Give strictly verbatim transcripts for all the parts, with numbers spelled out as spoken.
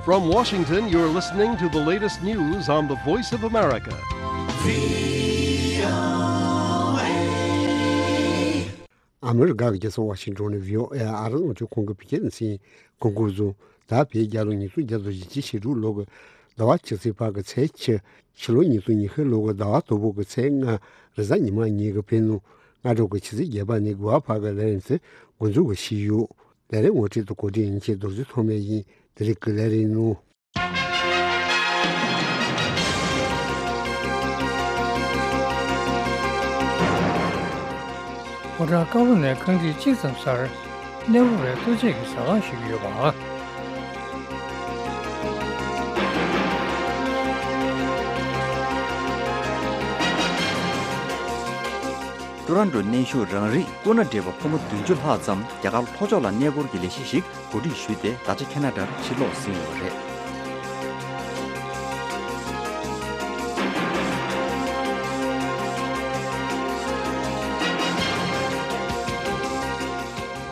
From Washington, you're listening to the latest news on the Voice of America. ཨ་མི་རི་ཀ་གི་རྒྱལ་ས་ཝ་ཤིང་ཊོན་ནས་བྷི་ཨོ་ཨེ་ཨ་རི་རླུང་འཕྲིན་ཁང་གི་བོད་སྐད་སྡེ་ཚན་གོ་སྐབས་བཟུང་། ད་བོད་རྒྱལ་ལོ་ཉིས་སྟོང་བརྒྱ་དང་བཞི་བཅུ་ཞེ་དྲུག་ལོ་གི་ཟླ་བ་བཅུ་ཚེས་པ་གི་ཚེས་བཅུ། ཕྱི་ལོ་ཉིས་སྟོང་ཉི་ཤུ་ལོ་གི་ཟླ་བ་དང་པོ་གི་ཚེས་ལྔ། རེས་གཟའ་ཉི་མ་ཉིན་གྱི་བོད་ནུབ་སྔ་དྲོ་གི་ཆུ་ཚོད་བརྒྱད་པ་ནས་དགུ་པ་བར་གྱི་ལས་རིམ་དེ་འགོ་འཛུགས་ཞུས་ཡོད། ལས་རིམ་ངོ་སྤྲོད་དང་གོ་སྒྲིག་ཡིན་མཁན་རྡོ་རྗེ་ཐོགས་མེད་ཡིན། དེ་རིང་གི་ལས་རིམ་ནང་། ཕོ་བྲང་དཀར་པོ་ནས་རྐང་ཐིག་གཅིག་ཙམ་སར་གནས་བབ་པའི་ལྟོ་ཆས་ཀྱི་ཟ་ཁང་ཞིག་ཡོད་པ། ཊོ་རོན་ཊོ་གནས་བཞུགས་རང་རིགས་སྐུ་ན་བགྲེས་པ་ཕོ་མོ་བདུན་ཅུ་ལྷག་ཙམ་རྒྱ་གར་ལྷོ་ཕྱོགས་ལ་གནས་སྐོར་གྱི་ལས་གཞི་ཞིག་གོ་སྒྲིག་ཞུས་ཏེ། ད་ཆ་ཁེ་ན་ཌར་ཕྱིར་ལོག་ཟིན་ཡོད་པ་རེད།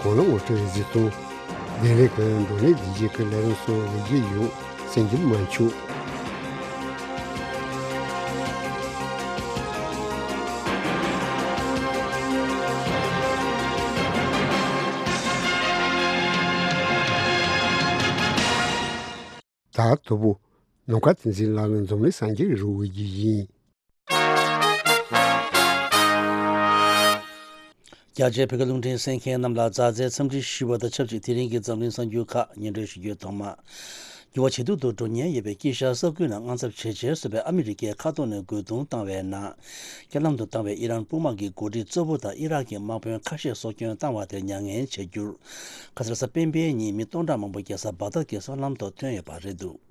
གོང་ལ་ངོ་སྤྲོད་གཟིགས་སོང་། དེ་རིང་གི་འགྲོ་གླེང་བདེ་སྐྱིད་ཀྱི་ལས་རིམ་སོགས་ལེགས་བསྒྱུར་ཡོང་། གསན་རྒྱུ་མ་འཆུག། ད་དོ་པོ། ནམ་མཁའ་བསྟན་འཛིན་ལགས་ལ་འཛམ་གླིང་གསར་འགྱུར་རོལ་དབྱང་ཡིན། རྒྱ་ཆེའི་བོད་སྐད་རླུང་འཕྲིན་གསན་མཁན་རྣམས་ལ་མཛའ་བརྩེའི་འཚམས་འདྲི་ཞུ་བ་དང་ཆབས་ཅིག་དེ་རིང་གི་འཛམ་གླིང་གསར་འགྱུར་ཁག་སྙན་སྒྲོན་ཞུ་རྒྱུའི་ཐོག་མ། འགྱུར་བ་ཇེ་སྡུག་ཏུ་འགྲོ་ཉེན་ཡོད་པའི་དཀྱིལ་ཤར་ས་ཁུལ་ནང་དངངས་འཚབ་ཇེ་ཆེར་སོང་བའི་ཨ་མི་རི་ཀའི་མཁའ་ཐོག་ནས་རྒོལ་རྡུང་བཏང་བའི་ནང་། རྐྱེན་ལམ་དུ་བཏང་བའི་ཨི་རན་དཔུང་དམག་གི་འགོ་ཁྲིད་གཙོ་བོ་དང་ཨི་རག་གི་དམག་དཔོན་ཁ་ཤས་སྲོག་སྐྱོན་བཏང་བ་དེར་མྱ་ངན་བྱ་རྒྱུར། ཁ་སང་རེས་གཟའ་སྤེན་པའི་ཉིན་མི་སྟོང་ཕྲག་མང་པོ་རྒྱལ་ས་བག་དྷ་གི་སྲོག་ལམ་ཐོག་ཐོན་ཡོད་པ་རེད་འདུག།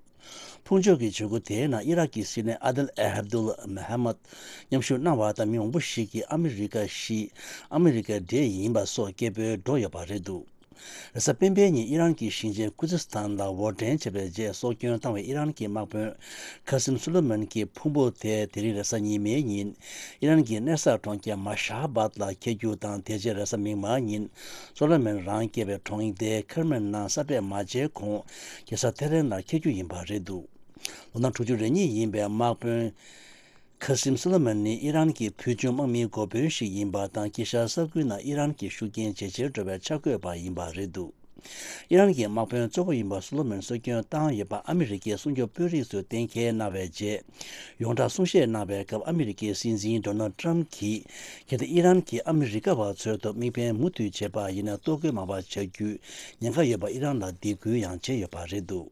ཕུང་མཆོད་ཀྱི་བྱེད་སྒོ་དེའི་ནང་ཨི་རག་གི་སྲིད་བློན་ཨ་དེལ་ཨ་ཨབ་དུལ་མོ་ཧ་མད་མཉམ་ཞུགས་གནང་བ་དང་། མི་མང་པོ་ཞིག་གིས་ཨ་མི་རི་ཀ་ཞིག་ཨ་མི་རི་ཀའི་འབྲེལ་ཡིན་པ་སོགས་སྐད་འབོད་འགྲོ་ཡོད་པ་རེད་འདུག། རེས་གཟའ་སྤེན་པའི་ཉིན་ཨི་རན་གྱི་ཞིང་ཆེན་ཀུ་ཛི་སི་ཐན་ལ་འོར་འདྲེན་བྱས་པའི་རྗེས་སྲོག་སྐྱོན་བཏང་བའི་ཨི་རན་གྱི་དམག་དཔོན་ཁ་སིམ་སུ་ལེ་མན་གྱི་ཕུང་པོ་དེ་དེ་རིང་རེས་གཟའ་ཉི་མའི་ཉིན་ཨི་རན་གྱི་གནས་གསར་གྲོང་ཁྱེར་མ་ཤ་བཱད་ལ་འཁྱེར་རྒྱུ་དང་། དེ་རྗེས་རེས་གཟའ་མིག་དམར་ཉིན་སུ་ལེ་མན་རང་སྐྱེས་པའི་གྲོང་སྡེ་ཁེར་མན་ནང་ས་པད་མ་བྱས་གོང་རྒྱལ་ས་ཐེ་རན་ལ་འཁྱེར་རྒྱུ་ཡིན་པ་རེད་འདུག། ལོ་ན་དྲུག་ཅུ་རེ་གཉིས་ཡིན་པའི་དམག་དཔོན་ཁ་སིམ་སུ་ལེ་མན་ནི་ཨི་རན་གྱི་ཕུལ་བྱུང་དམག་མིའི་འགོ་དཔོན་ཞིག་ཡིན་པ་དང་། དཀྱིལ་ཤར་ས་ཁུལ་ནང་ཨི་རན་གྱི་ཤུགས་རྐྱེན་ཇེ་ཆེར་འགྲོ་བའི་ཆ་བགོས་པ་ཡིན་པ་རེད་འདུག། ཨི་རན་གྱི་དམག་དཔོན་གཙོ་བོ་ཡིན་པ་སུ་ལེ་མན་སྲོག་སྐྱོན་བཏང་ཡོད་པ་ཨ་མི་རི་ཀའི་སྲུང་སྐྱོབ་དཔོན་རིགས་ཚོས་གཏན་འཁེལ་གནང་བའི་རྗེས། ཡོངས་གྲགས་གསུང་བཤད་གནང་བའི་སྐབས་ཨ་མི་རི་ཀའི་སྲིད་འཛིན་ཌོ་ནལ་ཏྲམ་གྱིས། གལ་ཏེ་ཨི་རན་གྱིས་ཨ་མི་རི་ཀ་བ་ཚོའི་ཐོག་དམིགས་འབེན་མུ་མཐུད་བྱས་པ་ཡིན་ན། གཏོར་རྒོལ་མང་བ་བྱ་རྒྱུའི་ཉེན་ཁ་ཡོད་པ་ཨི་རན་ལ་སྡིགས་སྐུལ་ཡང་བྱས་ཡོད་པ་རེད་འདུག།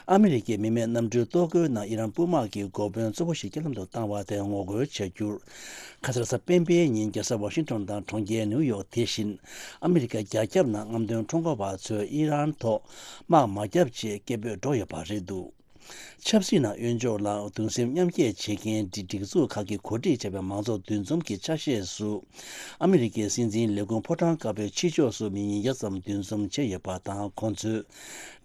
ཨ་མི་རི་ཀའི་མི་མེད་གནམ་གྲུའི་གཏོར་རྒོལ་ནང་ཨི་རན་དཔུང་དམག་གི་འགོ་དཔོན་གཙོ་བོ་ཞིག་རྐྱེན་ལམ་དུ་བཏང་བ་དེར་ངོ་རྒོལ་བྱ་རྒྱུར། ཁ་སང་རེས་གཟའ་སྤེན་པའི་ཉིན་རྒྱལ་ས་ཝ་ཤིང་ཊོན་དང་གྲོང་ཁྱེར་ནིའུ་ཡོག་དེ་བཞིན་ཨ་མི་རི་ཀ་རྒྱ་ཁྱབ་ནང་རྔམ་སྟོན་ཁྲོམ་སྐོར་བ་ཚོས་ཨི་རན་ཐོག་དམག་མ་བརྒྱབ་ཅེས་སྐད་འབོད་འགྲོ་ཡོད་པ་རེད་འདུག། ཆབ་སྲིད་ནང་གཡོན་ཕྱོགས་ལ་གདུང་སེམས་མཉམ་སྐྱེད་བྱེད་མཁན་སྒྲིག་སྒྲིག་འཛུགས་ཁག་གིས་གོ་སྒྲིག་བྱས་པའི་མང་ཚོགས་འདུ་འཛོམས་ཀྱི་ཆ་ཤས་སུ། ཨ་མི་རི་ཀའི་སྲིད་འཛིན་ལས་ཁུངས་ཕོ་བྲང་དཀར་པོའི་ཕྱི་ཕྱོགས་སུ་མི་ཉིས་བརྒྱ་ཙམ་འདུ་འཛོམས་བྱས་ཡོད་པ་དང་། ཁོང་ཚོས།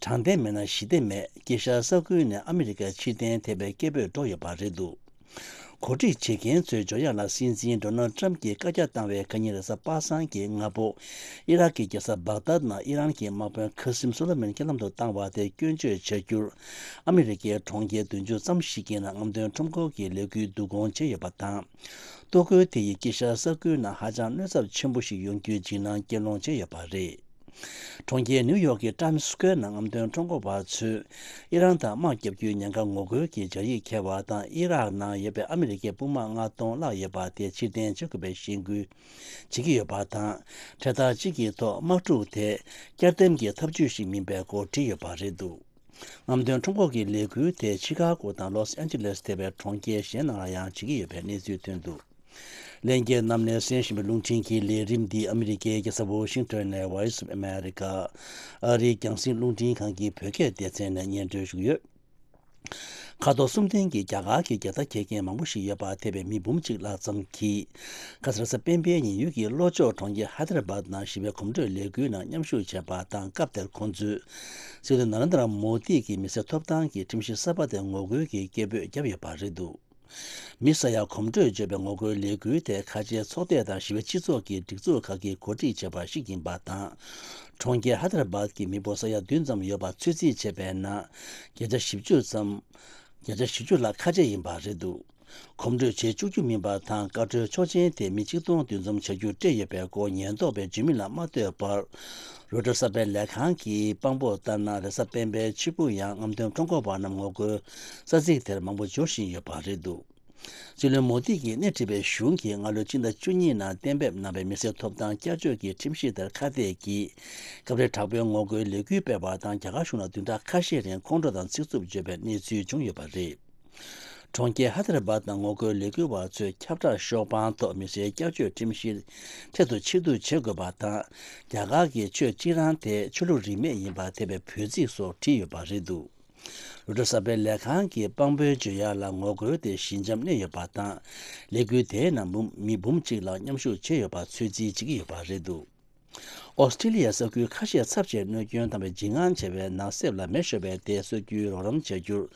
དྲང་བདེན་མེད་ན་ཞི་བདེ་མེད། དཀྱིལ་ཤར་ས་ཁུལ་ནས་ཨ་མི་རི་ཀ་ཕྱིར་འཐེན་ཐེབས་པའི་སྐད་འབོད་འགྲོ་ཡོད་པ་རེད་འདུག། གོ་སྒྲིག་བྱེད་མཁན་ཚོས་འཇོ་ཡག་ལ་སྲིད་འཛིན་ཌོ་ནལ་ཏྲམ་གྱིས་བཀའ་རྒྱ་བཏང་བའི་ཁ་ཉིན་རེས་གཟའ་པ་སངས་ཀྱི་སྔ་པོ། ཨི་རག་གི་རྒྱལ་ས་བག་དཱད་ནང་ཨི་རན་གྱི་དམག་དཔོན་ཁ་སིམ་སུ་ལེ་མན་རྐྱེན་ལམ་དུ་བཏང་བ་དེ་སྐྱོན་བརྗོད་བྱ་རྒྱུར། ཨ་མི་རི་ཀའི་གྲོང་ཁྱེར་བདུན་ཅུ་ཙམ་ཞིག་གི་ནང་རྔམ་སྟོན་ཁྲོམ་སྐོར་གྱི་ལས་འགུལ་བསྡུ་སྐོང་བྱས་ཡོད་པ་དང་། གཏོར་རྒོལ་དེ་ཡིས་དཀྱིལ་ཤར་ས་ཁུལ་ནང་ཧ་ཅང་གནོད་ཚབས་ཆེན་པོ་ཞིག་ཡོང་རྒྱུའི་འཇིགས་སྣང་སྐྱེ་སློང་བྱས་ཡོད་པ་རེད། གྲོང་ཁྱེར་ནིའུ་ཡོག་གི་ཊའིམ་སི་སྐུ་ཝེར་ནང་རྔམ་སྟོན་ཁྲོམ་སྐོར་བ་ཚོས་ཨི་རན་དང་དམག་བརྒྱབ་རྒྱུའི་ཉེན་ཁ་ངོ་རྒོལ་གྱི་སྦྱར་ཡིག་འཁྱེར་བ་དང་། ཨི་རག་ནང་ཡོད་པའི་ཨ་མི་རི་ཀའི་དཔུང་དམག་ལྔ་སྟོང་ལྷག་ཡོད་པ་དེ་ཕྱིར་འཐེན་བྱེད་དགོས་པའི་གཞེན་སྐུལ་བྱེད་ཀྱི་ཡོད་པ་དང་། འཕྲེད་དར་གཅིག་གི་ཐོག་དམག་འཁྲུག་དེ་བསྐྱར་ལྡེམ་གྱི་ཐབས་ཇུས་ཤིག་མིན་པའི་སྐོར་བྲིས་ཡོད་པ་རེད་འདུག། རྔམ་སྟོན་ཁྲོམ་སྐོར་གྱི་ལས་འགུལ་དེ་ཆི་ཀ་གོ་དང་ལོས་ཨན་ཇི་ལེས་ཐེ་བའི་གྲོང་ཁྱེར་གཞན་ནང་ལ་ཡང་བྱེད་ཀྱི་ཡོད་པའི་གནས་ཚུལ་ཐོན་འདུག། ལྷན་རྒྱས་རྣམས་ནས་གསན་བཞིན་པའི་རླུང་འཕྲིན་གྱི་ལས་རིམ་འདི་ཨ་མི་རི་ཀའི་རྒྱལ་ས་ཝོ་ཤིང་ཊོན་ནས་Voice of America ཨ་རིའི་རྒྱང་སྲིང་རླུང་འཕྲིན་ཁང་གི་བོད་སྐད་སྡེ་ཚན་ནས་སྙན་སྒྲོན་ཞུ་གི་ཡོད། མཁའ་ཐོག་གསུམ་ལྡན་གྱི་རྒྱ་གར་གྱི་རྒྱལ་དར་འཁྱེར་མཁན་མང་པོ་ཞིག་ཡོད་པ་ཐེ་བའི་མི་འབུམ་གཅིག་ལྷག་ཙམ་གྱིས། ཁ་སང་རེས་གཟའ་སྤེན་པའི་ཉིན་ཡུལ་གྱི་ལྷོ་ཕྱོགས་གྲོང་ཁྱེར་ཧའི་ཏེ་ར་བཱད་ནང་ཞི་བའི་གོམ་བགྲོད་ལས་འགུལ་ནང་མཉམ་ཞུགས་བྱས་པ་དང་། སྐབས་དེར་ཁོང་ཚོས་སྲིད་བློན་ནཱ་རེན་དྲ་མོ་དི་གི་མི་སེར་ཐོབ་ཐང་གི་ཁྲིམས་གཞི་གསར་པ་དེར་ངོ་རྒོལ་གྱི་སྐད་འབོད་བརྒྱབ་ཡོད་པ་རེད་འདུག། མི་ས་ཡ་གོམ་བགྲོད་བྱས་པའི་ངོ་རྒོལ་ལས་འགུལ་དེ་ཁ་ཆེའི་ཚོགས་སྡེ་དང་ཞི་བའི་སྤྱི་ཚོགས་ཀྱི་སྒྲིག་འཛུགས་ཁག་གིས་གོ་སྒྲིག་བྱས་པ་ཞིག་ཡིན་པ་དང་། གྲོང་ཁྱེར་ཧ་དར་བཱད་ཀྱི་མི་འབོར་ས་ཡ་བདུན་ཙམ་ཡོད་པ་ཚོད་རྩིས་བྱས་པའི་ནང་། བརྒྱ་ཆ་བཞི་བཅུ་ཙམ། བརྒྱ་ཆ་བཞི་བཅུ་ལྷག་ཁ་ཆེ་ཡིན་པ་རེད་འདུག་གོམ་བགྲོད་བྱེད་བཅུག་རྒྱུ་མིན་པ་དང་། བཀའ་འཁྲོལ་ཆོག་མཆན་དེ་མི་གཅིག་སྟོང་བདུན་ཙམ་བྱ་རྒྱུ་སྤྲད་ཡོད་པའི་སྐོར་ཉེན་རྟོག་པས་བརྗོད་མིང་ལ་མ་བསྟོད་པར། རོའི་ཊར་གསར་སྤེལ་ལས་ཁང་གིས་དཔང་པོར་ལྟར་ན། རེས་གཟའ་སྤེན་པའི་ཕྱི་པོ་ཡང་རྔམ་སྟོན་ཁྲོམ་སྐོར་བ་རྣམས་ངོ་རྒོལ་ས་ཚིགས་དེར་མང་པོ་འབྱོར་བཞིན་ཡོད་པ་རེད་འདུག་སྲིད་བློན་མོ་དི་གིས་སྣེ་ཁྲིད་པའི་གཞུང་གིས་སྔ་ལོའི་སྤྱི་ཟླ་བཅུ་གཉིས་ནང་གཏན་འབེབས་གནང་བའི་མི་སེར་ཐོབ་ཐང་བསྐྱར་བཅོས་ཀྱི་ཁྲིམས་གཞི་ལྟར་ཁ་གཏད་ཀྱིས་སྐབས་རེ་དྲག་པོའི་ངོ་རྒོལ་ལས་འགུལ་སྤེལ་བ་དང་། རྒྱ་གར་གཞུང་ལ་བདུན་ཕྲག་ཁ་ཤས་རིང་ཁོང་ཁྲོ་དང་ཚིག་རྩུབ་བརྗོད་པའི་གནས་ཚུལ་བྱུང་ཡོད་པ་རེད། གྲོང་ཁྱེར་ཧ་དར་བཱད་ནང་ངོ་རྒོལ་ལས་འགུལ་བ་ཚོས་ཁྱབ་བསྒྲགས་ཤོག་བང་ཐོག་མི་སེར་བསྐྱར་བཅོས་ཁྲིམས་གཞི་འཕྲལ་དུ་ཕྱིར་བསྡུ་བྱེད་དགོས་པ་དང་། རྒྱ་གར་གྱི་ཆོས་སྤྱི་རང་དེ་ཆོས་ལུགས་རིས་མེད་ཡིན་པ་འཐེབ་པའི་འབོད་ཚིག་སོགས་བྲིས་ཡོད་པ་རེད་འདུག་རོའི་ཊར་གསར་སྤེལ་ལས་ཁང་གིས་དཔང་པོའི་བརྗོད་ཡག་ལ་ངོ་རྒོལ་དེ་ཞི་འཇམ་གནས་ཡོད་པ་དང་། ལས་འགུལ་དེའི་ནང་འབུམ་མི་འབུམ་གཅིག་ལྷག་མཉམ་ཞུགས་བྱས་ཡོད་པ་ཚོད་རྩིས་བྱེད་ཀྱི་ཡོད་པ་རེད་འདུག་ཨོ་སི་ཀྲི་ལི་ཡའི་ས་ཁུལ་ཁ་ཤས་ཚབས་ཆེའི་གནོད་སྐྱོན་བཏང་བའི་འཇིགས་དངངས་ཆེ་བའི་ནགས་གསེབ་ལ་མེ་ཤོར་བའི་དེ་གསོ་རྒྱུའི་རོགས་རམ་བྱ་རྒྱུར།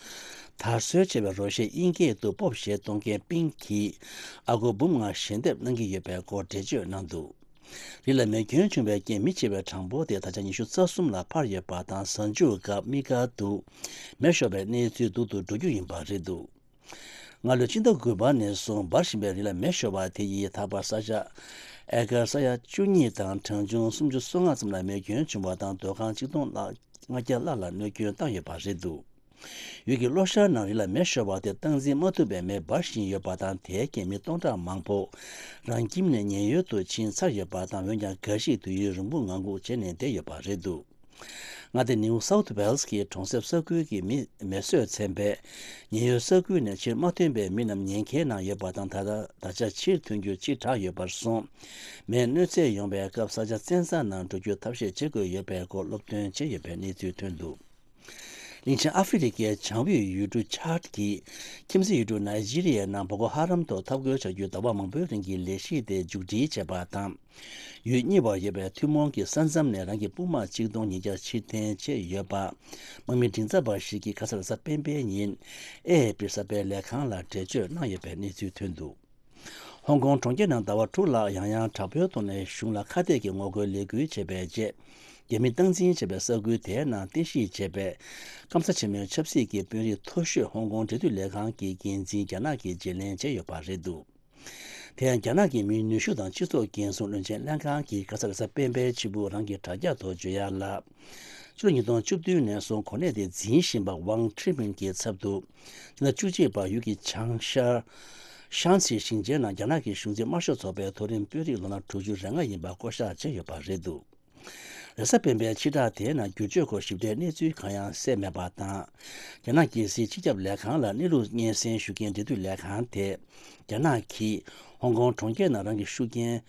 དར་སྲོལ་ཆེ་བའི་རོ་ཤས་དབྱིན་སྐད་དུ་སྤོབས་ཞེས་གཏོང་མཁན་པིང་གིས་ཨ་སྒོར་འབུམ་ལྔ་ཞལ་འདེབས་གནང་གི་ཡོད་པའི་སྐོར་འགྲེལ་བརྗོད་གནང་འདུག་རི་ལ་མེ་སྐྱོན་བྱུང་བའི་རྐྱེན་མི་འཆི་བའི་གྲངས་འབོར་དེ་ད་ཆ་ཉི་ཤུ་རྩ་གསུམ་ལ་འཕར་ཡོད་པ་དང་། གཟའ་མཇུག་སྐབས་དམིགས་བཀར་དུ་མེ་ཤོར་བའི་གནས་ཚུལ་སྡུག་ཏུ་འགྲོ་རྒྱུ་ཡིན་པ་རེད་འདུག་སྔ་ལོའི་ཕྱི་ཟླ་དགུ་པ་ནས་བཟུང་འབར་བཞིན་པའི་རི་ལ་མེ་ཤོར་བ་དེ་ཡིས་ད་བར་ས་ཆ་ཨེ་ཀར་ས་ཡ་བཅུ་གཉིས་དང་གྲངས་ཆུང་སུམ་ཅུ་སོ་ལྔ་ཙམ་ལ་མེ་སྐྱོན་བྱུང་བ་དང་། སྡོད་ཁང་ཆིག་སྟོང་ལྔ་བརྒྱ་ལྷག་ལ་གནོད་སྐྱོན་བཏང་ཡོད་པ་རེད་འདུག་ཡུལ་གྱི་གློ་ཤར་ནང་རི་ལ་མེ་ཤོར་བ་དེ་སྟངས་འཛིན་མ་ཐུབ་པའི་མེ་འབར་བཞིན་ཡོད་པ་དང་། དེའི་རྐྱེན་མི་སྟོང་ཕྲག་མང་པོ་རང་ཁྱིམ་ནས་ཉེན་གཡོལ་དུ་ཕྱིན་ཚར་ཡོད་པ་དང་། འོན་ཀྱང་འགའ་ཞིག་དུས་ཡུན་རིང་པོ་ངང་སྒུག་བྱས་ནས་བསྡད་ཡོད་པ་རེད་འདུག་མངའ་སྡེ་ནིའུ་སའུཐ་ཝེལ་སི་གི་གྲོང་གསེབ་ས་ཁུལ་གྱི་མི་མེ་གསོད་ཚན་པས་ཉེན་གཡོལ་ས་ཁུལ་ནས་ཕྱིར་མ་ཐོན་པའི་མི་རྣམས་ཉེན་ཁའི་ནང་ཡོད་པ་དང་། ད་ལྟ་ད་ཆ་ཕྱིར་ཐོན་རྒྱུ་ཕྱི་དྲགས་ཡོད་པར་སོང་། མེས་གནོད་འཚེ་ཡོང་བའི་སྐབས་ས་ཆ་བཙན་ས་ནང་འགྲོ་རྒྱུ་ཐབས་ཤེས་བྱེད་དགོས་ཡོད་པའི་སྐོར་སློབ་སྟོན་བྱས་ཡོད་པའི་གནས་ཚུལ་ཐོན་འདུག་གླིང་ཆེན་ཨ་ཧྥེ་རི་ཁའི་བྱང་དབུས་ཡུལ་གྲུ་ཆཱཌ་ཀྱི་ཁྱིམ་མཚེས་ཡུལ་གྲུ་ནཱི་ཇི་རི་ཡའི་ནང་བོ་ཀོ་ཧ་རམ་ཐོག་འཐབ་རྒོལ་བྱ་རྒྱུའི་ཟླ་བ་མང་པོའི་རིང་གི་ལས་གཞི་དེ་མཇུག་སྒྲིལ་བྱས་པ་དང་། ཡུལ་གཉིས་བར་ཡོད་པའི་ཐུན་མོང་གི་ས་མཚམས་ནས་རང་གི་དཔུང་དམག་གཅིག་སྟོང་ཉིས་བརྒྱ་ཕྱིར་འཐེན་བྱས་ཡོད་པ། དམག་མི་མགྲིན་ཚབ་པ་ཞིག་གིས་ཁ་སང་རེས་གཟའ་སྤེན་པའི་ཉིན་ཨེ་ཨེ་པི་གསར་སྤེལ་ལས་ཁང་ལ་འགྲེལ་བརྗོད་གནང་ཡོད་པའི་གནས་ཚུལ་ཐོན་འདུག་ཧོང་ཀོང་གྲོང་ཁྱེར་ནང་ཟླ་བ་དྲུག་ལྷག་ཡང་ཡང་དྲག་པོའི་ཐོག་ནས་གཞུང་ལ་ཁ་གཏད་ཀྱི་ངོ་རྒོལ་ལས་འགུལ་བྱས་པའི་རྗེས། རྒྱ་མིས་སྟངས་འཛིན་བྱས་པའི་ས་ཁུལ་དེའི་ནང་རྟེན་གཞི་བྱས་པའི་སྐམ་ས་ཆེན་མོའི་ཆབ་སྲིད་ཀྱི་དཔོན་རིགས་མཐོ་ཤོས་ཧོང་ཀོང་འབྲེལ་མཐུད་ལས་ཁང་གི་འགན་འཛིན་རྒྱ་ནག་གིས་བརྗེ་ལེན་བྱས་ཡོད་པ་རེད་འདུག་དེ་ཡང་རྒྱ་ནག་གི་མིའི་ནུས་ཤུགས་དང་སྤྱི་ཚོགས་འགན་སྲུང་བློན་ཆེན་ལྷན་ཁང་གིས་ཁ་སང་རེས་གཟའ་སྤེན་པའི་ཕྱི་དྲོ་རང་གི་དྲ་རྒྱ་ཐོག་བརྗོད་ཡག་ལ། ཕྱི་ལོ་ཉིས་སྟོང་བཅུ་བདུན་ནས་བཟུང་གོ་གནས་དེ་འཛིན་བཞིན་པ་ཝང་ཁྲི་མིན་གྱི་ཚབ་ཏུ། སྤྱི་ཟླ་བཅུ་གཅིག་པར་ཡུལ་གྱི་བྱང་ཤར་ཤང་སི་ཞིང་ཆེན་ནང་རྒྱ་ནག་གི་གཞུང་འཛིན་དམར་ཤོག་ཚོགས་པའི་མཐོ་རིམ་དཔོན་རིགས་ལོ་ན་དྲུག་ཅུ་རེ་ལྔ་ཡིན་པ་བསྐོ་གཞག་བྱས་ཡོད་པ་རེད་འདུག་རེས་གཟའ་སྤེན་པའི་ཕྱི་དྲོ་དེའི་ནང་བསྒྱུར་བཅོས་སྐོར་ཞིབ་ཕྲའི་གནས་ཚུལ་གང་ཡང་གསལ་མེད་པ་དང་། རྒྱ་ནག་རྒྱལ་སྲིད་སྤྱི་ཁྱབ་ལས་ཁང་ལ་གནས་ལུགས་སྙན་སེང་ཞུ་མཁན་འབྲེལ་མཐུད་ལས་ཁང་དེས། རྒྱ་ནག་གིས་ཧོང་ཀོང་གྲོང་ཁྱེར་ནང་རང་གི་ཤུགས་རྐྱེན་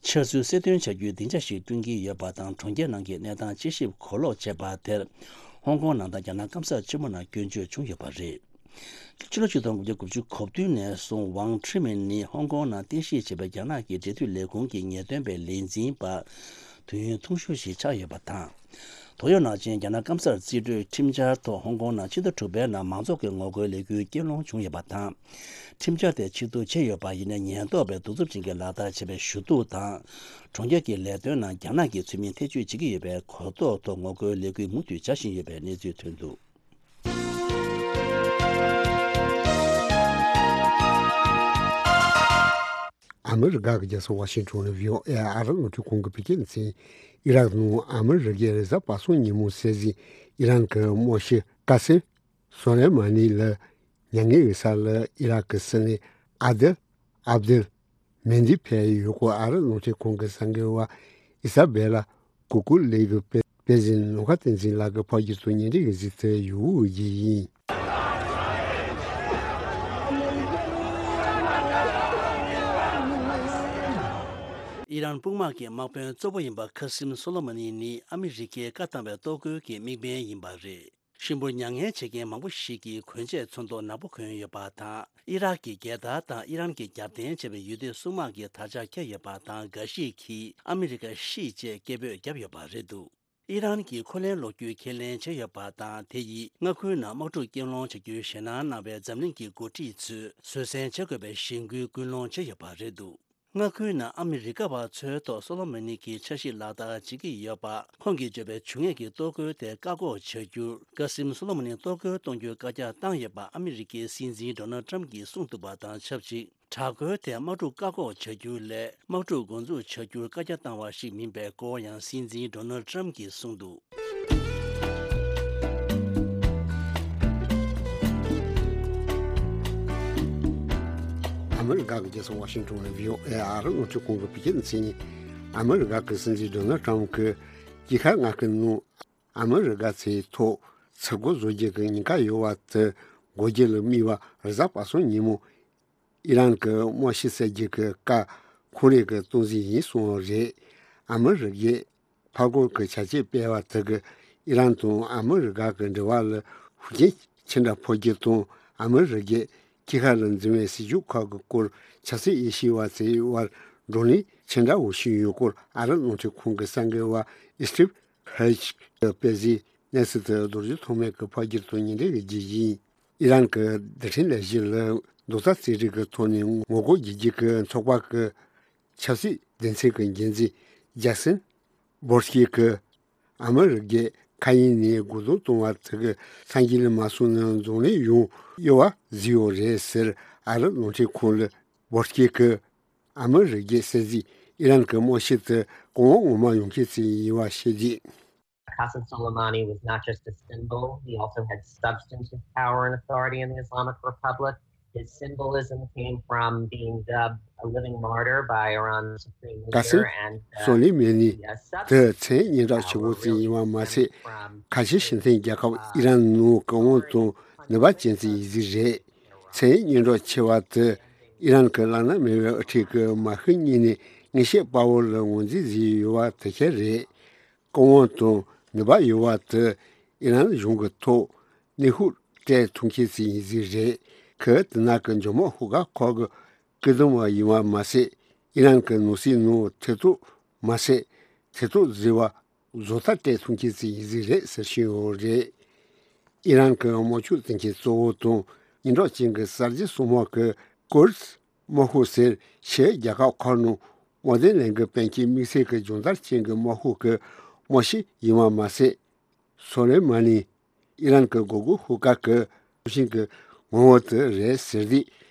འཆར་ཚུལ་གསལ་སྟོན་བྱ་རྒྱུའི་སྡིངས་ཆ་ཞིག་བསྐྲུན་གྱི་ཡོད་པ་དང་། གྲོང་ཁྱེར་ནང་གི་གནས་སྟངས་དཔྱད་ཞིབ་གོ་ལོག་བྱས་པ་དེར། ཧོང་ཀོང་ནང་དང་རྒྱ་ནག་སྐམ་ས་ཆེན་མོ་ནང་སྐྱོན་བརྗོད་བྱུང་ཡོད་པ་རེད། ཕྱི་ལོ་ཆིག་སྟོང་དགུ་བརྒྱ་དགུ་བཅུ་གོ་བདུན་ནས་བཟུང་ཝང་ཁྲི་མིན་ནི་ཧོང་ཀོང་ནང་རྟེན་གཞི་བྱས་པའི་རྒྱ་ནག་གི་འབྲེལ་མཐུད་ལས་ཁུངས་ཀྱི་ངེས་སྟོན་པའི་ལས་འཛིན་པ་དུས་ཡུན་ཐུང་ཤོས་ཤིག་ཆགས་ཡོད་པ་དང་། ཏོག་དབྱིབས་ནང་ཆེན་རྒྱ་ནག་སྐམ་སར་རྩིས་སྤྲོད་ཁྲིམས་འཆར་ཐོག་ཧོང་ཀོང་ནང་ཕྱི་ཟླ་དྲུག་པའི་ནང་མང་ཚོགས་ཀྱི་ངོ་རྒོལ་ལས་འགུལ་སྐྱེལ་སློང་བྱུང་ཡོད་པ་དང་། ཁྲིམས་འཆར་དེ་ཕྱིར་བསྡུ་བྱས་ཡོད་པ་ཡིན་ནའི་ཉེན་རྟོག་པས་གདུག་རྩུབ་ཅན་གྱི་ལག་བསྟར་བྱས་པའི་ཞུ་གཏུག་དང་། གྲོང་ཁྱེར་གྱི་ལས་དོན་ནང་རྒྱ་ནག་གི་ཚུལ་མིན་ཐེ་བྱུས་བྱེད་ཀྱི་ཡོད་པའི་གོ་རྟོགས་ཐོག་ངོ་རྒོལ་ལས་འགུལ་མུ་མཐུད་བྱ་བཞིན་ཡོད་པའི་གནས་ཚུལ་ཐོན་འདུག་ཨ་མི་རི་ཀ་གི་རྒྱལ་ས་ཝ་ཤིང་ཊོན་ནས་བྷི་ཨོ་ཨེ་ཨ་རི་རླུང་འཕྲིན་ཁང་གིས་བོད་སྐད་ནས་གསན། ཨི་རག་ནང་ཨ་མི་རི་ཀའི་རེས་གཟའ་པ་སངས་ཉིན་མོ་གསན་གཟིགས། ཨི་རན་གྱི་དམག་སྤྱི་ཀ་སེམ་སོ་ལེ་མ་ནི་ལ་མྱ་ངན་ཡོད་ས་ལ་ཨི་རག་གི་སྲིད་བློན་ཨ་དེལ་ཨབ་དེལ་མེ་འདི་ཕེ་ཡུལ་སྐོར་ཨ་རི་རླུང་འཕྲིན་ཁང་གི་གསར་འགོད་པ་ཨི་ས་བེ་ལ་ཀུ་ཀུ་ལེ་གི་དཔེ་དཔེ་ཟིན་ནོ་ཁ་བསྟན་འཛིན་ལགས་ཀྱིས་ཕབ་སྒྱུར་དང་སྙན་སྒྲོན་གྱིས་གཟིགས་ཚར་ཡོད་ཡིན། ཨི་རན་དཔུང་དམག་གི་དམག་དཔོན་གཙོ་བོ་ཡིན་པ་ཁ་སིམ་སོ་ལོ་མ་ནི་ནི་ཨ་མི་རི་ཀའི་བཀའ་བཏང་བའི་གཏོར་རྒོལ་གྱི་དམིགས་འབེན་ཡིན་པ་རེད། གཤིན་པོར་མྱ་ངན་བྱེད་མཁན་མང་པོ་ཞིག་གིས་གོན་ཆས་ཚོན་མདོག་ནག་པོ་གོན་ཡོད་པ་དང་། ཨི་རག་གི་རྒྱལ་དར་དང་ཨི་རན་གྱི་རྒྱབ་རྟེན་བྱས་པའི་ཡུལ་སྡེ་སྲུང་དམག་གི་དར་ཆ་འཁྱེར་ཡོད་པ་དང་། འགའ་ཞིག་གིས་ཨ་མི་རི་ཀ་ཤིག་ཅེས་སྐད་འབོད་བརྒྱབ་ཡོད་པ་རེད་འདུག་ཨི་རན་གྱིས་འཁོན་ལན་སློག་རྒྱུའི་ཁས་ལེན་བྱས་ཡོད་པ་དང་། དེ་ཡིས་མངའ་ཁུལ་ནང་དམག་འཁྲུག་སྐྱོང་ལོང་བྱ་རྒྱུའི་ཞེད་སྣང་གནང་བའི་འཛམ་གླིང་གི་འགོ་ཁྲིད་ཚོས་བཟོད་བསྲན་བྱེད་དགོས་པའི་གཞེན་སྐུལ་སྐུལ་སློང་བྱས་ཡོད་པ་རེད་འདུག་མངའ་ཁུལ་ནང་ཨ་མི་རི་ཀ་བ་ཚོའི་ཐོག་སོ་ལོ་མོ་ནི་གི་འཆར་གཞི་ལག་བསྟར་བྱེད་ཀྱི་ཡོད་པ། ཁོང་གིས་བརྗོད་པའི་འབྱུང་གནས་ཀྱི་གཏོར་རྒོལ་དེ་བཀག་འགོག་བྱ་རྒྱུར། ཀ་སིམ་སོ་ལོ་མོ་ནི་གཏོར་རྒོལ་གཏོང་རྒྱུའི་བཀའ་རྒྱ་བཏང་ཡོད་པ་ཨ་མི་རི་ཀའི་སྲིད་འཛིན་ཌོ་ནལ་ཊམ་གྱིས་གསུངས་འདུག་པ་དང་ཆབས་ཅིག་དྲག་རྒོལ་དེ་དམག་འཁྲུག་བཀག་འགོག་བྱ་རྒྱུ་ལས། དམག་འཁྲུག་འགོ་འཛུགས་བྱ་རྒྱུར་བཀའ་རྒྱ་བཏང་བ་ཞིག་མིན་པའི་སྐོར་ཡང་སྲིད་འཛིན་ཌོ་ནལ་ཊམ་གྱིས་གསུངས་འདུག་ཨ་མི་རི་ཀ་གི་རྒྱལ་ས་ཝ་ཤིང་ཊོན་ནས་བྷི་ཨོ་ཨེ་ཨ་རི་རླུང་འཕྲིན་ཁང་གི་བོད་སྐད་སྡེ་ཚན་ཡིན། ཨ་མི་རི་ཀ་གི་སྲིད་འཛིན་ཌོ་ནལ་ཊམ་གྱིས་དཀྱིལ་ཤར་མངའ་ཁུལ་ནང་ཨ་མི་རི་ཀ་ཚོའི་ཐོག་ཚུར་རྒོལ་བཟོ་རྒྱུ་གི་ཉེན་ཁ་ཡོད་པ་དེ་འགོག་རྒྱུ་ལ་དམིགས་པ་རེས་གཟའ་པ་སངས་ཉིན་མོ་ཨི་རན་གྱི་དམག་ཤི་གསོད་རྒྱུ་གི་བཀའ་ཁོང་རང་གིས་གཏོང་རྩིས་ཡིན་གསུངས་པ་རེད། ཨ་མི་རི་ཀས་ཕར་རྒོལ་གྱི་བྱ་སྤྱོད་སྤེལ་བ་དེ་གིས་ཨི་རན་དང་ཨ་མི་རི་ཀ་གི་འབྲེལ་བ་ལ་ཤུགས་རྐྱེན་ཅི་འདྲ་ཕོག་རྒྱུ་དང་། ཨ་མི་རི་ཀས་དཀྱིལ་ཤར་ལ་འཛིན་པའི་སྲིད་ཇུས་ཁག་གི་སྐོར་ཆབ་སྲིད་དབྱེ་ཞིབ་པ་ཚོའི་དབར་བགྲོ་གླེང་ཅི་འདྲ་བོ་ཞིག་ཡོད་སྐོར་ཨ་རི་རླུང་འཕྲིན་ཁང་གི་གསར་འགོད་པ་ཨི་སི་ཊིབ་ཧེལ་གྱིས་སྤེལ་གཟིགས་གནས་ཚུལ་དེ་རྡོ་རྗེ་ཐོགས་མེད་ཀྱིས་ཕབ་སྒྱུར་དང་སྙན་སྒྲོན་ཞུ་རྒྱུ་ཡིན། ཨི་རན་གྱི་རྡུལ་ཕྲན་ལས་གཞི་ལ་རྡོག་རྩ་རྩེད་རིགས་ཀྱི་ཐོག་ནས་ངོ་རྒོལ་བརྒྱུད་རྒྱུ་གི་ཚོགས་པ་གི་ཆབ་སྲིད་སྡེ་ཚན་གྱི་འགན་འཛིན་ཇེ་སན་བྷོར་སྐྱི་གིས་ཨ་མི་རི་ཀས་མཁའ་དབྱིངས་ནས་རྒོལ་རྡུང་གཏོང་བ་དེ་གི་སངས་རྒྱས་ལ་མ་སོང་ན་འཛམ་གླིང་ཡོངས་གཡོ་བ་བཟོས་ཡོད་རེད་ཟེར། ཨ་རི་རླུང་འཕྲིན་ཁང་ལ་བྷོར་སྐྱི་གིས་ཨ་མི་རི་ཀས་གསལ་གཟིགས་ཨི་རན་གྱི་དམག་ཤི་དེ་གོང་འོག་ངོ་མ་ཡོང་མཁན་ཞིག་ཡིན་པ་བཤད་རྗེས། Qasem Soleimani was not just a symbol, he also had substance and power in authority in the Islamic Republic. His symbolism came from being dubbed a living martyr by Iran's supreme leader, and, uh, the, uh, substance and power really stem from his, uh, ཚད་སྙན་གྲགས་ཆེ་བ་དེ་ཨི་རན་གྱི་བླ་ན་མེད་པའི་ཨ་ཁྲིད་ཀྱི་མ་ཤི་གཉིས་ནས་ངེས་ཤེས་དཔའ་བོ་ལ་ངོས་འཛིན་བཟོས་ཡོད་པ་དེ་ཁེལ་རེད། སྐུ་དབང་དང་ནུས་པ་ཡོད་པ་དེ་ཨི་རན་གཞུང་གི་ཐོག་གནོན་ཤུགས་སྤྲད་ཐུབ་མཁན་ཞིག་ཡིན་རྩིས་རེད། ཁོས་དེ་ནང་གི་འཇབ་དམག་ཤོག་ཁག་ཁག་གི་སྐུལ་སློང་བ་ཡིན་པ་མ་ཟད། ཨི་རན་གྱི་ནང་སྲིད་ནང་ཐེ་གཏོགས་མ་ཟད། ཐེ་གཏོགས་བཟོས་པ་བཟོ་ལྟ་སྤྲད་ཐུབ་མཁན་ཞིག་ཡིན་རྩིས་རེད་ཟེར་བཞིན་ཡོད་རེད། ཨི་རན་གྱི་དམག་ཤུགས་འཛིན་མཁན་གཙོ་བོ་དང་སྙན་གྲགས་ཅན་གྱི་གསར་བརྗེ་སྲུང་དམག་གི་ཀུར་དམག་ཤོག་ཟེར་ཕྱིའི་རྒྱལ་ཁབ་ཁག་ནང་དམག་དོན་ལས་འགུལ་སྤེལ་མཁན་དམིགས་བསལ་གྱི་སྦྱོང་བརྡར་ཅན་གྱི་དམག་ཤོག་གི་དམག་སྤྱི་ཡིན་པ་མ་ཟད། སོ་ལེ་མ་ནི་ཨི་རན་གྱི་འགོག་རྒོལ་ཤོག་ཁག་གི་ཚོགས་ཆེན་གྱི་ངོ་བོ་དེ་རེད་ཟེར་ཏེ།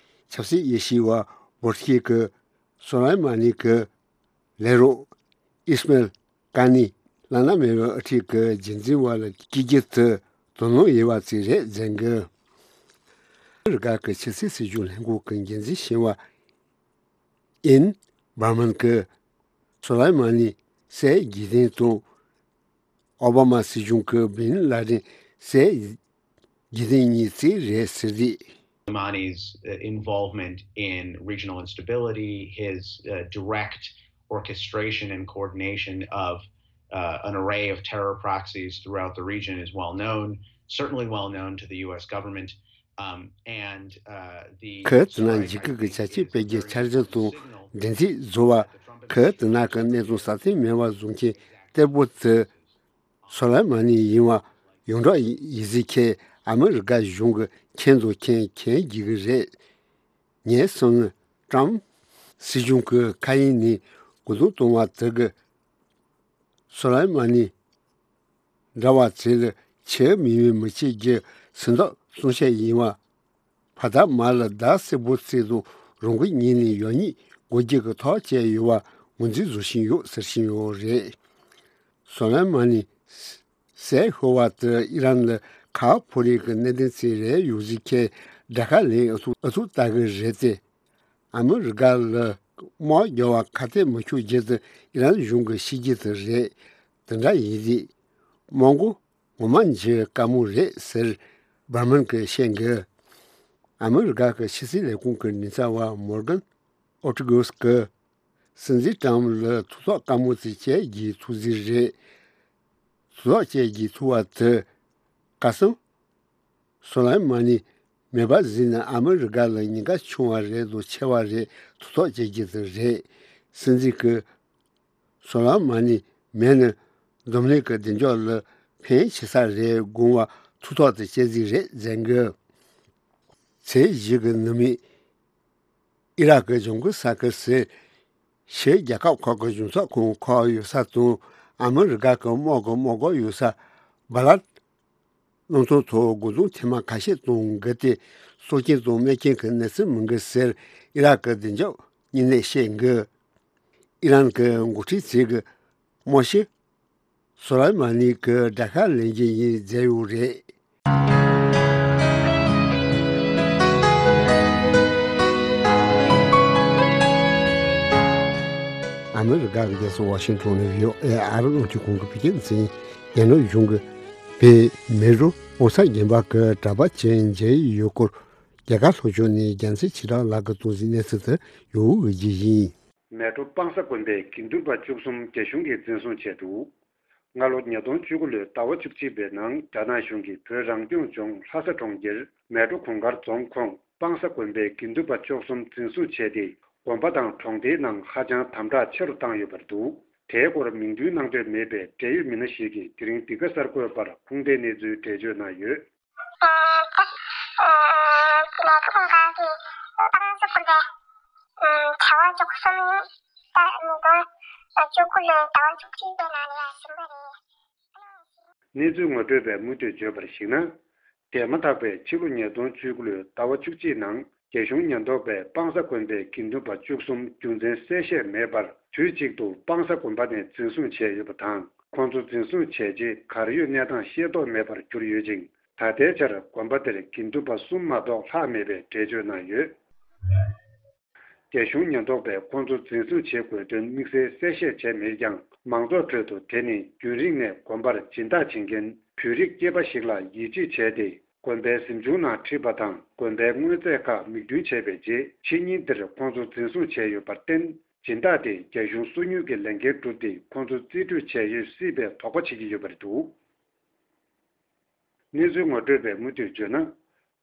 ཆབ་སྲིད་དབྱེ་ཞིབ་པ་བྷོར་སྐྱི་གིས་སོ་ལེ་མ་ནི་གི་ལས་རོགས་ཨིས་མེལ་ཀ་ནི་བླ་ན་མེད་པའི་ཨ་ཁྲིད་ཀྱི་རྒྱུན་འཛིན་པ་ལ་བསྐྱེད་རྒྱུ་དེ་དོ་སྣང་ཡོད་པ་ཅིག་རེད་ཟེར་གི། ཨ་མི་རི་ཀ་གི་ཕྱི་སྲིད་སྲིད་བྱུས་ལྷན་ཁང་གི་འགན་འཛིན་གཞོན་པ་ཨེན་བྷར་མན་གྱིས་སོ་ལེ་མ་ནི་བསད་རྒྱུ་དེ་དང་ཨོ་བྷ་མ་སྲིད་གཞུང་གི་བིན་ལ་དན་བསད་རྒྱུ་དེ་གཉིས་གཅིག་རེད་ཟེར་ཏེ། Soleimani's, uh, involvement in regional instability, his, uh, direct orchestration and coordination of, uh, an array of terror proxies throughout the region is well known, certainly well known to the U S government. Um, and, uh, the ཁོས་དེ་ནང་འཇིགས་སྐུལ་གྱི་བྱ་སྤྱོད་སྤེལ་རྒྱུའི་འཆར་གཞི་དང་འགྲན་རྩོད་བཟོ་བ། ཁོས་དེ་ནང་གི་གནས་སྟངས་སྲ་བརྟན་མེད་པ་བཟོ་མཁན་གཏེ་པོ་དེ་སོ་ལེ་མ་ནི་ཡིན་པ་ཡོངས་གྲགས་ཡིན་ཟེར་མཁན་ཨ་མི་རི་ཀ་གཞུང་གིས་མཁྱེན་དང་མཁྱེན་མཁྱེན་བགྱིད་ཀྱི་རེད། ངས་བསམ་ན་ཀྲམ་སྲིད་གཞུང་གིས་མཁའ་དབྱིངས་ནས་རྒོལ་རྡུང་གཏོང་བ་དེ་གིས་སོ་ལེ་མ་ནི་འདྲ་བ་ཚོ་ལ་ཆེས་མི་མི་མི་བྱེད་རྒྱུ་སེམས་ཐག་གཙང་བཤད་ཡིན་པ། ཕ་དང་མ་ལ་ཟླ་སེར་པོ་ཚེས་དང་རང་འགུལ་གཉིས་ནས་ཡང་སྙིང་དགོས་རྒྱུ་གི་ཐག་བཅད་ཡོད་པ་ངོས་འཛིན་བཟོ་བཞིན་ཡོད་ཟེར་བཞིན་ཡོད་རེད། སོ་ལེ་མ་ནི་བསད་ཤོར་བ་དེ་ཨི་རན་ལ་ཁ་ཕོ་རེ་གི་གནད་དོན་ཚིག་རེ་ཡོད་ཟེར་མཁན་དགྲ་ཁ་ལེན་ཨུ་ཚུགས་ཨུ་ཚུགས་ལྟ་གི་རེད་དེ། ཨ་མི་རི་ཀ་ལ་དམག་རྒྱག་པ་ཁ་གཏད་མི་ཆོག་རྒྱུ་དེ་ཨི་རན་གཞུང་གི་བཤད་རྒྱུ་དེ་རེད། དེ་འདྲ་ཡིན་དུས་དམག་མགོ་ངོ་མ་འཇིགས་དཀའ་མོ་རེད་ཟེར་བྷར་མན་གྱིས་བཤད་འདུག་ཨ་མི་རི་ཀ་གི་ཕྱི་སྲིད་ལས་ཁུངས་ཀྱི་མགྲིན་ཚབ་པ་མོར་གན་ཨོ་ཏི་གོས་ཀྱིས་སྲིད་འཛིན་ཀྲམ་ལ་ཐུགས་ཐག་དཀའ་མོ་ཅིག་བཅད་རྒྱུའི་ཐུགས་རྗེ་རེད། ཐུགས་ཐག་བཅད་རྒྱུའི་ཐུགས་པ་དེ་ཀ་སང་སོ་ལེ་མ་ནི་མེད་པ་བཟོས་ན་ཨ་མི་རི་ཀ་ལ་ཉེན་ཁ་ཆུང་བ་རེད་དང་ཆེ་བ་རེད། ཐུགས་ཐག་བཅད་རྒྱུ་དེ་རེད། སྲིད་འཛིན་གྱིས་སོ་ལེ་མ་ནི་མེད་ན་ འཛམ་གླིང་གི་བདེ་འཇགས་ལ་ཕན་ཆེ་ས་རེད་དགོངས་པ་ཐུགས་ཐག་དང་བཅད་རྩིས་རེད་ཟེར་གི། ཚེས་བཞི་གི་ནུབ་མོ། ཨི་རག་གི་ལྗང་ཁུ་ས་ཁུལ་ཟེར། ཕྱིའི་རྒྱལ་ཁབ་ཁག་གི་གཞུང་ཚབ་ཁང་ཁག་ཡོད་ས་དང་ཨ་མི་རི་ཀ་གི་དམག་གི་དམག་སྒར་ཡོད་ས་བྷ་ལད། གནམ་ཐང་ཐོག་འགོ་འཛུགས་ཐེངས་མ་ཁ་ཤས་གཏོང་གི་སྟེ། སྲོག་སྐྱོན་དང་རྨས་སྐྱོན་གྱི་གནས་ཚུལ་མང་གི་ཟེར་ཨི་རག་གི་བདེ་འཇགས་བརྙན་ལས་བཤད་གི། ཨི་རན་གྱི་འགོ་ཁྲིད་ཚོས་གི་དམག་སྤྱི་སོ་ལེ་མ་ནི་གི་དགྲ་ཤ་ལེན་རྒྱུ་ཡིན་ཟེར་ཡོད་རེད། ཨ་མི་རི་ཀ་གི་རྒྱལ་ས་ཝ་ཤིང་ཊོན་ནས་བྷི་ཨོ་ཨེ་ཨ་རི་རླུང་འཕྲིན་ཁང་གི་བོད་སྐད་སྡེ་ཚན། རྒྱ་ནག་གཞུང་གིས་བོད་མེ་རུ་ཨོ་ས་རྒྱན་པ་གི་གྲྭ་པ་ཅིག་མཇལ་ཡོད་སྐོར། རྒྱ་གར་ལྷོ་ཕྱོགས་ནས་རྒྱལ་མཚན་ཆོས་གྲགས་ལགས་ཀྱིས་གཏོང་གཟིགས་གནས་ཚུལ་དེ་ཡོད་འོས་ཀྱི་ཡིན། མལ་གྲོ་སྤང་ས་དགོན་པའི་དགེ་འདུན་པ་བཅུ་གསུམ་རྒྱ་གཞུང་གིས་འཛིན་བཟུང་བྱས་འདུག་སྔ་ལོ་ཉིས་སྟོང་བཅུ་དགུ་ལོའི་ཟླ་བ་བཅུ་གཅིག་པའི་ནང་རྒྱ་ནག་གཞུང་གིས་བོད་རང་སྐྱོང་ལྗོངས་ལྷ་ས་གྲོང་ཁྱེར་མལ་གྲོ་གུང་དཀར་རྫོང་ཁོངས་སྤང་ས་དགོན་པའི་དགེ་འདུན་པ་བཅུ་གསུམ་འཛིན་བཟུང་བྱས་ཏེ། དགོན་པ་དང་གྲོང་སྡེའི་ནང་ཧ་ཅང་དམ་དྲག་ཆེ་རུ་བཏང་ཡོད་པ་རེད་འདུག་དེའི་སྐོར་མིང་འདོན་གནང་འདོད་མེད་པའི་འབྲེལ་ཡོད་མི་སྣ་ཞིག་གིས་དེ་རིང་འདི་ག་གསར་འགོད་པར་ཁུངས་ལྡན་གནས་ཚུལ་འགྲེལ་བརྗོད་གནང་ཡོད། ཨ་ཨ་ཨ་ལས་ཁུངས་ཁག་གིས་སྤང་ས་དགོན་པའི་ཨ་གྲྭ་པ་བཅུ་གསུམ་ཡིན། ད་ཉིས་སྟོང་བཅུ་དགུ་ལོའི་ཟླ་བ་བཅུ་གཅིག་པའི་ནང་ལ་ཡར་ཕྱིན་པ་རེད། གནས་ཚུལ་ངོ་སྤྲོད་པས་མུ་མཐུད་བརྗོད་པར་གཞིགས་ན། འདས་མ་ཐག་པའི་ཕྱི་ལོ་ཉིས་སྟོང་བཅུ་དགུ་ལོའི་ཟླ་བ་བཅུ་གཅིག་ནང་རྒྱ་གཞུང་ཉེན་རྟོག་པས་སྤང་ས་དགོན་པའི་དགེ་འདུན་པ་བཅུ་གསུམ་རྒྱུ་མཚན་གསལ་བཤད་མེད་པར་དུས་གཅིག་ཏུ་སྤང་ས་དགོན་པ་ནས་འཛིན་བཟུང་བྱས་ཡོད་པ་དང་། ཁོང་ཚོ་འཛིན་བཟུང་བྱས་རྗེས་གར་ཡོད་གནས་སྟངས་ཤེས་རྟོགས་མེད་པར་གྱུར་ཡོད་ཅིང་། ད་ལྟའི་ཆར་དགོན་པ་དེར་དགེ་འདུན་པ་གསུམ་མ་གཏོགས་ལྷག་མེད་པའི་འགྲེལ་བརྗོད་གནང་ཡོད། རྒྱ་གཞུང་ཉེན་རྟོག་པས་ཁོང་ཚོ་འཛིན་བཟུང་བྱེད་དགོས་དོན་དམིགས་བསལ་གསལ་བཤད་བྱས་མེད་ཀྱང་། མང་ཚོགས་ཁྲོད་དུ་དེ་ནི་རྒྱུན་རིང་ནས་དགོན་པར་སྦྱིན་བདག་བྱེད་མཁན་བོད་རིགས་སྐྱེས་པ་ཞིག་ལ་ཡིད་ཆེས་བྱས་ཏེ། དགོན་པའི་གཟིམ་ཆུང་ནང་ཁྲིད་པ་དང་། དགོན་པའི་དངོས་རྫས་ཁག་མིག་མདུན་བྱས་པའི་རྗེས། ཕྱི་ཉིན་འདིར་ཁོང་ཚོ་འཛིན་བཟུང་བྱས་ཡོད་པར་བརྟེན། སྦྱིན་བདག་དེས་རྒྱ་གཞུང་སོ་ཉུལ་གྱི་ལས་འགན་བསྒྲུབས་ཏེ། ཁོང་ཚོ་རྩིས་སྤྲོད་བྱས་ཡོད་སྲིད་པའི་དོགས་པ་བྱེད་ཀྱི་ཡོད་པ་རེད་འདུག་གནས་ཚུལ་ངོ་སྤྲོད་པས་མུ་མཐུད་བརྗོད་ན།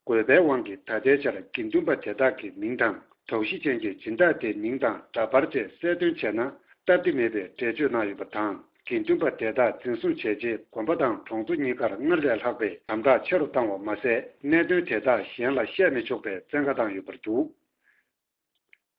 དགོས་པའི་དབང་གིས་ད་ལྟའི་ཆར་དགེ་འདུན་པ་དེ་དག་གི་མིང་དང་། དོགས་གཞི་ཅན་གྱི་སྦྱིན་བདག་དེའི་མིང་དང་འདྲ་པར་བཅས་གསལ་སྟོན་བྱས་ན་སྟབས་བདེ་མེད་པའི་འགྲེལ་བརྗོད་གནང་ཡོད་པ་དང་། དགེ་འདུན་པ་དེ་དག་འཛིན་བཟུང་བྱས་རྗེས། དགོན་པ་དང་གྲོང་ཚོ་གཉིས་ཀར་སྔར་ལས་ལྷག་པའི་དམ་དྲག་ཆེ་རུ་བཏང་བ་མ་ཟད། གནད་དོན་དེ་དག་གཞན་ལ་བཤད་མི་ཆོག་པའི་བཙན་བཀའ་བཏང་ཡོད་པར་འདུག་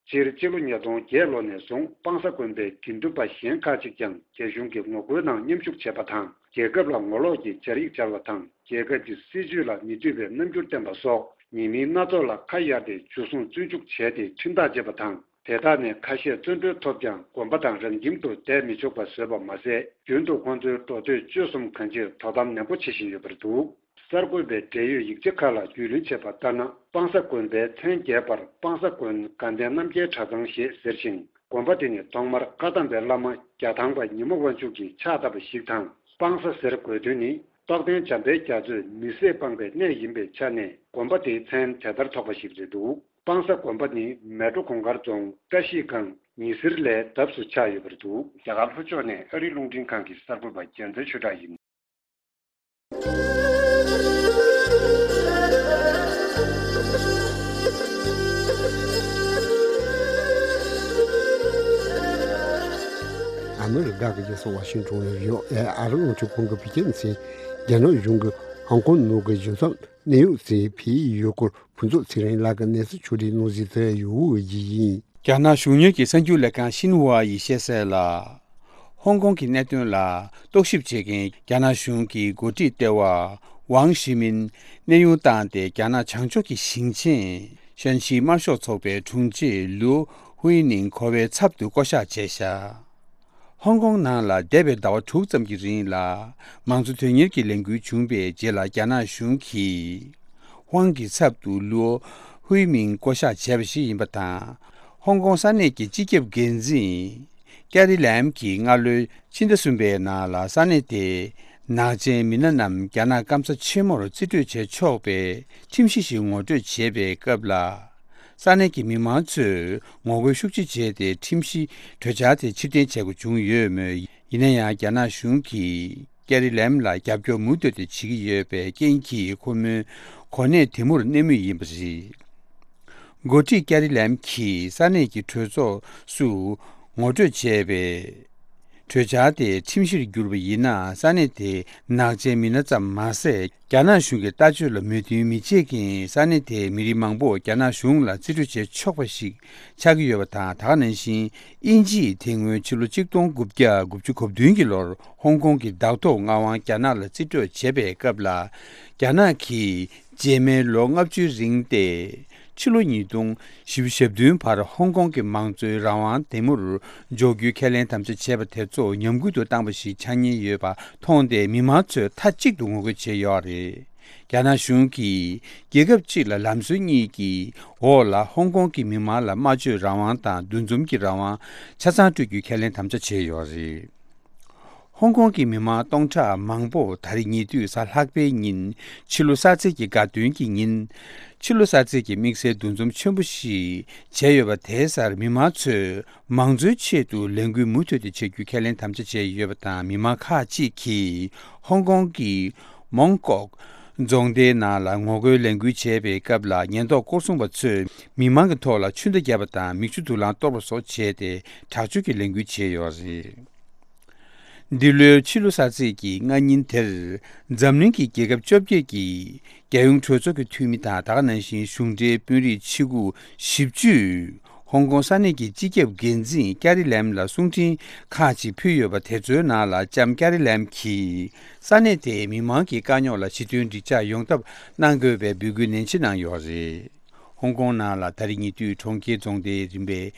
སྤྱིར། སྤྱི་ལོ་ཉིས་སྟོང་བརྒྱད་ལོ་ནས་བཟུང་སྤང་ས་དགོན་པའི་དགེ་འདུན་པ་གཞན་ཁག་ཅིག་ཀྱང་རྒྱ་གཞུང་གི་ངོ་རྒོལ་ནང་མཉམ་ཞུགས་བྱས་པ་དང་། རྒྱལ་ཁབ་ལ་ངོ་ལོག་གི་སྦྱར་ཡིག་སྦྱར་བ་དང་། རྒྱལ་ཁབ་ཀྱི་སྲིད་བྱུས་ལ་མི་འདོད་པའི་རྣམ་འགྱུར་བསྟན་པ་སོགས། ཉེས་མིང་སྣ་ཚོགས་ལ་ཁ་གཡར་ཏེ། འཇུ་བཟུང་བཙོན་འཇུག་བྱས་ཏེ། ཁྲིམས་ཐག་བཅད་པ་དང་། དེ་དག་ནས་ཁ་ཤས་བཙོན་གྲོལ་ཐོབ་ཀྱང་། དགོན་པ་དང་རང་ཁྱིམ་དུ་བསྡད་མི་ཆོག་པ་བཟོས་པ་མ་ཟད། རྒྱུན་དུ་ཁོང་ཚོའི་འགྲོ་སྡོད་སྤྱོད་གསུམ་གང་ཅིར་དོ་དམ་ནན་པོ་བྱེད་བཞིན་ཡོད་པ་རེད་འདུག་གསར་འགོད་པས་འབྲེལ་ཡོད་ཡིག་ཆ་ཁག་ལ་རྒྱུས་ལོན་བྱས་པ་ལྟར་ན། སྤང་ས་དགོན་པའི་མཚན་སྒེར་པར་སྤང་ས་དགོན་དགའ་ལྡན་རྣམ་རྒྱལ་གྲྭ་ཚང་ཞེས་ཟེར་ཞིང་། དགོན་པ་དེ་ནི་ཐོག་མར་བཀའ་གདམས་པའི་བླ་མ་རྒྱ་ཐང་པ་ཉི་མ་དབང་ཕྱུག་གིས་ཕྱག་བཏབ་པ་ཞིག་དང་། སྤང་ས་ཟེར་དགོས་དོན་ནི། རྟོགས་ལྡན་འཇམ་དཔལ་རྒྱ་མཚོས་མི་བཟད་སྤངས་པའི་གནས་ཡིན་པའི་ཆ་ནས། དགོན་པ་དེའི་མཚན་དེ་ལྟར་ཐོགས་པ་ཞིག་རེད་འདུག་སྤང་ས་དགོན་པ་ནི་མལ་གྲོ་གུང་དཀར་རྫོང་བཀྲ་ཤིས་སྒང་ཉི་ཟེར་ལའི་འདབས་སུ་ཆགས་ཡོད་པ་རེད་འདུག་རྒྱ་གར་ལྷོ་ཕྱོགས་ནས་ཨ་རིའི་རླུང་འཕྲིན་ཁང་གི་གསར་འགོད་པ་རྒྱལ་མཚན་ཆོས་གྲགས་ཡིན། ཨ་མི་རི་ཀ་གི་རྒྱལ་ས་ཝ་ཤིང་ཊོན་ནས་བྷི་ཨོ་ཨེ་ཨ་རི་རླུང་འཕྲིན་ཁང་གི་བོད་སྐད་སྡེ་ཚན། རྒྱ་ནག་གཞུང་གིས་ཧོང་ཀོང་ནང་གི་གཞུང་ཚབ་གནད་ཡོད་ཚོས་ཕུལ་ཡོད་སྐོར། ཕུན་ཚོགས་ཚེ་རིང་ལགས་ཀྱིས་གནས་ཚུལ་ཕྱོགས་སྒྲིག་གནང་གཟིགས་དེ་ཡོད་འོས་ཀྱི་ཡིན། རྒྱ་ནག་གཞུང་གཉེར་གྱི་གསར་འགྱུར་ལས་ཁང་ཤིན་ཧྭ་ཡིས་བཤད་གསལ་ལ། ཧོང་ཀོང་གི་གནད་དོན་ལ་རྟོག་ཞིབ་བྱེད་མཁན་རྒྱ་ནག་གཞུང་གི་འགོ་ཁྲིད་ལྟེ་བ་ཝང་ཞི་མིན་གནས་དབྱུང་བཏང་སྟེ། རྒྱ་ནག་བྱང་ཕྱོགས་ཀྱི་ཞིང་ཆེན་ཤན་ཤི་དམར་ཤོག་ཚོགས་པའི་དྲུང་ཆེ་ལུའོ་ཧུའེ་ནིང་གོ་བའི་ཚབ་ཏུ་བསྐོ་གཞག་བྱས་བཞག་ཧོང་ཀོང་ནང་ལ་འདས་པའི་ཟླ་བ་དྲུག་ཙམ་གྱི་རིང་ལ་མང་གཙོ་དོན་གཉེར་གྱི་ལས་འགུལ་བྱུང་བའི་རྗེས་ལ། རྒྱ་ནག་གཞུང་གིས་ཧོང་གི་ཚབ་ཏུ་ལུའོ་ཧུའེ་མིང་བསྐོ་གཞག་བྱས་པ་ཞིག་ཡིན་པ་དང་། ཧོང་ཀོང་ས་གནས་ཀྱི་སྤྱི་ཁྱབ་འགན་འཛིན་ཀེ་རི་ལེམ་གྱིས་སྔ་ལོའི་ཕྱི་ཟླ་གསུམ་པའི་ནང་ལ་ས་གནས་དེའི་ནག་ཅན་མི་སྣ་རྣམས་རྒྱ་ནག་སྐམ་ས་ཆེན་མོར་རྩིས་སྤྲོད་བྱེད་ཆོག་པའི་ཁྲིམས་གཞི་ཞིག་ངོ་སྤྲོད་བྱས་པའི་སྐབས་ལ། ས་གནས་ཀྱི་མི་མང་ཚོས་ངོ་རྒོལ་ཤུགས་ཆེ་བྱས་ཏེ། ཁྲིམས་གཞི་གྲོས་འཆར་དེ་ཕྱིར་འཐེན་བྱེད་དགོས་བྱུང་ཡོད་མོད། ཡིན་ན་ཡང་། རྒྱ་ནག་གཞུང་གིས་ཀེ་རི་ལེམ་ལ་རྒྱབ་སྐྱོར་མུ་མཐུད་དུ་བྱེད་ཀྱི་ཡོད་པའི་རྐྱེན་གྱིས། ཁོ་མོའི་གོ་གནས་དེ་མུར་གནས་མུས་ཡིན་པ་རེད། འགོ་ཁྲིད་ཀེ་རི་ལེམ་གྱིས་ས་གནས་ཀྱི་གྲོས་ཚོགས་སུ་ངོ་སྤྲོད་བྱས་པའི་ གྲོས་འཆར་དེ་ཁྲིམས་གཞིར་བསྒྱུར་བ་ཡིན་ན། ས་གནས་དེའི་ནག་ཆེན་མི་སྣ་ཙམ་མ་ཟད། རྒྱ་ནག་གཞུང་གི་ལྟ་སྤྱོད་ལ་མོས་མཐུན་མི་བྱེད་མཁན་ས་གནས་དེའི་མི་རིགས་མང་པོ་རྒྱ་ནག་གཞུང་ལ་རྩིས་སྤྲོད་བྱེད་ཆོག་པ་ཞིག་ཆགས་ཀྱི་ཡོད་པ་དང་། ད་ག་ནང་བཞིན་དབྱིན་ཇིས་དེ་སྔོན་ཕྱི་ལོ་གཅིག་སྟོང་དགུ་བརྒྱ་དགུ་བཅུ་གོ་བདུན་གྱི་ལོར་ཧོང་ཀོང་གི་བདག་ཐོག་མངའ་དབང་རྒྱ་ནག་ལ་རྩིས་སྤྲོད་བྱས་པའི་སྐབས་ལ། རྒྱ་ནག་གིས་རྗེས་མའི་ལོ་ལྔ་བཅུའི་རིང་སྟེ། ཕྱི་ལོ་ཉིས་སྟོང་བཞི་བཅུ་ཞེ་བདུན་བར་ཧོང་ཀོང་གི་མང་གཙོའི་རང་དབང་དེ་མུར་འཇོག་རྒྱུའི་ཁས་ལེན་དམ་བཅའ་བྱས་པ་དེ་ཚོ་ཉམས་རྒུད་དུ་བཏང་བ་ཞིག་ཆགས་ཉེན་ཡོད་པ་མཐོང་སྟེ། མི་མང་ཚོས་མཐའ་གཅིག་ཏུ་ངོ་རྒོལ་བྱས་ཡོད་རེད། རྒྱ་ནག་གཞུང་གིས་རྒྱལ་ཁབ་གཅིག་ལ་ལམ་སྲོལ་གཉིས་ཀྱི་འོག་ལ་ཧོང་ཀོང་གི་མི་མང་ལ་སྨྲ་བརྗོད་རང་དབང་དང་འདུ་འཛོམས་ཀྱི་རང་དབང་ཆ་ཚང་སྤྲོད་རྒྱུའི་ཁས་ལེན་དམ་བཅའ་བྱས་ཡོད་རེད། ཧོང་ཀོང་གི་མི་མང་སྟོང་ཕྲག་མང་པོ་ད་རེས་ཉེ་དུས་གཟའ་ལྷག་པའི་ཉིན། ཕྱི་ལོ་གསར་ཚེས་ཀྱི་དགའ་སྟོན་གྱི་ཉིན། ཕྱི་ལོ་གསར་ཚེས་ཀྱི་དམིགས་བསལ་འདུ་འཛོམས་ཆེན་པོ་ཞིག་བྱས་ཡོད་པ་དེའི་སར། མི་མང་ཚོས་མང་གཙོའི་ཆེད་དུ་ལས་འགུལ་མུ་མཐུད་དེ་བྱེད་རྒྱུའི་ཁས་ལེན་དམ་བཅའ་བྱས་ཡོད་པ་དང་། མི་མང་ཁག་ཅིག་གིས་ཧོང་ཀོང་གི་མོང་ཀོག་རྫོང་སྡེའི་ནང་ལ་ངོ་རྒོལ་ལས་འགུལ་བྱས་པའི་སྐབས་ལ། ཉེན་རྟོག་སྐོར་སྲུང་པ་ཚོས་མི་མང་གི་ཐོག་ལ་ཆུ་ཟླ་བརྒྱབ་པ་དང་། མིག་ཆུ་དུག་རླངས་གཏོར་བ་སོགས་བྱས་ཏེ། དྲག་སྤྱོད་ཀྱི་ལས་འགུལ་བྱས་ཡོད་རེད། འདི་ལོའི་ཕྱི་ལོ་གསར་ཚེས་ཀྱི་སྔ་ཉིན་དེར། འཛམ་གླིང་གི་རྒྱལ་ཁབ་བཅོ་བརྒྱད་ཀྱི་རྒྱལ་ཡོངས་གྲོས་ཚོགས་ཀྱི་འཐུས་མི་དང་། ད་ག་ནང་བཞིན་གཞུང་འབྲེལ་དཔོན་རིགས་ཆེ་ཁག་བཞི་བཅུས་ཧོང་ཀོང་ས་གནས་ཀྱི་སྤྱི་ཁྱབ་འགན་འཛིན་ཀ་རི་ལེམ་ལ་གསུང་འཕྲིན་ཁག་ཅིག་ཕུལ་ཡོད་པ་དེ་ཚོའི་ནང་ལ། ལྕམ་ཀ་རི་ལེམ་གྱིས་ས་གནས་དེའི་མི་མང་གི་དཀའ་རྙོག་ལ་ཞི་མཐུན་འགྲིག་འཇགས་ཡོང་ཐབས་གནང་དགོས་པའི་འབོད་སྐུལ་ནན་ཆེ་གནང་ཡོད་རེད། ཧོང་ཀོང་ནང་ལ་ད་རེས་ཉེ་དུས་གྲོང་ཁྱེར་རྫོང་སྡེའི་རིམ་པའི་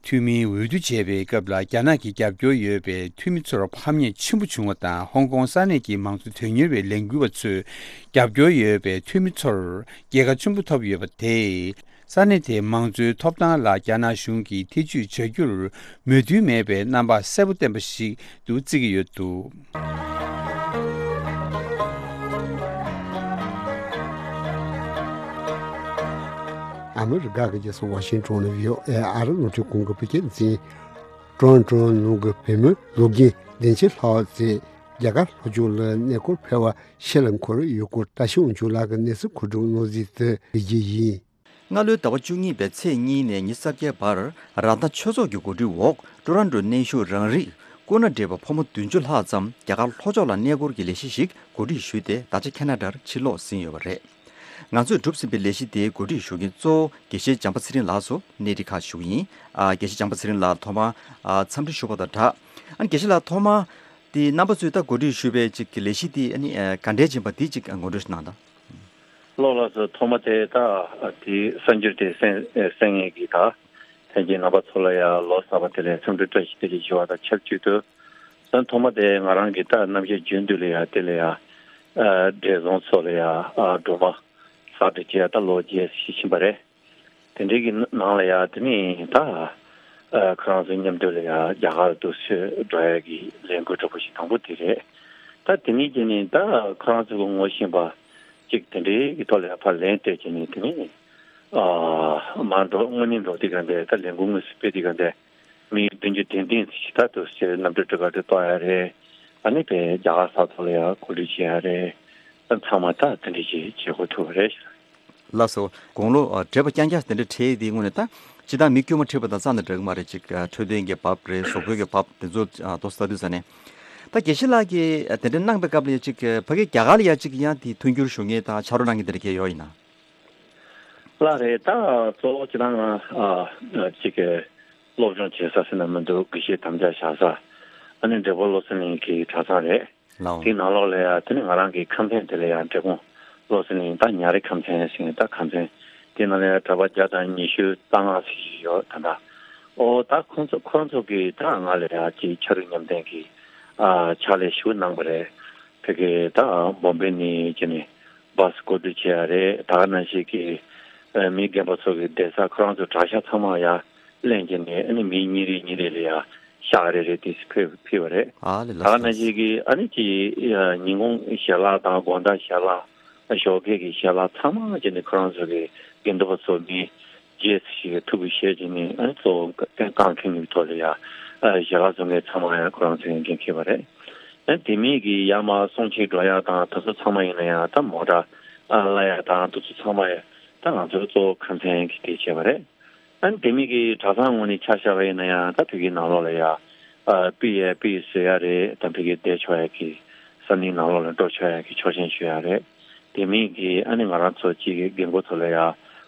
འཐུས་མིའི་འོས་བསྡུ་བྱས་པའི་སྐབས་ལ། རྒྱ་ནག་གི་རྒྱབ་སྐྱོར་ཡོད་པའི་འཐུས་མི་ཚོར་ཕམ་ཉེས་ཆེན་པོ་བྱུང་བ་དང་། ཧོང་ཀོང་ས་གནས་ཀྱི་མང་གཙོ་དོན་གཉེར་བའི་ལས་འགུལ་བ་ཚོས་རྒྱབ་སྐྱོར་ཡོད་པའི་འཐུས་མི་ཚོར་རྒྱལ་ཁ་ཆེན་པོ་ཐོབ་ཡོད་པ་དེས། ས་གནས་དེའི་མང་གཙོའི་ཐོབ་ཐང་ལ་རྒྱ་ནག་གཞུང་གིས་ཐེ་ཇུས་བྱ་རྒྱུར་མོས་མཐུན་མེད་པའི་རྣམ་པ་གསལ་པོ་བསྟན་པ་ཞིག་ཏུ་བརྩི་གི་ཡོད་འདུག། ཨ་མི་རི་ཀ་གི་རྒྱལ་ས་ཝ་ཤིང་ཊོན་ནས་བྷི་ཨོ་ཨེ་ཨ་རི་རླུང་འཕྲིན་ཁང་གི་བོད་སྐད་སྡེ་ཚན། ཀྲོན་ཀྲོན་ནང་གི་བོད་མི་ལོ་རྒན་བདེ་ཆེན་ལྷ་བ་ཚེ་རྒྱ་གར་ལྷོ་ཕྱོགས་ལ་གནས་སྐོར་ཕེབས་པ་ཕྱིར་ལ་འཁོར་ཡུལ་སྐོར་བཀྲ་ཤིས་དབང་ཕྱུག་ལགས་ཀྱི་གནས་ཚུལ་མཁོ་སྒྲུབ་གནང་གཟིགས་དེ་ཕུལ་རྒྱུ་ཡིན། སྔ་ལོའི་ཟླ་བ་བཅུ་གཉིས་པའི་ཚེས་གཉིས་ནས་ཉི་ཤུ་རྩ་བརྒྱད་བར་ར་མཐའ་ཆོས་ཚོགས་ཀྱི་གོ་སྒྲིག་འོག་ཀྲོ་རོན་ཀྲོ་གནས་བཞུགས་རང་རིགས་སྐུ་ན་བགྲེས་པ་ཕོ་མོ་བདུན་ཅུ་ལྷག་ཙམ་རྒྱ་གར་ལྷོ་ཕྱོགས་ལ་གནས་སྐོར་གྱི་ལས་གཞི་ཞིག་གོ་སྒྲིག་ཞུས་ཏེ། ད་ཆ་ཁེ་ན་ཌར་ཕྱིར་ལོག་ཟིན་ཡོད་པ་རེད། ང་ཚོས་གྲུབ་ཟིན་པའི་ལས་གཞི་དེའི་གོ་སྒྲིག་ཞུ་མཁན་གཙོ་བོ་དགེ་བཤེས་བྱམས་པ་ཚེ་རིང་ལགས་སུ་གནས་འདྲི་ཁག་ཞུ་གི་ཡིན། ཨ། དགེ་བཤེས་བྱམས་པ་ཚེ་རིང་ལགས་ཐོག་མར་ཨ་འཚམས་འདྲི་ཞུ་བ་དང་སྦྲགས། ཨ་ནི་དགེ་བཤེས་ལགས་ཐོག་མར་དེ་རྣམ་པ་ཚོས་ད་གོ་སྒྲིག་ཞུས་པའི་ཅིག་གི་ལས་གཞི་དེ་ཨ་ནི་ཨ་ག་འདྲས་ཡིན་པ་དེ་ཅིག་ངོ་སྤྲོད་ཞིག་གནང་དང་། ལགས་ལགས་སོ། ཐོག་མ་དེ་ད་དེ་གསར་འགྱུར་དེ་གསན་གསན་མཁན་གྱི་ད་ལྷན་རྒྱས་རྣམ་པ་ཚོ་ལ་ཡང་ལོ་གསར་པ་དེ་ལ་འཚམས་འདྲི་བཀྲ་ཤིས་བདེ་ལེགས་ཞུ་བ་དང་ཆབས་ཅིག་ཏུ། ད་ཐོག་མ་དེ་ང་རང་གི་ད་རྣམ་ཤེས་རྒྱུན་དུ་ལ་ཡང་དེ་ལ་ཡང་ཨ་བགྲེས་སོང་ཚོ་ལ་ཡང་ཨ་སྒྲོལ་མ་ལགས་འདྲ་བྱས་ད་ལོ་བརྒྱད་ཅིག་ཕྱིན་པ་རེད། དེ་འདྲའི་གི་ནང་ལ་ཡང་དེ་ནས་ད་ཨ་ཁོ་རང་ཚོ་མཉམ་དུ་ལ་ཡང་རྒྱ་གར་དུ་ཚུར་འགྲོ་ཡ་གི་ལས་འགུལ་འདྲ་པོ་ཞིག་དང་པོ་དེ་རེད། ད་དེ་ནས་དེ་ནས་ད་ཁོ་རང་ཚོ་གི་ངོ་ཤེས་པ་ཅིག་དེ་འདྲའི་གི་ཐོག་ལ་ཡང་ཕར་ལན་སྤྲད་བྱས་ནས། དེ་ནས་ཨ་མར་འགྲོ་དངོས་གནས་འགྲོ་དུས་ག་འདྲ། ད་ལས་འགུལ་དངོས་སུ་སྤེལ་དུས་ག་འདྲ། མི་བདུན་ཅུ་དོན་བདུན་ཞིག་ད་དུ་ཕྱིར་གནམ་གྲུ་གྲུ་ཁ་དུ་གཏོགས་ཡ་རེད། ཨ་ནི་བས་རྒྱ་གར་ས་ཐོག་ལ་ཡང་གོ་སྒྲིག་བྱེད་ཡ་རེད། ད་ཚང་མ་ད་དེ་འདྲ་ཞིག་བྱེད་དགོས་ཐུག་པ་རེད་ཤག། ལགས་སོ། དགུང་ལོ་ཨ་བགྲེས་པ་རྐྱང་རྐྱང་དེ་འདྲ་གྲས་དེའི་ངོས་ནས་ད་སྤྱིར་བཏང་མི་དཀྱུས་མ་ཁྲིད་པ་དང་རྩ་ནས་འདྲ་གི་མ་རེད། ཅིག་ཨ་འཕྲོད་བསྟེན་གྱི་བབ་རེད། གཟུགས་པོའི་གི་བབ་དེ་ཚོ་ཨ་ཏོག་ཙམ་ལྟ་དུས་ཙ་ནས། ད་དགེ་བཤེས་ལགས་ཀྱིས་ཨ་དེ་འདྲ་གནང་པའི་སྐབས་ལ་ཡ་ཅིག་ཨ་ཕ་གི་རྒྱ་གར་ལ་ཡ་ཅིག་ཡང་དེ་མཐུན་འགྱུར་ཞུ་མཁན་དང་ཕྱག་རོགས་གནང་མཁན་དེ་འདྲ་གས་ཡོད་ཡིན་ན། ལགས་རེད། ད་གཙོ་བོ་ཅིག་ད་ང་ཨ་ཅིག་གི་སློབ་སྦྱོང་བྱེད་ས་ཟེར་ན་མི་འདུག། དགེ་བཤེས་དམ་བཅའ་བཞག་ས། ཨ་ནི་འབྲས་སྤུངས་བློ་གསལ་གླིང་གི་གྲྭ་ཚང་རེད། ལའོ། དེའི་ནང་ལོགས་ལ་ཡ་དེ་ནི་ང་རང་གི་ཁམས་ཚན་དེ་ལ་ཡ་འབྲས་སྤུངས་བློ་གསལ་གླིང་ད་ཉ་རི་ཁམས་ཚན་ཟེར་ད་ཁམས་ཚན་དེའི་ནང་ལ་ཡ་གྲྭ་པ་བརྒྱ་དང་ཉི་ཤུ་རྩ་ལྔ་ཟེར་གྱི་ཡོད་ད་ལྟ། ཨོ་ད་ཁོང་ཚོ་ཁོང་ཚོ་གིས་ད་ང་ལ་ཡ་ཅིག་ཕྱག་རོགས་མཉམ་འདེགས་ཀྱི་ཨ་ཕྱག་ལས་ཞུ་གནང་པ་རེད། ཕ་གི་ད་བོམ་བེ་ནས་ཅི་ནས་བཱས་བསྐོར་སྒྲིག་བྱས་ཡ་རེད། ད་ག་ནང་བཞིན་གྱི་ཨ་མི་རྒན་པ་ཚོ་གི་བསྡད་ས་ཁོ་རང་ཚོ་གྲྭ་ཤག་ཚང་མ་ཡ་ལེན་གྱི་ནས། ཨ་ནི་མི་གཉིས་རེ་གཉིས་རེ་ལ་ཡ་ཤག་རེ་རེ་དེ་ཕུལ་ཕུལ་བ་རེད། ཨ་ལེ། ད་ལགས་ག་ནང་སོ། བཞིན་གྱི་ཨ་ནི་ཅི་ཨ་ཉིན་གུང་ཞལ་ལག་དང་དགོང་དག་ཞལ་ལག་ཞོགས་ཀས་ཀྱི་ཞལ་ལག་ཚང་མ་ཅི་ནས་ཁོ་རང་ཚོ་གི་དགེ་འདུན་པ་ཚོ་མི་བརྒྱད་ཞིག་གིས་ཐུགས་ཁུར་བཞེས་བྱས་ནས། ཨ་ནི་གཙོ་བོ་རྐང་འཁོན་གྱི་ཐོག་ལ་ཡ་ཨ་ཞལ་ལག་བཟོ་མཁན་ཚང་མ་ཡང་ཁོ་རང་ཚོའི་འགན་འཁྱེར་བ་རེད། ཨ་ནི་དེ་མིན་གྱི་ཡར་མར་སོང་ཆེད་འགྲོ་ཡ་དང་དེ་ཚོ་ཚང་མ་ཡིན་ན་ཡང་ད་མོ་ཊ་ཨ་གླ་ཡ་དང་དེ་ཚོ་ཚང་མ་ཡང་ད་ང་ཚོའི་གཙོ་བོ་ཁམས་ཚན་གྱིས་དེ་བྱས་པ་རེད། ཨ་ནི་དེ་མིན་གྱི་གྲྭ་ཚང་ངོས་ནས་ཆ་བཞག་པ་ཡིན་ན་ཡང་ད་དེ་གའི་ནང་ལོགས་ལ་ཡ་ ཨ་པི་ཡ་པི་བཟོ་ཡ་རེད། ད་ཕ་གི་བསྡད་ཆོག་ཡ་གི་ས་གནས་ནང་ལོགས་ལ་འགྲོ་ཆོག་ཡ་གི་ཆོག་མཆན་ཞུ་ཡ་རེད། དེ་མིན་གྱི་ཨ་ནི་ང་རང་ཚོ་གཅིག་གི་རྒན་རྒོན་ཚོ་ལ་ཡ་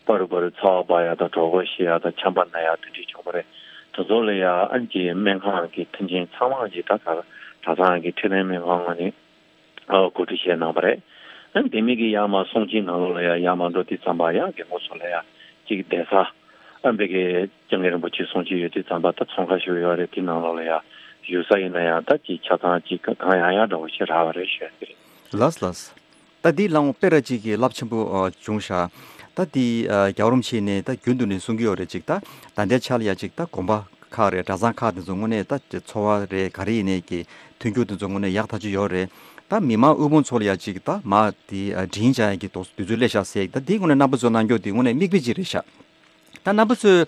པ་རུ་པ་རུ་ཚ་བ་འབག་ཡ་དང་གྲོད་ཁོག་བཤལ་ཡ་དང་ཆམ་པ་ན་ཡ་དེ་འདྲས་བྱུང་བ་རེད། དེ་ཚོ་ལ་ཡ་ཨ་ནི་གཅིག་སྨན་ཁང་གི་མཐུན་རྐྱེན་ཚང་མ་གཅིག་ད་ག་གྲྭ་ཚང་གི་འཕྲོད་བསྟེན་སྨན་ཁང་ངོས་ནས་ཨ་གོ་སྒྲིག་བྱས་གནང་བ་རེད། ཨ་ནི་དེ་མིན་གྱི་ཡར་མར་གསུང་ཆོས་ནང་ལོགས་ལ་ཡ་ཡར་མར་འགྲོ་དུས་ཙམ་པ་ཡ་རྒན་རྒོན་ཚོ་ལ་ཡ་གཅིག་བསྡད་ས་ཨ་ནི་ཕ་གི་སྐྱབས་མགོན་རིན་པོ་ཆེ་གསུང་ཆོས་ཡོད་དུས་ཙམ་པ་ད་ཚོང་ཁང་ཞིག་ཡོད་རེད། དེ་ནང་ལོགས་ལ་ཡ་བཞུགས་ས་ཡིན་ན་ཡང་ད་ཅིག་ཆ་ཚང་ཅིག་གང་ཡང་ཡང་འདྲ་བོ་ཞིག་རག་པ་རེད་ཞུ་ཡ་དེ་རེད། ལགས་ལགས། ད་འདི་ལའང་དཔེ་ར་ཅིག་གི་རླབས་ཆེན་པོ་ཨ་བྱུང་ཤག་ད་འདི་ཨ་རྒྱལ་བ་རིན་པོ་ཆེ་ནས་ད་རྒྱུན་དུ་ནས་གསུང་གི་ཡོད་རེད། ཅིག་ད་ད་ལྟའི་ཆ་ལ་ཡ་ཅིག་ད་དགོན་པ་ཁག་རེད། གྲྭ་ཚང་ཁག་དེ་ཚོ་དངོས་གནས་ད་འཚོ་བ་རེད། ག་རེ་ཡིན་ནའི་གི་མཐུན་འགྱུར་དེ་ཚོ་དངོས་གནས་ཡག་ཐག་ཆོད་ཡོད་རེད། ད་མི་མང་དབུལ་ཕོངས་ཚོ་ལ་ཡ་ཅིག་ད་མ་དེ་ཨ་འབྲིང་བྱ་ཡ་གི་དུས་ཚོད་སླེབས་ཤག་ཟེར། ད་འདི་དངོས་གནས་རྣམ་པ་ཚོ་གནང་རྒྱུ་དེ་དངོས་གནས་མིག་དཔེ་ཅིག་རེད་ཤག་ད་རྣམ་པ་ཚོས་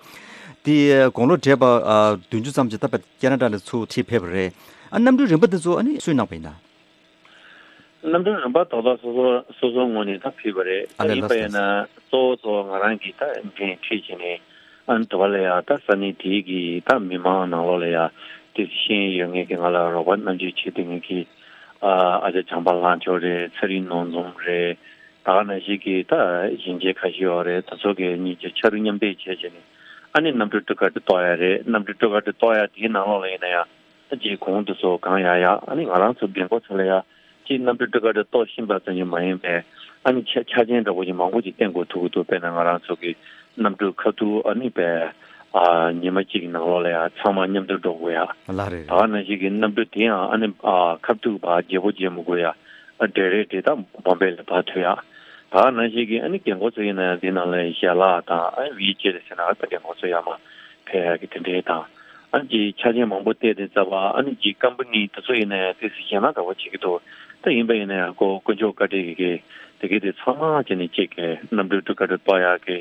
དེ་དགུང་ལོ་བགྲེས་པ་ཨ་བདུན་ཅུ་ཙམ་ཅིག་ད་བར་ཁེ་ན་ཌ་ལ་ཚུར་ཁྲིད་ཕེབས་པ་རེད། ཨ་གནམ་གྲུའི་རིན་པ་དེ་ཚོ་ཨ་ནི་སུས་གནང་པ་ཡིན་ན། གནམ་གྲུའི་རིན་པ་དོ་བདག་སོ་སོ་སོ་སོའི་ངོས་ནས་ད་ཕུལ་བ་རེད། ཨ་ད་ལས་ཡིན་པ་ལགས་ཡིན་ན་སོ་གཙོ་བོ་གཙོ་བོ་ང་རང་གིས་ད་འགན་འཁྲི་བྱས་ནས་ཨ་ནི་དུ་བ་ལ་ཡ་ད་ས་གནས་དེའི་གི་ད་མི་མང་ནང་ལོགས་ལ་ཡ་དེ་ཤེས་ཡོན་ཡོད་མཁན་གྱི་ང་ལ་རོགས་པ་རྣམ་འགྱུར་བྱེད་བསྡད་མཁན་གྱི་ཨ་ཨ་ཅག་བྱམས་པ་ལྷ་མཆོག་རེད། ཚེ་རིང་ནོར་འཛོམས་རེད། ད་ག་ནང་བཞིན་གྱི་ད་གཞོན་སྐྱེས་ཁ་ཤས་ཡོད་རེད། དེ་ཚོ་གི་གཉིས་ཀྱི་ཕྱར་གྲུ་མཉམ་འདེགས་བྱས་བྱས་ནས་ཨ་ནི་གནམ་གྲུ་གྲུ་ཁ་གྲུ་གཏོར་ཡ་རེད། གནམ་གྲུ་གྲུ་ཁ་གྲུ་གཏོར་ཡ་དེའི་ནང་ལོགས་ལ་ཡིན་ན་ཡང་། ད་ཅིག་གོང་དུ་སོགས་གང་ཡང་ཡང་ཨ་ནི་ང་རང་ཚོ་རྒན་རྒོན་ཚོ་ལ་ཡང་ཅིག་གནམ་གྲུ་གྲུ་ཁ་གྲུ་གཏོར་ཤེས་པ་ཙམ་གྱིས་མ་ཡིན་པའི་ཨ་ནི་ཆ་ཆ་རྐྱེན་འདྲ་པོ་ཅིག་མང་པོ་ཅིག་བསྟེན་དགོས་ཐུག་གི་འདུག་དཔེར་ན་ང་རང་ཚོ་གི་གནམ་གྲུ་ཁ་ཐུག་ཨ་ནི་པའི་ཨ་ཉི་མ་གཅིག་གི་ནང་ལོགས་ལ་ཡང་ཚང་མ་མཉམ་དུ་འགྲོ་དགོས་ཡ། ལགས་རེད་ད་ག་ནང་བཞིན་གྱི་གནམ་གྲུ་དེ་ཡང་ཨ་ནི་ཨ་ཁ་ཐུག་བ་བརྗེ་པོ་བརྗེ་མི་དགོས་ཡ། ཨ་འབྲེལ་རེས་དེ་དག་བོམ་པེ་ལ་ཕར་ཐུག་ཡ། ད་ག་ནང་བཞིན་གྱི་ཨ་ནི་རྒན་རྒོན་ཚོ་ཡིན་ན་ཡང་དེ་ནང་ལ་ཞལ་ལག་དང་ཨ་ནི་ཝི་ཅེར་ཟེར་ན་ཨ་ད་རྒན་རྒོན་ཚོ་ཡར་མར་ཕེབས་ཡ་གི་དེ་འདྲའི་དང་། ཨ་ནི་ཅིག་ཆ་རྐྱེན་མང་པོ་བལྟས་ཏེ་རྩ་བ་ཨ་ནི་ཅིག་ཀམ་པ་ནི་དེ་ཚོ་ཡིན་ན་ཡང་ཏོག་ཙམ་ཞེད་སྣང་འདྲ་པོ་བྱེད་ཀྱི་འདུག་ད་ཡིན་པ་ཡིན་ན་ཡང་ཁོ་དཀོན་མཆོག་བཀའ་དྲིན་གྱིས་དེ་གའི་དེ་ཚང་མ་བྱས་ནས་ཅིག་གི་གནམ་གྲུ་གྲུ་ཁ་གྲུ་གཏོར་ཡག་གི་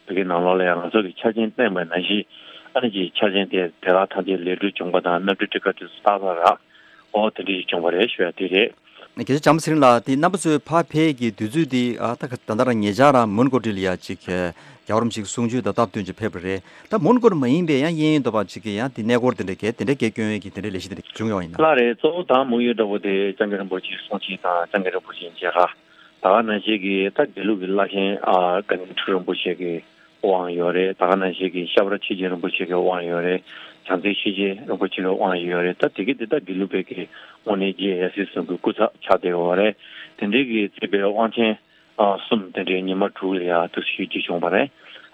དེ་གའི་ནང་ལོགས་ལ་ཡང་ང་ཚོ་གི་ཆ་རྐྱེན་བསྟན་པ་ནང་བཞིན་ཨ་ནི་ཅིག་ཆ་རྐྱེན་དེ་དེ་ལ་ཐམས་ཅད་ལས་འགུལ་བྱུང་པ་དང་གནམ་གྲུ་གྲུ་ཁ་གྲུ་སྟག་ལ་རག་ཨོ་དེ་འདྲ་ཞིག་བྱུང་བ་རེད་ཞུ་ཡ་དེ་རེད། རྒྱལ་སྤྱི་བྱམས་པ་ཚེ་རིང་ལགས། དེ་རྣམ་པ་ཚོའི་ཕར་ཕེབས་ཀྱི་དུས་ཚོད་དེ་ཨ་ད་ད་ལྟ་རང་ཉེ་ཆར་རང་མོན་གྷོ་ཊི་ལ་ཡ་ཅིག་རྒྱལ་བ་རིན་པོ་ཆེའི་གསུང་ཆོས་དང་སྟབས་བསྟུན་ཅིག་ཕེབས་པ་རེད། ད་མོན་གྷོ་ཊི་མ་ཡིན་པའི་ཡང་གཡས་གཡོན་འདྲ་པོ་ཅིག་གི་ཡང་དེ་གནས་སྐོར་དེ་འདྲ་གས་དེ་འདྲ་གས་སྐྱོན་ཡས་ཀྱི་དེ་འདྲ་ལས་གཞི་དེ་འདྲ་བྱུང་ཡོད་ཡིན་ན། ལགས་རེད། གཙོ་བོ་དང་དམིགས་ཡུལ་འདྲ་པོ་དེ་སྐྱབས་མགོན་རིན་པོ་ཆེའི་གསུང་ཆོས་དང་སྐྱབས་མགོན་རིན་པོ་ཆེའི་མཇལ་ཁ། ད་ག་ནང་བཞིན་གྱི་ད་དགེ་ལུགས་ཀྱི་བླ་ཆེན་ཨ་དགའ་ལྡན་ཁྲི་རིན་པོ་ཆེ་གི་དབང་ཡོད་རེད། ད་ག་ནང་བཞིན་གྱི་ཤ་བར་ཆོས་རྒྱལ་རིན་པོ་ཆེ་གི་དབང་ཡོད་རེད། བྱང་རྩེ་ཤེས་བྱའི་རིན་པོ་ཆེ་གི་དབང་ཡོད་རེད། ད་དེ་གི་དེ་ད་དགེ་ལུགས་པའི་གི་དངོས་གནས་རྗེ་ཡབ་སྲས་གསུམ་གྱི་སྐུ་ཚབ་ཆགས་བསྡད་ཡོད་རེད། དེ་འདྲའི་གི་བརྩིས་པའི་དབང་ཆེན་ཨ་གསུམ་དེ་འདྲའི་ཉི་མ་དྲུག་ལ་ཡ་དུ་ཞུས་རྒྱུ་བྱུང་བ་རེད།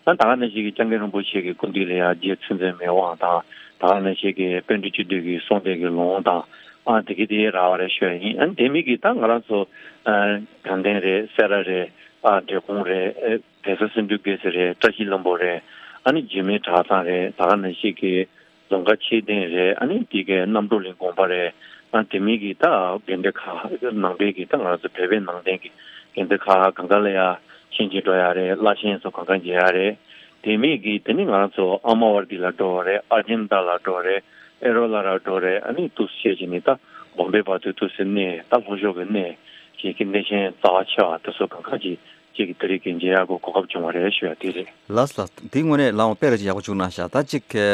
ཨ་ད་ག་ནང་བཞིན་གྱི་སྐྱབས་མགོན་རིན་པོ་ཆེ་གི་སྐུ་མདུན་ལ་ཡ་རྗེ་བཙུན་འཛིན་མའི་དབང་དང་། ད་ག་ནང་བཞིན་གྱི་པཎ་གྲུབ་སྤྱི་འདུས་ཀྱི་གསུང་སྡེ་གི་ལུང་དང་། ཨ་དེ་གི་དེ་རག་པ་རེད་ཞུ་ཡ་ཡིན། ཨ་དེ་མིན་གྱི་ད་ང་རང་ཚོ་ཨ་དགའ་ལྡན་རེད། སེ་ར་རེད། ཨ་འབྲས་སྤུངས་རེད། ཨེ་བལ་བཟའ་སེ་འབྲུ་དགེ་ཟེར་རེད། བཀྲ་ཤིས་ལྷུན་པོ་རེད། ཨ་ནི་འཇིགས་མེད་གྲྭ་ཚང་རེད། ད་ག་ནང་བཞིན་གྱི་རྫོང་དཀར་མཆོད་རྟེན་རེད། ཨ་ནི་དེ་གའི་རྣམ་གྲོལ་གླིང་དགོན་པ་རེད། ཨ་དེ་མིན་གྱི་ད་དགོན་སྡེ་ཁག་ནང་པའི་གི་ད་ང་ཚོ་བོད་པའི་ནང་བསྟན་གྱི་དགོན་སྡེ་ཁག་གང་ག་ལ་ཡ་ཕྱིན་ཅི་འགྲོ་ཡ་རེད། བླ་ཆེན་ཚོ་གང་ག་མཇལ་ཡ་རེད། དེ་མིན་གྱི་དེ་ནི་ང་རང་ཚོ་ཨ་མ་ཝར་དི་ལ་འགྲོ་བ་རེད། ཨར་ཇེན་ཏ་ལ་འགྲོ་བ་རེད། ཨེ་རོ་ལ་ར་འགྲོ་རེད། ཨ་ནི་འདུག་སེ་བྱས་ནས་ད་བོམ་པེ་བར་དུ་འདུག་སེ་གནས། ད་ལྷོ་ཕྱོགས་ཀྱི་གནས་ཅིག་གི་གནས་ཆེན་རྩ་བ་ཆེ་བ་དེ་ཚོ་གང་ག་ཅིག་ཅིག་གི་དེ་རིང་གི་མཇལ་ཡག་གི་གོ་སྐབས་བྱུང་བ་རེད་ཞུ་ཡ་དེ་རེད། ལགས་ལགས། འདི་དངོས་གནས་ལའང་དཔེ་ར་ཅིག་ཡག་པོ་བྱུང་གནང་ཤག་ད་ཅིག་གི་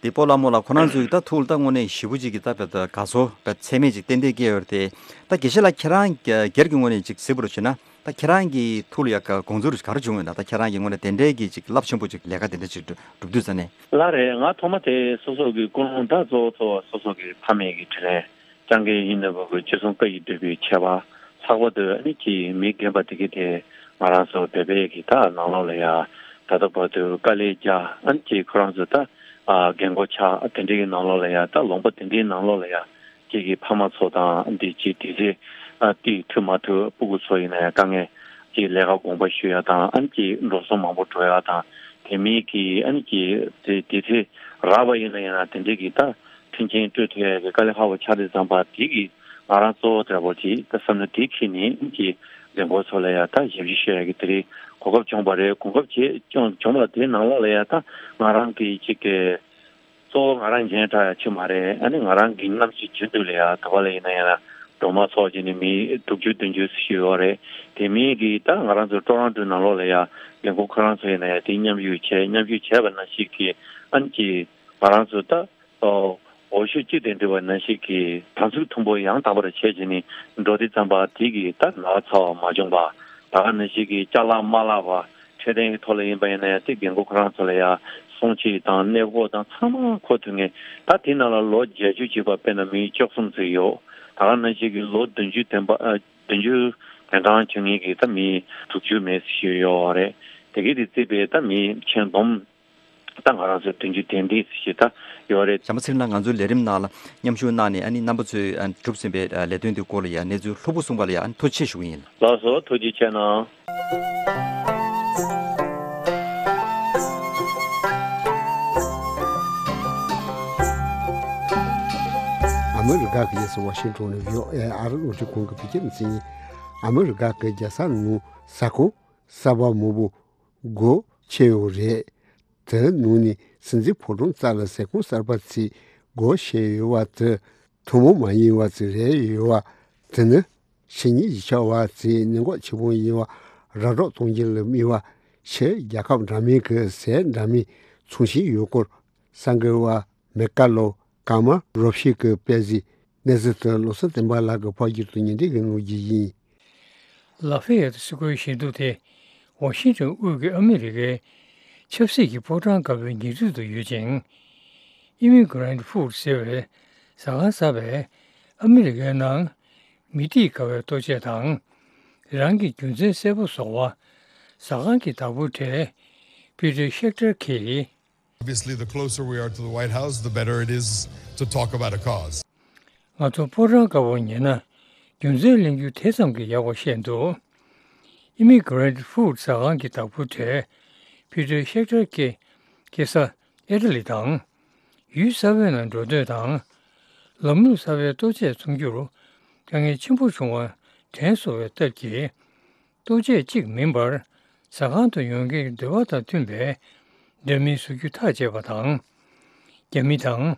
འདི་སྤོ་ལགས་རྨོ་ལགས་ཁོ་རང་ཚོའི་ད་ཐུགས་ལ་ད་དངོས་གནས་ཞེ་པོ་ཅིག་གི་ད་དཔེ་ད་དགའ་ཚོར་དཔེ་ཚད་མེད་ཅིག་ཏན་ཏན་སྐྱེ་ཡོད་རེད་དེ། ད་དགེ་བཤེས་ལགས་ཁྱེད་རང་སྒེར་གྱི་ངོས་ནས་ཅིག་གཟིགས་པ་རུ་བྱས་ན། ད་ཁྱེད་རང་གི་ཐུགས་ལ་ཡ་ག་དགོངས་ཚུལ་ག་རེ་བྱུང་ཡོད་ན། ད་ཁྱེད་རང་གི་ངོས་ནས་དེ་འདྲའི་གི་ཅིག་རླབས་ཆེན་པོ་ཅིག་ལས་ཀ་དེ་འདྲ་ཅིག་སྒྲུབ་སྒྲུབ་དུས་ཙ་ནས། ལགས་རེད། ང་ཐོག་མ་དེ་སོ་སོ་གི་ཀུན་སློང་ད་གཙོ་བོ་གཙོ་བོ་སོ་སོ་གི་ཕ་མེས་ཀྱི་དྲིན་ལན་སྐྱབས་མགོན་ཡིད་བཞིན་ནོར་བུ་གི་སྤྱི་གསུང་བཀའ་ཡི་སྒྲུབ་པའི་ཆེ་བ། ལྷག་པར་དུ་ཨ་ནི་ཅིག་མི་རྒན་པ་དེ་གི་དེ་ང་རང་ཚོ་བོད་པའི་གི་ད་ནང་ལོགས་ལ་ཡ་ད་ལྟ་བར་དུ་དཀའ་ལས་རྒྱག་ཨ་ནི་ཅིག་ཁོ་རང་ཚོ་ད་ཨ་རྒན་གོག་ཆགས་དེ་འདྲའི་གི་ནང་ལོགས་ལ་ཡ་ད་ལུང་པ་དེ་འདྲའི་ནང་ལོགས་ལ་ཡ། ཅིག་གི་ཕ་མ་ཚོ་དང་འདི་ཅིག་དེ་ཚེ་ཨ་ཏི་ཐུ་མ་ཐུ་སྤུ་གུ་ཚོ་ཡིན་ན་ཡང་དཀའ་ངལ་ཅིག་ལས་ཀ་དགོངས་པ་ཞུ་ཡ་དང་ཨ་ནི་ཅིག་འགྲོ་སོང་མང་པོ་འགྲོ་ཡ་དང་དེ་མིན་གྱི་ཨ་ནི་ཅིག་དེ་དེ་ཚེ་རག་པ་ཡིན་ན་ཡང་དེ་འདྲའི་གི་ད་མཐུན་རྐྱེན་སྤྲོད་ཐུབ་ཡ་གི་དཀའ་ལས་ཁག་པོ་ཆགས་དུས་ཙམ་པ་དེ་གི་ང་རང་གཙོ་བོ་འདྲ་པོ་ཅིག་ད་བསམ་བློ་དེ་འཁྱེར་ནས་ཨ་ནི་ཅིག་རྒན་གོག་ཚོ་ལ་ཡ་ད་ཞབས་ཕྱི་ཞུ་ཡ་གི་དེ་རིང་གོ་སྐབས་བྱུང་བ་རེད། གོ་སྐབས་བྱས་བྱུང་བྱུང་བ་དེ་ནང་ལོགས་ལ་ཡ་ད་ང་རང་གི་ཅིག་གི་གཙོ་བོ་ང་རང་མཇལ་དྲག་ཡ་ཆེ་མ་རེད། ཨ་ནི་ང་རང་གི་རྣམ་ཤེས་རྒྱུན་དུ་ལ་ཡ་ད་བ་ལ་ཡིན་ན་ཡང་ན་སྒྲོལ་མ་ཚོགས་ཀྱི་ནི་མི་དྲུག་ཅུ་བདུན་ཅུ་ཞིག་ཡོད་རེད། དེ་མིན་གྱི་ད་ང་རང་ཚོ་ཀྲོ་རོན་ཀྲོ་ནང་ལོགས་ལ་ཡ་རྒན་གོག་ཁོ་རང་ཚོ་ཡིན་ན་ཡང་དེ་མཉམ་ཞུགས་བྱས་མཉམ་ཞུགས་བྱས་པ་ནང་བཞིན་གྱི་ཨ་ནི་ཀྱི་ང་རང་ཚོ་ད་ཨོ་ འོས་ཤོག་གཅིག་དང་འབྲེལ་བ་ནང་བཞིན་གྱི་དམ་ཚིག་མཐུན་པོ་ཡང་དག་པར་བྱས་བྱས་ནས་འགྲོ་དུས་ཙམ་པ་དེ་གི་ད་ན་ཚ་བ་མ་བྱུང་བ། ད་ག་ནང་བཞིན་གྱི་ཅ་ལག་མ་བརླག་པ། འཕྲོད་བསྟེན་གྱི་ཐོག་ལ་ཡིན་པ་ཡིན་ན་ཡང་དེ་རྒན་རྒོན་ཁོ་རང་ཚོ་ལ་ཡང་སྲུང་བྱེད་དང་གནས་སྐོར་དང་ཚང་མ་འཁོར་ཐུབ་མཁན། ད་དེ་ནང་ལ་ལོ་བརྒྱད་ཅུ་བྱས་པ་དཔེར་ན་མི་བཅུ་གསུམ་ཙམ་ཡོད། ད་ག་ནང་བཞིན་གྱི་ལོ་བདུན་ཅུ་ཐོན་པ་ཨ་བདུན་ཅུ་དོན་ཐང་བྱུང་མཁན་གྱི་ད་མི་དྲུག་ཅུ་མེད་ཞིག་ཡོད་རེད། དེ་གི་དེ་བརྩིས་པའི་ད་མི་ཁྱོན་བསྡོམས། ད་ང་རང་ཚོ་བདུན་ཅུ་དོན་བདུན་ཞིག་ད་ཡོད་རེད། བྱམས་པ་ཚེ་རིང་ལགས། ང་ཚོའི་ལས་རིམ་ནང་ལ་མཉམ་ཞུགས་གནང་ནས་ཨ་ནི་རྣམ་པ་ཚོས་ཨ་གྲུབ་ཟིན་པའི་ཨ་ལས་དོན་དེ་སྐོར་ལ་ཡང་གནས་ཚུལ་ལྷུག་པོ་གསུངས་པ་ལ་ཡང་ཨ་ནི་ཐུགས་རྗེ་ཆེ་ཞུ་གི་ཡིན། ལགས་སོ། ཐུགས་རྗེ་ཆེ་གནང་། ཨ་མི་རི་ཀ་གི་རྒྱལ་ས་ཝ་ཤིང་ཏོན་ནས་བྷི་ཨོ་ཨེ་ཨ་རི་རླུང་འཕྲིན་ཁང་གི་བོད་སྐད་སྡེ་ཚན། ཨ་མི་རི་ཀ་གི་རྒྱལ་ས་ནང་ས་ཁོངས་གསར་པ་མང་པོ་སྒོ་ཕྱེ་ཡོད་རེད། དེ་ནང་ནས་སྲིད་འཛིན་ཕོ་བྲང་རྩ་ལ་ས་ཁོངས་གསར་པ་ཚོས་སྒོ་ཕྱེ་ཡོད་པ་དེ་ཐུན་མོང་མ་ཡིན་པ་ཅིག་རེད་ཡོད་པ། དེ་ནི་ཕྱི་ཉིན་གཞིས་ཆགས་པ་ཚོས་ནད་འགོག་ཆེད་དཔོན་ཡིན་པ་ར་སྤྲོད་གཏོང་རྒྱུ་ལ་དམིགས་པ་ཕྱི་རྒྱལ་ཁབ་འདྲ་མིན་གྱི་ཟས་འདྲ་མིན་ཚོང་བྱེད་ཡུལ་སྐོར་གསར་འགོད་པ་མེ་ཀ་ལོ་ཀརྨ་རོ་ཕྱུགས་ཀྱིས་སྤེལ་གཟིགས། གནས་ཚུལ་དེ་བློ་བཟང་བསྟན་པ་ལགས་ཀྱིས་ཕབ་སྒྱུར་དང་སྙན་སྒྲོན་གྱིས་གནང་རྒྱུ་ཡིན། ལ་ཧྥེ་ཡེ་ཏི་སི་ཀུའི་ཞལ་འདུག་དེ་ཝ་ཤིང་ཏོན་དབུས་ཀྱི་ཨ་མི་རི་ཀའི་ཆབ་སྲིད་ཀྱི་ཕོ་བྲང་དཀར་པོའི་ཉེ་འཁྲིས་སུ་ཡོད་ཅིང་། ཨི་མི་གྷི་རན་ཊི་ཧྥུཌ་ཟེར་བའི་ཟ་ཁང་གསར་པས་ཨ་མི་རི་ཀའི་ནང་མི་ཐིག་ག་བའི་ལྟོ་ཆས་དང་། རང་གི་རྒྱུ་མཚན་གསལ་པོ་བཟོ་བ། ཟ་ཁང་གི་བདག་པོ་གྲས་པི་ཏྲ་ཤེག་ཏར་གྱིས། Obviously, the closer we are to the White House, the better it is to talk about a cause. ང་ཚོ་ཕོ་བྲང་དཀར་པོར་ཉེ་ན་རྒྱུ་མཚན་གླེང་རྒྱུ་དེ་ཙམ་གྱིས་ཡག་པ་ཤེས་འདུག་ཨི་མི་གྷི་རན་ཊི་ཧྥུཌ་ཟ་ཁང་གི་བདག་པོ་གྲས་པི་ཏྲ་ཤེག་ཏར་གྱིས་སྐྱེས་ས་ཨི་ཊ་ལི་དང་། ཡུལ་གསར་པའི་ནང་འགྲོ་འདོད་དང་། ལམ་ལུགས་གསར་པའི་ལྟོ་ཆས་ཚོང་རྒྱུར་དཀའ་ངལ་ཆེན་པོ་བྱུང་བ་དྲན་སོང་བའི་སྟབས་ཀྱིས། ལྟོ་ཆས་གཅིག་མིན་པར་ཟ་ཁང་དུ་ཡོང་མཁན་གྱི་འདོད་པ་དང་མཐུན་པའི་འདྲ་མིན་བཟོ་རྒྱུ་ཐག་བཅད་པ་དང་། རྒྱ་མི་དང་།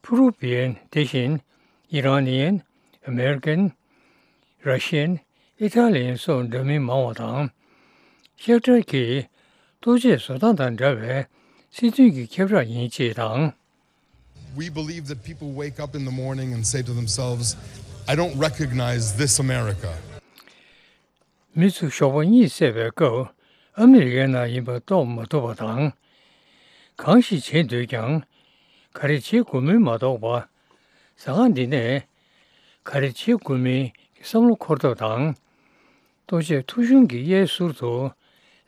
ཕུ་རུ་བི་ཡན་དེ་བཞིན་ཨི་རན་ནི་ཡན། ཨ་མེ་རི་ཀན། ར་ཤི་ཡན། ཨི་ཊ་ལི་ཡན་སོགས་འདྲ་མིན་མང་བ་དང་། ཤེག་ཏར་གྱིས་ལྟོ་ཆས་བཟོ་སྟངས་དང་འདྲ་བའི་སྲིད་དོན་གྱི་ཁྱབ་བསྒྲགས་ཡིན་ཅེས་དང་། We believe that people wake up in the morning and say to themselves, "I don't recognize this America." མི་ཚོས་ཞོགས་པ་གཉིད་སད་པའི་སྐབས་ཨ་མི་རི་ཀའི་ནང་ཡིན་པ་རྟོགས་མ་ཐུབ་པ་དང་། གང་ཞིག་བྱེད་འདོད་ཀྱང་ག་རེ་བྱེད་དགོས་མིན་མ་རྟོགས་པ། ཟ་ཁང་འདི་ནས་ག་རེ་བྱེད་དགོས་མིན་གྱི་བསམ་བློ་འཁོར་ཐབས་དང་། ལྟོ་ཆས་ཐོ་གཞུང་གི་གཡས་ཟུར་དུ་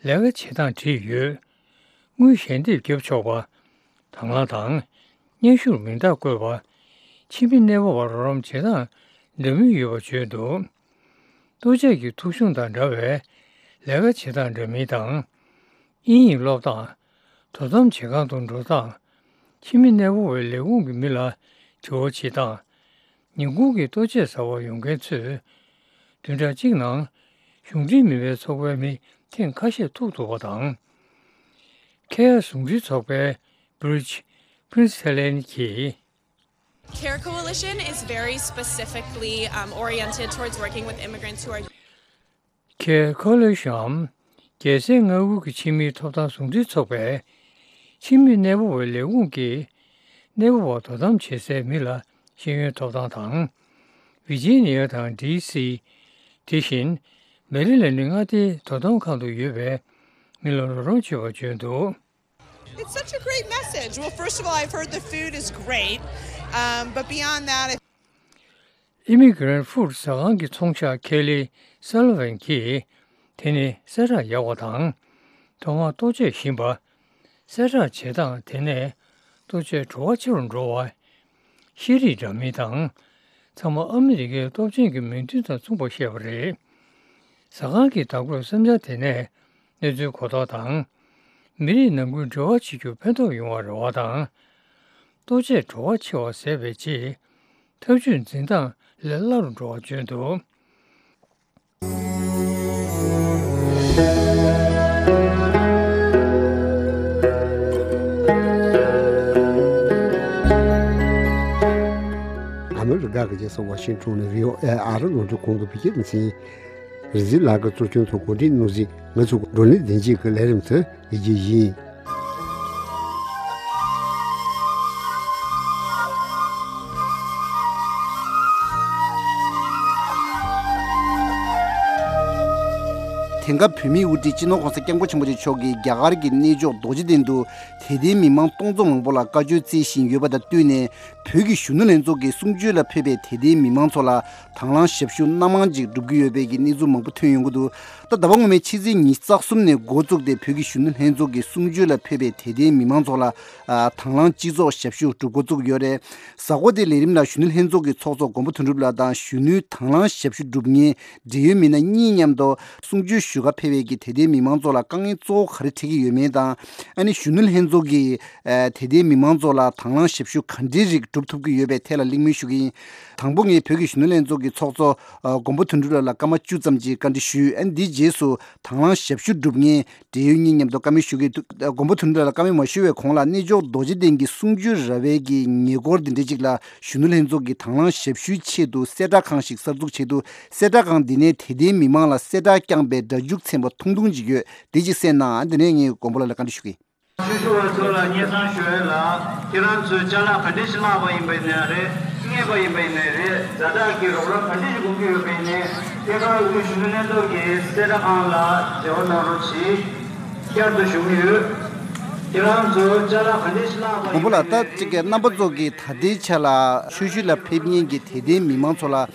ལས་ཀ་བྱེད་སྟངས་བྲིས་ཡོད། དངུལ་ཞལ་འདེབས་བརྒྱབ་ཆོག་པ། དང་བླངས་དང་། སྙན་ཞུར་མིང་རྟགས་བཀོད་པ། ཕྱི་མི་གནས་སྤོ་བར་རོགས་རམ་བྱེད་སྟངས་འདྲ་མིན་ཡོད་པ་བརྗོད་འདུག་ལྟོ་ཆས་ཀྱི་ཐོ་གཞུང་དང་འདྲ་བའི་ལས་ཀ་བྱེད་སྟངས་འདྲ་མིན་དང་། དབྱིན་ཡིག་སློབ་སྟངས། དོ་དམ་བྱེད་ཁང་དུ་འགྲོ་སྟངས། ཕྱི་མི་གནས་སྤོ་བའི་ལས་ཁུངས་ཀྱི་མི་ལ་དྲི་བ་བྱེད་སྟངས། ཉིན་གུང་གི་ལྟོ་ཆས་ཟ་བར་ཡོང་མཁན་ཚོས། བདུན་ཕྲག་གཅིག་ནང་གཞུང་འབྲེལ་མིན་པའི་ཚོགས་པའི་མི་ཐེངས་ཁ་ཤས་ཐུག་ཐུབ་པ་དང་། ཁེ་ཡ་ཟུང་འབྲེལ་ཚོགས་པའི་བྷི་རིཇ་པི་རིན་སི་ཐེ་ལན་གྱིས། Care Coalition is very specifically, um, oriented towards working with immigrants who are Care Coalition རྒྱལ་སའི་མངའ་ཁུལ་གྱི་ཕྱི་མིའི་ཐོབ་ཐང་ཟུང་འབྲེལ་ཚོགས་པས། ཕྱི་མི་གནས་སྤོ་བའི་ལས་ཁུངས་ཀྱིས་གནས་སྤོ་བ་དོ་དམ་བྱེད་སའི་མི་ལ་ཤེས་ཡོན་ཐོབ་ཐང་དང་། ཝི་ཇི་ནི་ཡ་དང་ཌི་སི། དེ་བཞིན་མེ་རི་ལེན་ཌི་མངའ་སྡེའི་དོ་དམ་ཁང་དུ་ཡོད་པའི་མི་ལ་རོགས་རམ་བྱེད་པར་བརྗོད་འདུག It's such a great message. Well, first of all, I've heard the food is great, um, but beyond that, if Immigrant Food ཟ་ཁང་གི་ཚོང་ཤག་ཁེ་ལི་སཱ་ལི་ཝན་གྱིས། དེ་ནི་གསལ་བསྒྲགས་ཡག་པ་དང་། ཐོག་མར་ལྟོ་ཆས་ཞིམ་པ། གསལ་བསྒྲགས་བྱེད་སྟངས་དེ་ནས་ལྟོ་ཆས་བྲོ་བ་ཆེ་རུ་འགྲོ་བ། ཤེས་རིག་འདྲ་མིན་དང་། ཚང་མ་ཨ་མི་རི་ཀའི་སྟོབས་ཆེན་གྱི་མིང་དོན་དང་མཚུངས་པར་བཤད་པ་རེད། ཟ་ཁང་གི་བདག་པོས་བསམ་འཆར་དེ་ནས་གནས་ཚུལ་གོ་རྟོགས་དང་། མི་རིགས་ནང་ཁུལ་འབྲེལ་བ་བྱེད་རྒྱུར་ཕན་ཐོགས་ཡོང་བར་རེ་བ་དང་། ལྟོ་ཆས་བྲོ་བ་ཆེ་བ་ཟད་པའི་ཆེད། ཐབས་ཇུས་འཛིན་སྟངས་ལས་སླ་རུ་འགྲོ་བ་བརྗོད་འདུག་ཨ་མི་རི་ཀ་གི་རྒྱལ་ས་ཝ་ཤིང་ཊོན་ནས་བྷི་ཨོ་ཨེ་ཨ་རི་རླུང་འཕྲིན་ཁང་གི་བོད་སྐད་སྡེ་ཚན། རིག་འཛིན་ལགས་ཀྱིས་གཙོ་སྐྱོང་དང་གོ་སྒྲིག་གནང་གཟིགས། ང་ཚོ་བགྲོ་གླེང་བདེན་སྐྱིད་ཀྱི་ལས་རིམ་དུ་ཡི་རྒྱུ་ཡིན། ལམ་ཁ་བོད་མིའི་དབུ་ཁྲིད་སྤྱི་ནོར་༸གོང་ས་༸སྐྱབས་མགོན་ཆེན་པོ་མཆོག་གིས་རྒྱ་གར་གྱི་གནས་མཆོག་རྡོ་རྗེ་གདན་དུ་དད་ལྡན་མི་མང་སྟོང་ཚོ་མང་པོ་ལ་བཀའ་ཆོས་སྩལ་བཞིན་ཡོད་པ་དང་བསྟུན་ནས། བོད་ཀྱི་གཞོན་ནུ་ལྷན་ཚོགས་ཀྱིས་གསུང་ཆོས་ལ་ཕེབས་པའི་དད་ལྡན་མི་མང་ཚོ་ལ་དང་བླངས་ཞབས་ཞུ་སྣ་མང་ཅིག་བསྒྲུབ་ཀྱི་ཡོད་པའི་གི་གནས་ཚུལ་མང་པོ་ཐོན་ཡོང་གི་འདུག་ད་ཟླ་བ་སྔོན་མའི་ཕྱི་ཚེས་ཉི་ཤུ་རྩ་གསུམ་ནས་འགོ་བཙུགས་ཏེ། བོད་ཀྱི་གཞོན་ནུ་ལྷན་ཚོགས་ཀྱིས་གསུང་ཆོས་ལ་ཕེབས་པའི་དད་ལྡན་མི་མང་ཚོ་ལ་ཨ་དང་བླངས་སྤྱི་ཚོགས་ཞབས་ཞུ་སྒྲུབ་འགོ་བཙུགས་ཡོད་རེད། གཟའ་འཁོར་དེའི་ལས་རིམ་ལ་གཞོན་ནུ་ལྷན་ཚོགས་ཀྱི་ཚོགས་གཙོ་མགོན་པོ་དོན་གྲུབ་ལགས་དང་གཞོན་ནུའི་དང་བླངས་ཞབས་ཞུ་སྒྲུབ་མཁན་འབྲེལ་ཡོད་མི་སྣ་གཉིས་མཉམ་དུ་གསུང་ཆོས་ཞུ་གར་ཕེབས་པའི་གི་དད་ལྡན་མི་མང་ཚོ་ལ་དཀའ་ངལ་གཙོ་བོ་ག་རེ་འཕྲད་ཀྱི་ཡོད་མེད་དང་། ཨ་ནི་གཞོན་ནུ་ལྷན་ཚོགས་ཀྱིས་ཨ་དད་ལྡན་མི་མང་ཚོ་ལ་དང་བླངས་ཞབས་ཞུ་ག་འདྲའི་རིགས་སྒྲུབ་ཐུབ་ཀྱི་ཡོད་པའི་ཐད་ལ་གླེང་མོལ་ཞུ་གི་ཡིན། དང་པོ་ངས་བོད་ཀྱི་གཞོན་ནུ་ལྷན་ཚོགས་ཀྱི་ཚོགས་གཙོ་ཨ་མགོན་པོ་དོན་གྲུབ་ལགས་ལ་སྐར་མ་བཅུ་ཙམ་གྱི་བཀའ་འདྲི་ཞུས། ཨ་ནི་འདིའི་རྗེས་སུ་དང་བླངས་ཞབས་ཞུ་སྒྲུབ་མཁན་འབྲེལ་ཡོད་གཉིས་མཉམ་དུ་བཀའ་མོལ་ཞུ་གི་འདུག་མགོན་པོ་དོན་གྲུབ་ལགས་ལ་བཀའ་མོལ་མ་ཞུ་བའི་གོང་ལ་གནས་མཆོག་རྡོ་རྗེ་གདན་གྱི་གསུང་ཆོས་ར་བའི་གི་ཉེ་འཁོར་འདི་འདྲ་ཅིག་ལ་གཞོན་ནུ་ལྷན་ཚོགས་ཀྱིས་དང་བླངས་ཞབས་ཞུའི་ཆེད་དུ་གསལ་བསྒྲགས་ཁང་ཞིག་གསར་འཛུགས་བྱས་འདུག་གསལ་བསྒྲགས་ཁང་འདི་ནས་དད་ལྡན་མི་མང་ལ་གསལ་བསྒྲགས་བསྐྱངས་པའི་སྒྲ་འཇུག་ཚན་པ་ཐུང་ཐུང་ཅིག་ཡོད། དེ་ཅིག་གསན་གནང་། འདི་ནས་ངས་མགོན་པོ་ལགས་ལ་བཀའ་འདྲི་ཞུ་གི་ཡིན། ཆོས་ཞུ་བ་ཚོ་ལ་སྙན་སེང་ཞུ་ཡས་ལ། ཁྱེད་རང་ཚོས་ཅ་ལག་ག་འདྲ་ཞིག་བསླངས་པ་ཡིན་པ་ཡིན་ནའི་རེད། རྙེད་པ་ཡིན་པ་ཡིན་ནའི་རེད། ཛ་དྲག་གི་རོགས་རམ་ག་འདྲ་ཞིག་དགོས་ཀྱི་ཡོད་པ་ཡིན་ནའི། ཐད་ཀར་དབུས་གཞོན་ནུ་ལྷན་ཚོགས་ཀྱི་གསལ་བསྒྲགས་ཁང་ལ་འབྲེལ་བ་གནང་རོགས་གྱིས། བསྐྱར་དུ་ཞུ་གི་ཡོད། ཁྱེད་རང་ཚོས་ཅ་ལག་ག་འདྲ་ཞིག་བསླངས་པ་ཡིན་པ་ཡིན་ནའི། མགོན་པོ་ལགས། ད་ཅིག་གི་རྣམ་པ་ཚོ་གིས་ད་ལྟའི་ཆ་ལ་ཆོས་ཞུ་ལ་ཕེབས་མཁན་གྱི་དད་ལྡན་མི་མང་ཚོ་ལ་ཨ་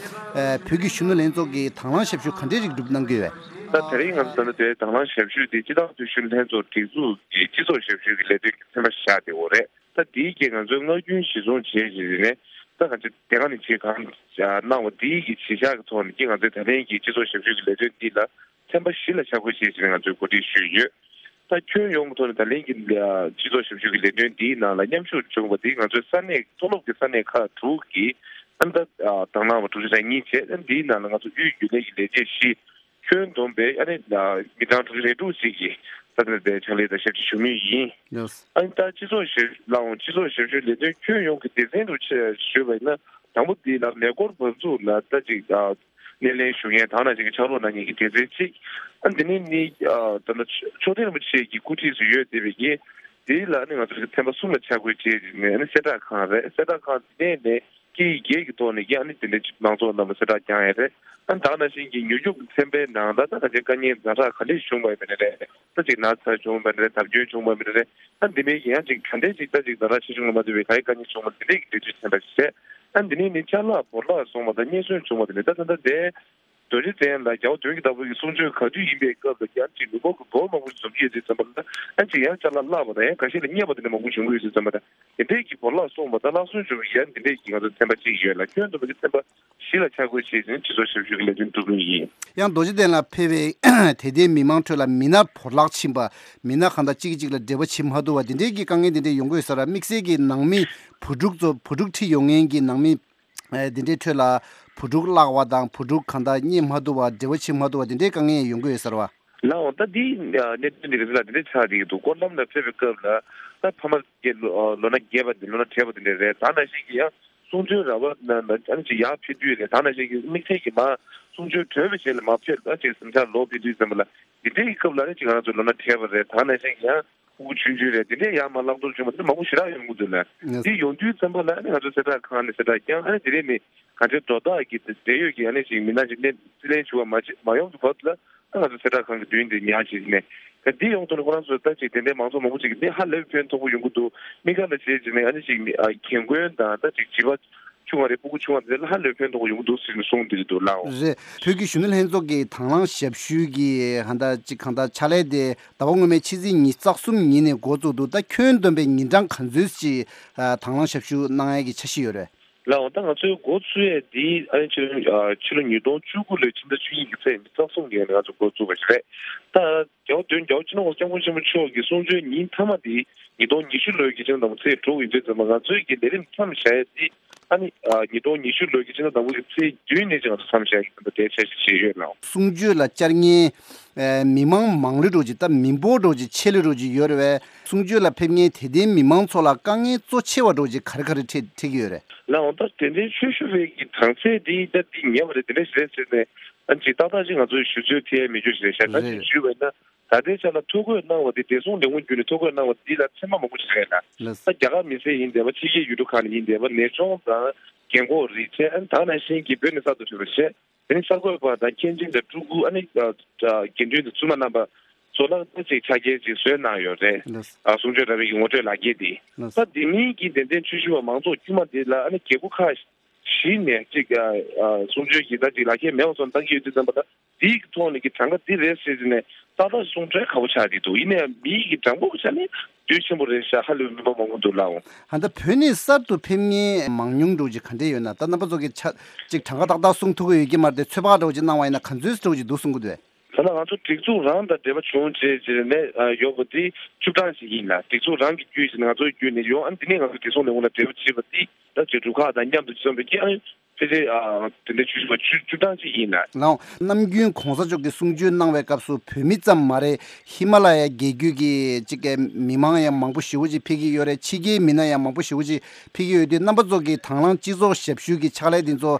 བོད་ཀྱི་གཞོན་ནུ་ལྷན་ཚོགས་ཀྱིས་དང་བླངས་ཞབས་ཞུ་ག་འདྲའི་རིགས་སྒྲུབ་གནང་གི་ཡོད་པས། ད་དེ་རིང་ང་ཚོ་ད་ལྟ་དེ་དང་བླངས་ཞབས་ཞུ་དེ་སྤྱི་བཏང་དུས་ཆེན་ལྷན་ཚོགས་སྒྲིག་འཛུགས་ཀྱི་སྤྱི་ཚོགས་ཞབས་ཞུ་གི་ལས་དོན་གྱི་ཚན་པ་ཞིག་ཆགས་བསྡད་ཡོད་རེད། ད་དེའི་རྐྱེན་ང་ཚོས་སྔ་རྒྱུན་གཞིར་བཟུང་བྱས་བྱས་ནས་ད་ག་ཚོད་དེ་ག་ནས་བྱེད་གང་གནང་བ་དེའི་གི་གཞི་བཞག་གི་ཐོག་ནས་ཀྱི་ང་ཚོས་ད་ལན་གྱི་སྤྱི་ཚོགས་ཞབས་ཞུ་གི་ལས་དོན་འདི་ལ་ཚན་པ་བཞི་ལ་ཆ་བགོས་བྱས་བྱས་ནས་ང་ཚོས་གོ་སྒྲིག་ཞུས་ཡོད། ད་ཁྱོན་ཡོངས་ཀྱི་ཐོག་ནས་ད་ལན་གྱི་སྤྱི་ཚོགས་ཞབས་ཞུ་གི་ལས་དོན་འདིའི་ནང་ལ་མཉམ་ཞུགས་བྱུང་བ་དེ་ང་ཚོའི་ས་གནས་མཐོ་སློབ་ཀྱི་ས་གནས་ཁག་དྲུག་གི་ཨ་ནི་ད་དང་བླངས་པ་དྲུག་ཅུ་རེ་གཉིས་བྱས། ཨ་ནི་འདིའི་ནང་ལ་ང་ཚོ་དབུས་རྒྱུན་ལས་ཀྱི་ལས་བྱེད་བཞི། ཁྱོན་བསྡོམས་པའི་ཨ་ནི་མི་གྲངས་དྲུག་ཅུ་རེ་དྲུག་ཅིག་གིས་ས་གནས་དེ་ཕྱག་ལས་དང་ཞབས་ཕྱི་ཞུ་མུས་ཡིན། ཡོས། ཨ་ནི་ད་སྤྱི་ཚོགས་ཞབས་ལའང་སྤྱི་ཚོགས་ཞབས་ཞུའི་ལས་དོན་ཁྱོན་ཡོངས་ཀྱི་སྡེ་ཚན་དུ་ཆ་ཞུས་པ་ཡིན་ན། དང་པོ་འདི་ལ་མེ་འཁོར་འབབ་ཚུགས་ལ་ད་ཅིག་ཨ་སྣེ་ལེན་ཞུ་མཁན་དང་ནང་བཞིན་གྱི་ཕྱག་རོགས་གནང་མཁན་གྱི་སྡེ་ཚན་གཅིག་ཨ་འདི་ནས་ནི་ཨ་ད་ལྟ་མཆོག་ལྡན་རིན་པོ་ཆེ་གི་སྐུ་ཁྲིད་སུ་ཡོད་བསྡད་པའི་གི་འདི་ལ་ནི་ང་ཚོ་གི་ཚན་པ་གསུམ་ལ་ཆ་བགོས་བྱས་ནས་ནི་གསལ་བསྒྲགས་ཁང་རེད། གསལ་བསྒྲགས་ཁང་འདི་ནས་ནི་སྐད་ཡིག་བརྒྱད་ཀྱི་ཐོག་ནས་ཀྱང་ནི་དེ་འདྲའི་མང་ཚོགས་རྣམས་ལ་གསལ་བསྒྲགས་བསྐྱངས་ཡས་རེད། ཨ་ནི་ད་ག་ནང་བཞིན་གྱི་མྱུར་སྐྱོབ་ཀྱི་ཚན་པའི་ནང་ད་ད་ག་ཅིག་དཀའ་ངལ་ཛ་དྲག་ག་འདྲས་བྱུང་བ་ཡིན་པ་ནི་རེད། ད་ཅིག་ན་ཚ་བྱུང་བ་ནི་རེད། བརྡབ་སྐྱོན་བྱུང་བ་ནི་རེད། ཨ་འདི་མིན་ཡང་ཅིག་ག་འདྲས་ཅིག་ད་ཅིག་ཛ་དྲག་ཆེ་ཆུང་ལ་མ་ལྟོས་པའི་ག་ཡི་དཀའ་ངལ་བྱུང་བ་འདི་འདྲས་ཀྱི་འགྲེལ་བརྗོད་ཚན་པ་ཞིག་བྱས། ཨ་འདི་ནས་ནི་ཅ་ལག་བོར་བརླག་སོང་བ་དང་རྙེད་སོན་བྱུང་བ་དེ་ནི་ད་ད་ལྟ་དེ་རྡོ་རྗེ་གདན་ལ་རྒྱལ་བ་དོན་གྱི་བདག་པོ་གི་གསུང་ཆོས་ག་དུས་ཡིན་པའི་སྐབས་ལ་ཡང་ཅིག་ནུབ་མོ་གི་བོར་མང་པོ་ཞིག་འཛོམས་ཀྱི་ཡོད་དུས་ཙམ་པ་ལ་ཨ་ཅིག་ཡང་ཅ་ལག་བརླག་པ་དང་ཡང་ཁ་ཤས་ལ་རྙེད་པ་དེ་འདྲ་མང་པོ་བྱུང་གི་ཡོད་དུས་ཙམ་པ་དང་དེ་འདྲས་ཀྱི་བོར་བརླག་སོང་བ་དང་བརླག་སོན་བྱུང་བའི་ཡང་འདི་འདྲས་ཀྱི་ང་ཚོ་ཚན་པ་གཅིག་ཡོད་ལ་ཁྱོན་བསྡོམས་པ་གི་ཚན་པ་གཞི་ལ་ཆ་བགོས་བྱས་ནས་སྤྱི་ཚོགས་ཞབས་ཞུ་གི་ལས་དོན་སྒྲུབ་མུས་ཡིན། ཡང་རྡོ་རྗེ་གདན་ལ་ཕེབས་པའི་དད་ལྡན་མི་མང་ཁྲོད་ལ་མི་སྣ་བོར་བརླག་ཕྱིན་པ། མི་སྣ་གང་དང་གཅིག་གིས་གཅིག་ལ་འབྲེལ་བ་བྱེད་མ་ཐུབ་པ་འདི་འདྲའི་གི་དཀའ་ངལ་འདི་འདྲའི་ཡོང་གི་ཡོད་ས་རེད། དམིགས་བསལ་གྱི་ནང་མི་བུ་ཕྲུག་ཚོ་བུ་ཕྲུག་ཁྲིད་ཡོང་མཁན་གྱི་ནང་མི་ཨེ་འདི་འདྲའི་ཁྲོད་ལ་བུ་ཕྲུག་བརླག་པ་དང་བུ་ཕྲུག་གང་དང་རྙེད་མ་ཐུབ་པ་འབྲེལ་བ་བྱེད་མ་ཐུབ་པ་འདི་འདྲའི་དཀའ་ངལ་ཡོང་གི་ཡོད་ས་རེད་བ། ལགས་འོང་། ད་འདི་གནད་དོན་འདི་རེད་ལ་འདི་འདྲའི་ཆགས་བསྡད་ཀྱི་འདུག་སྐོར་ལམ་ལ་ཕེབས་པའི་སྐབས་ལ་ད་ཕ་མ་གི་ལོ་ལོ་ན་རྒས་པ་འདི་ལོ་ན་བགྲེས་པ་འདི་འདྲ་རེད། ད་ནང་བཞིན་གྱི་ཡང་གསུང་ཆོས་ར་བ་ན་ན་ཨ་ནི་ཅིག་ཡར་ཕེབས་དུས་རེད། ད་ནང་བཞིན་གྱི་དམིགས་བསལ་གྱི་མ་གསུང་ཆོས་གྲོལ་བའི་རྗེས་ལ་མ་ཕེབས་ད་ཅིག་གཟིམ་ཤག་ལོག་ཕེབས་དུས་ཙམ་པ་ལ་འདི་འདྲའི་གི་སྐབས་ལ་ཨ་ནི་ཅིག་ང་ཚོ་ལོ་ན་བགྲེས་པ་རེད། ད་ནང་བཞིན་གྱི་ཡང་ཕྲུ་གུ་ཆུང་ཆུང་རེད། འདི་འདྲའི་ཡར་མར་བརླག་གཏོར་བྱུང་བ་འདི་མང་པོ་ཞེ་དྲག་ཡོང་གི་འདུག་ལ། ཡོང་དུས་ཙམ་པ་ལ་ཨ་ནི་ང་ཚོ་གསལ་བསྒྲགས་ཁང་ནས་གསལ་བསྒྲགས་བསྐྱངས། ཨ་ནི་དེ་རིང་ནི་གང་ཅི་དོ་བདག་གི་འབྲེལ་ཡོད་ཀྱི་ཨ་ནི་ཅིག་མི་སྣ་ཅིག་ནས་རྩིས་ལེན་ཞུ་བ་མ་བྱེད་མ་ཡོང་གི་བར་དུ་ལ། ད་ང་ཚོ་གསལ་བསྒྲགས་ཁང་གི་མདུན་དེ་ཉར་བྱས་ནས། ད་འདི་ཡོང་དུས་ནི་ཁོ་རང་ཚོ་ད་ཅིག་དེ་འདྲའི་མང་ཚོགས་མང་པོ་ཅིག་གིས་འདི་ཧ་ལས་པའི་ཕན་ཐོགས་པོ་ཡོང་གི་འདུག་དམིགས་བཀར་ལ་བྱས་བྱས་ནས་ཨ་ནི་ཅིག་མི་ཨ་རྒན་རྒོན་དང་ད་ཅིག་བྱིས་པ་ཆུང་བ་རེད། སྤུ་གུ་ཆུང་བ་རེད་ལ་ཧ་ལས་པའི་ཕན་ཐོགས་པོ་ཡོང་གི་འདུག་ཟེར་ནས་གསུངས་བསྡད་ཀྱི་འདུག་ལགས་འོང་། རེད། བོད་ཀྱི་གཞོན་ནུ་ལྷན་ཚོགས་ཀྱི་དང་བླངས་ཞབས་ཞུའི་གི་ཧ་ད་ཅིག་གང་ལྟར་ཕྱག་ལས་དེ་ཟླ་བ་སྔོན་མའི་ཕྱི་ཚེས་ཉི་ཤུ་རྩ་གསུམ་ཉིན་ནས་འགོ་བཙུགས་འདུག་ད་ཁྱོན་བསྡོམས་པའི་ཉིན་གྲངས་ག་ཚོད་ཅིག་ཨ་དང་བླངས་ཞབས་ཞུ་གནང་ཡས་ཀྱི་འཆར་གཞི་ཡོད་རེད། ལགས་འོང་། ད་ང་ཚོའི་འགོ་བཙུགས་ཡས་འདི་ཨ་ནི་ཕྱི་ལོ་ཨ་ཕྱི་ལོ་ཉིས་སྟོང་བཅུ་དགུ་ལོའི་ཕྱི་ཟླ་བཅུ་གཉིས་ཀྱི་ཚེས་ཉི་ཤུ་རྩ་གསུམ་ཉིན་ང་ཚོ་འགོ་བཙུགས་པ་ཞིག་རེད། ད་རྒྱལ་བ་དོན་རྒྱལ་བ་སྤྱི་ནོར་༸གོང་ས་༸སྐྱབས་མགོན་ཆེན་པོ་མཆོག་གི་གསུང་ཆོས་ཉིན་མཐའ་མ་འདི་ཉིས་སྟོང་ཉི་ཤུ་ལོའི་གི་ཕྱི་ཟླ་དང་པོ་ཚེས་དྲུག་ཡིན་དུས་ཙམ་པ་ང་ཚོའི་གི་ལས་རིམ་མཚམས་བཞག་ཡས་འདི་ཨ་ནི་ཨ་ཉིས་སྟོང་ཉི་ཤུ་ལོའི་གི་ཕྱི་ཟླ་དང་པོ་གི་ཚེས་བདུན་ནས་ཅིག་ང་ཚོ་མཚམས་བཞག་གི་ད་ལྟའི་འཆར་གཞི་བྱས་ཡོད་ལགས། གསུང་ཆོས་ལ་བཅར་མཁན་ཨེ་མི་མང་མང་ལོས་འགྲོ་ཅིག་ད་མི་འབོར་འགྲོ་ཅིག་ཆེ་ལོས་འགྲོ་ཅིག་ཡོད་རེད་བས། གསུང་ཆོས་ལ་ཕེབས་མཁན་དད་ལྡན་མི་མང་ཚོ་ལ་དཀའ་ངལ་གཙོ་ཆེ་བ་འགྲོ་ཅིག་ག་རེ་ག་རེ་འཕྲད་འཕྲད་ཀྱི་ཡོད་རེད། ལགས་འོང་། ད་དེ་འདྲའི་ཆོས་ཞུ་བའི་གི་གྲངས་ཚད་འདི་ད་འདི་ཉེ་བ་རེད། དེ་འདྲ་ཞིག་རེད་ཟེར་ནས་ཨ་ཅིག་ཏག་ཏག་ཅིག་ང་ཚོས་ཞུ་ཚོད་ཐེ་ཡས་མེད་རྒྱུ་ཞིག་རེད་ཤག་ད་ཅིག་ཞུས་པ་ཡིན་ན་ད་ལྟའི་ཆ་ལ་ཐོ་འགོད་གནང་བ་འདི་བདེ་སྲུང་ལས་ཁུངས་བརྒྱུད་ནས་ཐོ་འགོད་གནང་བ་འདི་ལ་ཚད་མ་མང་པོ་ཞིག་རེད་ལ། ད་རྒྱ་གར་མི་སེར་ཡིན་བསྡད་པ་ཕྱི་རྒྱལ་ཡུལ་གྲུ་ཁག་ནས་ཡིན་བསྡད་པ་ནད་གཅོང་དང་། རྒན་གོག་རེད་བྱས། ཨ་ནི་ད་ག་ནང་བཞིན་གྱི་བོད་ནས་གསར་དུ་ཕེབས་པ་བྱས། དེ་ནི་གསར་འགོད་པ་དང་མཁན་ཆེན་དང་སྤྲུལ་སྐུ། ཨ་ནི་ཨ་ཨ་དགེ་འདུན་དང་བཙུན་མ་རྣམ་པ་ཚོ་ལ་ད་ཅིག་ཕྱག་འཁྱེར་ཅིག་བཟོས་གནང་ཡོད་རེད། ལགས། ཨ་གསུང་ཆོས་ར་བའི་གི་ངོ་སྤྲོད་ལག་འཁྱེར་དེ། ལགས། ད་དེ་མིན་གྱི་དད་ལྡན་ཆོས་ཞུ་བ་མང་ཚོགས་དཀྱུས་མ་དེ་ལ་ཨ་ནི་རྒྱལ་ཁབ་ཁག་བཞི་ནས་ཅིག་ཨ་ཨ་གསུང་ཆོས་ཀྱི་ད་ཅིག་ལག་འཁྱེར་མེད་པ་ཚོ་བཏང་གི་ཡོད་དུས་ཙམ་པ་ལ། དེའི་ཐོག་ནས་ཀྱི་གྲངས་ཀ་འདི་རེད་ཟེར་ནས་ཏག་ཏག་གསུང་འཕྲལ་ཁག་པོ་ཆགས་ཀྱི་འདུག། ཡིན་ནའང་མིའི་གི་གྲངས་འབོར་གྱི་ཆ་ནས་འདོད་ཆེན་པོ་རེད་ཤག། ཧ་ལས་པའི་མི་འབོར་མང་པོ་འདུག་ལགས། ཨོ། ད་ལྟ་བོད་ནས་གསར་དུ་ཕེབས་མཁན་མང་ཉུང་འདྲ་བོ་ཅིག་ག་འདྲས་ཡོད་ན། ད་རྣམ་པ་ཚོ་གི་ཆ་ཅིག་གྲངས་ཀ་ཏག་ཏག་གསུང་ཐུབ་ཀྱི་ཡོད་ཀྱི་མ་རེད་དེ། ཚོད་དཔག་འདྲ་བོ་ཅིག་གནང་བ་ཡིན་ན་ག་ཚོད་འདྲ་བོ་ཅིག་འདུག་གསུང་གི་འདུག་གས། ད་ལྟ་ང་ཚོ་སྒྲིག་འཛུགས་རང་དང་འབྲེལ་བ་བྱུང་བྱས་བྱས་ནས་ཨ་ཡོད་པ་དེ་བཅུ་གྲངས་ཤིག་ཡིན་ལགས། སྒྲིག་འཛུགས་རང་གི་བརྒྱུད་བྱས་ནས་ང་ཚོའི་བརྒྱུད་ནས་ཡོང་། ཨ་ནི་དེ་ནས་ང་ཚོ་བདེ་སྲུང་ལས་ཁུངས་ལ་འབྲེལ་བ་བྱས་པ་དེ་ད་ཅིག་རུ་ཁག་དང་མཉམ་དུ་འཛོམས་པའི་གི་ཨ་ཕལ་ཆེར་ཨ་དེ་འདྲའི་བཅུ་བཅུ་བཅུ་གྲངས་ཅིག་ཡིན་ལགས། ལགས། ནམ་རྒྱུན་གོང་ས་མཆོག་གིས་གསུང་ཆོས་གནང་བའི་སྐབས་སུ་བོད་མི་ཙམ་མ་རེད། ཧི་མ་ལ་ཡ་རྒྱལ་རྒྱུད་ཀྱི་ཅིག་གི་མི་མང་ཡང་མང་པོ་ཞེ་པོ་ཅིག་ཕེབས་ཀྱི་ཡོད་རེད། ཕྱི་རྒྱལ་མི་སྣ་ཡང་མང་པོ་ཞེ་པོ་ཅིག་ཕེབས་ཀྱི་ཡོད་དུས། རྣམ་པ་ཚོ་གི་དང་བླངས་སྤྱི་ཚོགས་ཞབས་ཞུ་གི་ཕྱག་ལས་འདི་ཚོ་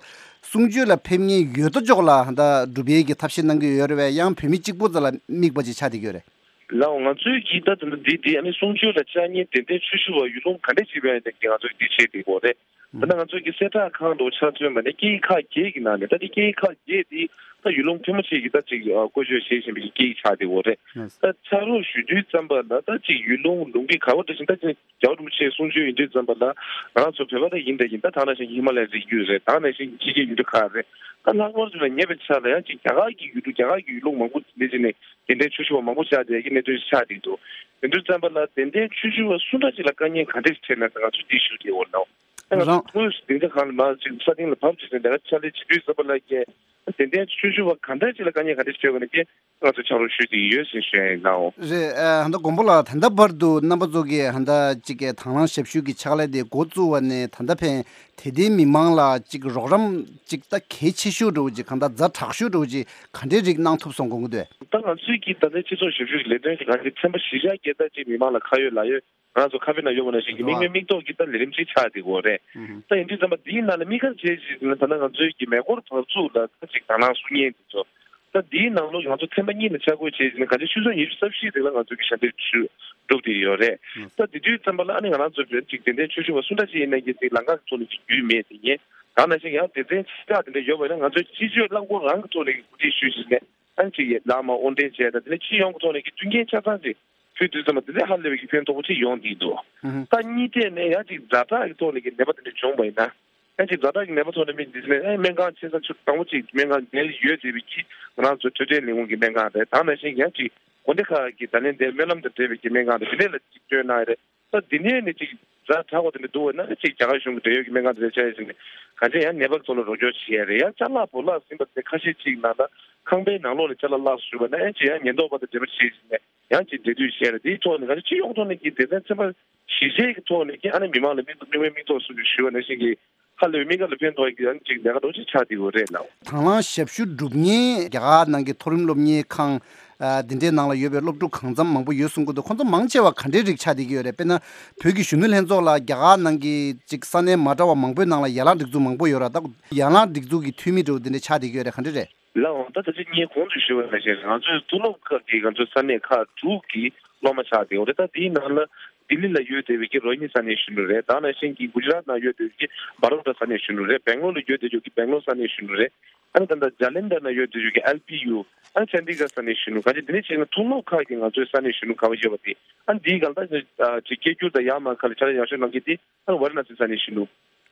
གསུང་ཆོས་ལ་ཕེབས་མཁན་ཡོད་དོ་ཅོག་ལ་ད་སྒྲུབ་ཡས་ཀྱི་ཐབས་ཤེས་གནང་གི་ཡོད་རེད་པས། ཡང་བོད་མི་གཅིག་པོ་ཙམ་ལ་དམིགས་པ་ཅིག་ཆགས་བསྡད་ཀྱི་ཡོད་རེད། ལགས། ང་ཚོའི་གི་ད་ད་ལྟ་འདི་འདི་ཨ་ནི་གསུང་ཆོས་ལ་བཅར་མཁན་དད་ལྡན་ཆོས་ཞུ་བ་ཡུལ་ལུང་ག་འདྲས་ཅིག་ཡོད་ན་ང་ཚོས་འདི་བྱེད་བསྡད་ཀྱི་ཡོད་རེད། ད་ལྟ་ང་ཚོའི་གི་གསལ་བསྒྲགས་ཁང་དུ་ཆ་མཚོན་པ་ནས་སྐད་ཡིག་ཁག་བརྒྱད་ཀྱི་ནང་ནས། ད་འདི་སྐད་ཡིག་ཁག་བརྒྱད་འདི་ད་ཡུལ་ལུང་ཕལ་མོ་ཆེ་གིས་ད་ཅིག་ཨ་བཀོལ་སྤྱོད་བྱེད་བཞིན་པའི་སྐད་ཡིག་ཆགས་བསྡད་ཡོད་རེད། ད་ཕྱག་རོགས་ཞུ་དུས་ཙམ་པ་ལ་ད་ཅིག་ཡུལ་ལུང་ལུང་གི་ག་བ་འདྲ་ཞིག་ད་ཅིག་རྒྱལ་བ་རིན་པོ་ཆེའི་གསུང་ཆོས་ཡིན་དུས་ཙམ་པ་ལ་ང་རང་ཚོ་བོད་པ་ད་ཡིན་ད་ཡིན། ད་ད་ནང་བཞིན་ཧི་མ་ལ་ཡའི་རི་རྒྱུད་རེད། ད་ནང་བཞིན་ཕྱི་རྒྱལ་ཡུལ་གྲུ་ཁག་རེད། ད་ལྷག་པར་དུ་ལ་ཉེ་བའི་ཆར་ལ་ཡང་ཅིག་རྒྱ་གར་གྱི་ཡུལ་གྲུ་རྒྱ་གར་གྱི་ཡུལ་ལུང་མང་པོ་འདི་བྱས་ནས་དད་ལྡན་ཆོས་ཞུ་བ་མང་པོ་བཅར་བསྡད་ཀྱི་གནད་དོན་ཞིག་ཆགས་བསྡད་འདུག། དེ་དུས་ཙམ་པ་ལ་དད་ལྡན་ཆོས་ཞུ་བ་སུ་འདྲ་ཅིག་ལ་དཀའ་ངལ་ག་འདྲ་ཞིག་འཕྲད་ན་ང་ཚོས་འདི་ཞུ་བསྡད་ཡོད་ལགས། ད་ང་ཚོ་རང་དངོས་སུ་སྡིངས་ཆ་ཁང་ལ་མར་ཅིག་ས་སྟེང་ལ་བབས་བྱས་ནས་ལས་ཀ་ཕྱག་ལས་བྱེད་དུས་ཙམ་པ་ལ་ཀྱེ། དད་ལྡན་ཆོས་ཞུ་བ་ག་འདྲ་ཅིག་ལ་དཀའ་ངལ་ག་འདྲ་ཞིག་འཕྲད་པ་ན་ཀྱེ། ང་ཚོས་ཕྱག་རོགས་ཞུ་བསྡད་ཀྱི་ཡོད་ཟེར་ཞུ་ཡ་ཡིན་ལགས། རེད། ཨ་ཧན་ད་མགོན་པོ་ལགས། ད་ལྟ་བར་དུ་རྣམ་པ་ཚོ་གིས་ཧན་ད་ཅིག་གི་དང་བླངས་ཞབས་ཞུ་གི་ཕྱག་ལས་དེ་འགོ་བཙུགས་པ་ནས་ད་ལྟ་ཕན་དད་ལྡན་མི་མང་ལ་ཅིག་རོགས་རམ་ཅིག་ད་གལ་ཆེ་ཤོས་འདྲ་བོ་ཅིག་གང་ལྟར་ཛ་དྲག་ཤོས་འདྲ་བོ་ཅིག་ག་འདྲའི་རིགས་གནང་ཐུབ་སོང་དགོངས་ཀྱི་འདུག། ད་ང་ཚོའི་གི་ད་ལྟའི་སྤྱི་ཚོགས་ཞབས་ཞུ་གི་ལས་དོན་གྱི་ང་ཚོའི་ཚན་པ་བཞི་ཆ་བརྒྱད་ད་ཅིག་མི་མང་ལ་ཁ་ཡོད་ལག་ཡོད། ང་ཚོ་ཁ་པའི་ནང་ཡོད་པ་ནང་བཞིན་གྱི་མིག་དམར་མིག་ཏོག་གི་ད་ལས་རིམ་ཅིག་ཆགས་བསྡད་ཀྱི་ཡོད་རེད། ད་ཡིན་དུས་ཙམ་པ་འདིའི་ནང་ལ་དམིགས་བཀར་བྱས་ཅིག་ན་ད་ལྟ་ང་ཚོའི་གི་མེ་འཁོར་བབས་ཚུགས་ལ་ད་ཅིག་དང་བླངས་གསུང་མཁན་དེ་ཚོ། ད་འདིའི་ནང་ལོགས་ང་ཚོ་ཚན་པ་གཉིས་ལ་ཆ་བགོས་བྱས་ཅིག་ན་གང་ཅི་ཆུ་ཚོད་ཉི་ཤུ་རྩ་བཞིའི་རིང་ལ་ང་ཚོའི་གི་ཞབས་འདེགས་ཞུ་སྒྲུབ་བསྡད་ཡོད་རེད། ད་དེ་དུས་ཙམ་པ་ལ་ཨ་ནི་ང་རང་ཚོ་བོད་ཅིག་དད་ལྡན་ཆོས་ཞུ་བ་སུ་འདྲ་ཅིག་ཡིན་ན་གི་ཅིག་ལམ་ཁ་གི་ཐོག་ནས་ཅིག་རྒྱུས་མེད་དེ་ཡིན། ད་ནང་བཞིན་ཡང་སྡེ་ཚན་ཆེ་ཕྲ་དེ་འདྲ་ཡོད་པ་ཡིན་ན་ང་ཚོའི་སྤྱི་སྤྱོད་རླངས་འཁོར་རང་གི་ཐོག་ནས་གི་གོ་སྒྲིག་ཞུས་ཤིག་ནས། ཨ་ནི་ཅིག་ཡ་ལག་མ་དབོར་འདྲེན་བྱས་དང་དེ་ནས་སྤྱི་ཡོངས་ཀྱི་ཐོག་ནས་ཀྱི་མཐུན་རྐྱེན་ཆ་ཚང་ཅིག་ཕུལ་དུས་ཙམ་པ་དེ་ལས་ཧ་ལས་པའི་གི་ཕན་ཐོགས་པོ་ཅིག་ཡོང་བསྡད་འདུག། ཨུ་ཧུ། ད་གཉིས་ཐད་ནས་ཡང་ཅིག་ཛ་དྲག་གི་ཐོག་ནས་ཀྱི་ནད་པ་དེ་འདྲ་བྱུང་བ་ཡིན་ན། ཡང་ཅིག་ཛ་དྲག་གི་ནད་པ་ཐོག་ནས་མི་འདི་ནས་ཨ་སྨན་ཁང་ཆེ་ས་ཆུ་དང་པོ་ཅིག་སྨན་ཁང་ནས་ཡོད་བསྡད་པའི་གི་ང་རང་ཚོ་འཕྲོད་བསྟེན་ལས་ཁུངས་ཀྱི་སྨན་ཁང་རེད། ད་ནང་བཞིན་ཡང་ཅིག་དགོན་སྡེ་ཁག་གི་ད་ལན་དེ་སྨོན་ལམ་དང་འབྲེལ་བའི་གི་སྨན་ཁང་རེད། དེ་འདྲས་ལ་ཅིག་སྤྲོད་གནང་ཡ་རེད། ད་འདི་ནས་ནི་ཅིག་ཛ་དྲག་པ་དེ་འདྲ་འདུག་བ་ན་ཅིག་རྒྱ་གར་གཞུང་གི་འབྲེལ་ཡོད་ཀྱི་སྨན་ཁང་དེ་འདྲ་བྱས་ཟིན་ནས་གང་ཅི་ཡང་ནད་པ་ཚོ་ལ་རོགས་སྐྱོར་བྱེད་ཡ་རེད། ཡང་ཅ་ལག་བོར་བརླག་ཟིན་པ་དེ་ཁ་ཤས་ཅིག་ནང་ལ་ཁང་པའི་ནང་ལོགས་ལ་ཅ་ལག་བརླག་སོང་བ་ན་ཡང་ཅིག་ཡང་ཉེན་རྟོག་པ་དང་འབྲེལ་བ་བྱས་ཟིན་ནས་ཡང་ཅིག་འབྲེལ་མཐུད་བྱས་རེད། དེའི་ཐོག་ནས་གང་ཅི་སྤྱི་ཡོངས་ཐོག་ནས་ཀྱི་སྡེ་ཚན་ཚན་པ་གཞི་བྱས་ཀྱི་ཐོག་ནས་ཀྱི་ཨ་ནི་མི་མང་ལ་མིག་མིག་དམར་མིག་ཏོག་སོགས་ཀྱི་ཞུ་བ་ནང་བཞིན་གྱི་ཧ་ལས་པའི་དམིགས་བཀར་ལ་ཕན་ཐོགས་ཀྱི་ཡང་ཅིག་ལས་ཀ་འདྲ་ཅིག་ཆགས་བསྡད་ཡོད་རེད་ལགས། དང་བླངས་ཞབས་ཞུ་སྒྲུབ་མཁན་རྒྱ་གར་ནང་གི་མཐོ་རིམ་སློབ་གཉེར་ཁང་། ཨ་འདི་འདྲའི་ནང་ལ་ཡོད་པའི་སློབ་ཕྲུག་གང་འཚམ་མང་པོ་ཡོད་གསུང་གི་འདུག། ཁོང་ཚོ་མང་ཆེ་བ་ག་འདྲའི་རིགས་ཆགས་བསྡད་ཀྱི་ཡོད་རེད། དཔེར་ན་བོད་ཀྱི་གཞོན་ནུ་ལྷན་ཚོགས་ལ་རྒྱ་གར་ནང་གི་ཅིག་ས་གནས་མ་འདྲ་བ་མང་པོའི་ནང་ལ་ཡན་ལག་སྒྲིག་འཛུགས་མང་པོ་ཡོད་ར། ད་ཡན་ལག་སྒྲིག་འཛུགས་ཀྱི་འཐུས་མི་འདྲ་བོ་འདི་འདྲ་ཆགས་བསྡད་ཀྱི་ཡོད་རེད། ག་འདྲ་རེད། ལགས་འོང་། ད་ད་ཅི་ངས་གོང་དུ་ཞུས་པ་ནང་བཞིན་ང་ཚོའི་མཐོ་སློབ་ཁག་གི་ང་ཚོའི་ས་གནས་ཁག་དྲུག་གི་སློབ་མ་ཆགས་བསྡད་ཡོད་རེད། ད་དེའི་ནང་ལ་ལྡི་ལི་ལ་ཡོད་བསྡད་པའི་གི་རོ་ཧི་ནི་ས་གནས་གཞོན་ནུ་རེད། ད་ནང་བཞིན་གྱི་གུ་ཇི་རཱཏ་ནང་ཡོད་བསྡད་པའི་གི་བྷ་རོ་ཌ་ས་གནས་གཞོན་ནུ་རེད། སྦེང་ལོར་ལ་ཡོད་བསྡད་ཡོད་ཀྱི་སྦེང་ལོར་ས་གནས་གཞོན་ནུ་རེད། ཨ་ནི་ད་ལྟ་ཇ་ལན་དར་ནང་ཡོད་བསྡད་ཡོད་ཀྱི་ཨེལ་པི་ཡུ། ཨ་ནི་ཆན་དི་གྷར་ས་གནས་གཞོན་ནུ། གང་ཅི་དེ་ནས་བྱས་ན་མཐོ་སློབ་ཁག་གི་ང་ཚོའི་ས་གནས་གཞོན་ནུ་ག་པར་ཡོད་པ་དེ། ཨ་ནི་འདིའི་སྒང་ད་ཅིག་སྐད་སྒྱུར་དང་ཡར་མར་ཁག་ལ་ཕྱག་ལས་ཡག་ཤོས་གནང་མཁན་དེ། ཨ་ནི་ཝ་ར་ཎ་སི་ས་གནས་གཞོན་ནུ།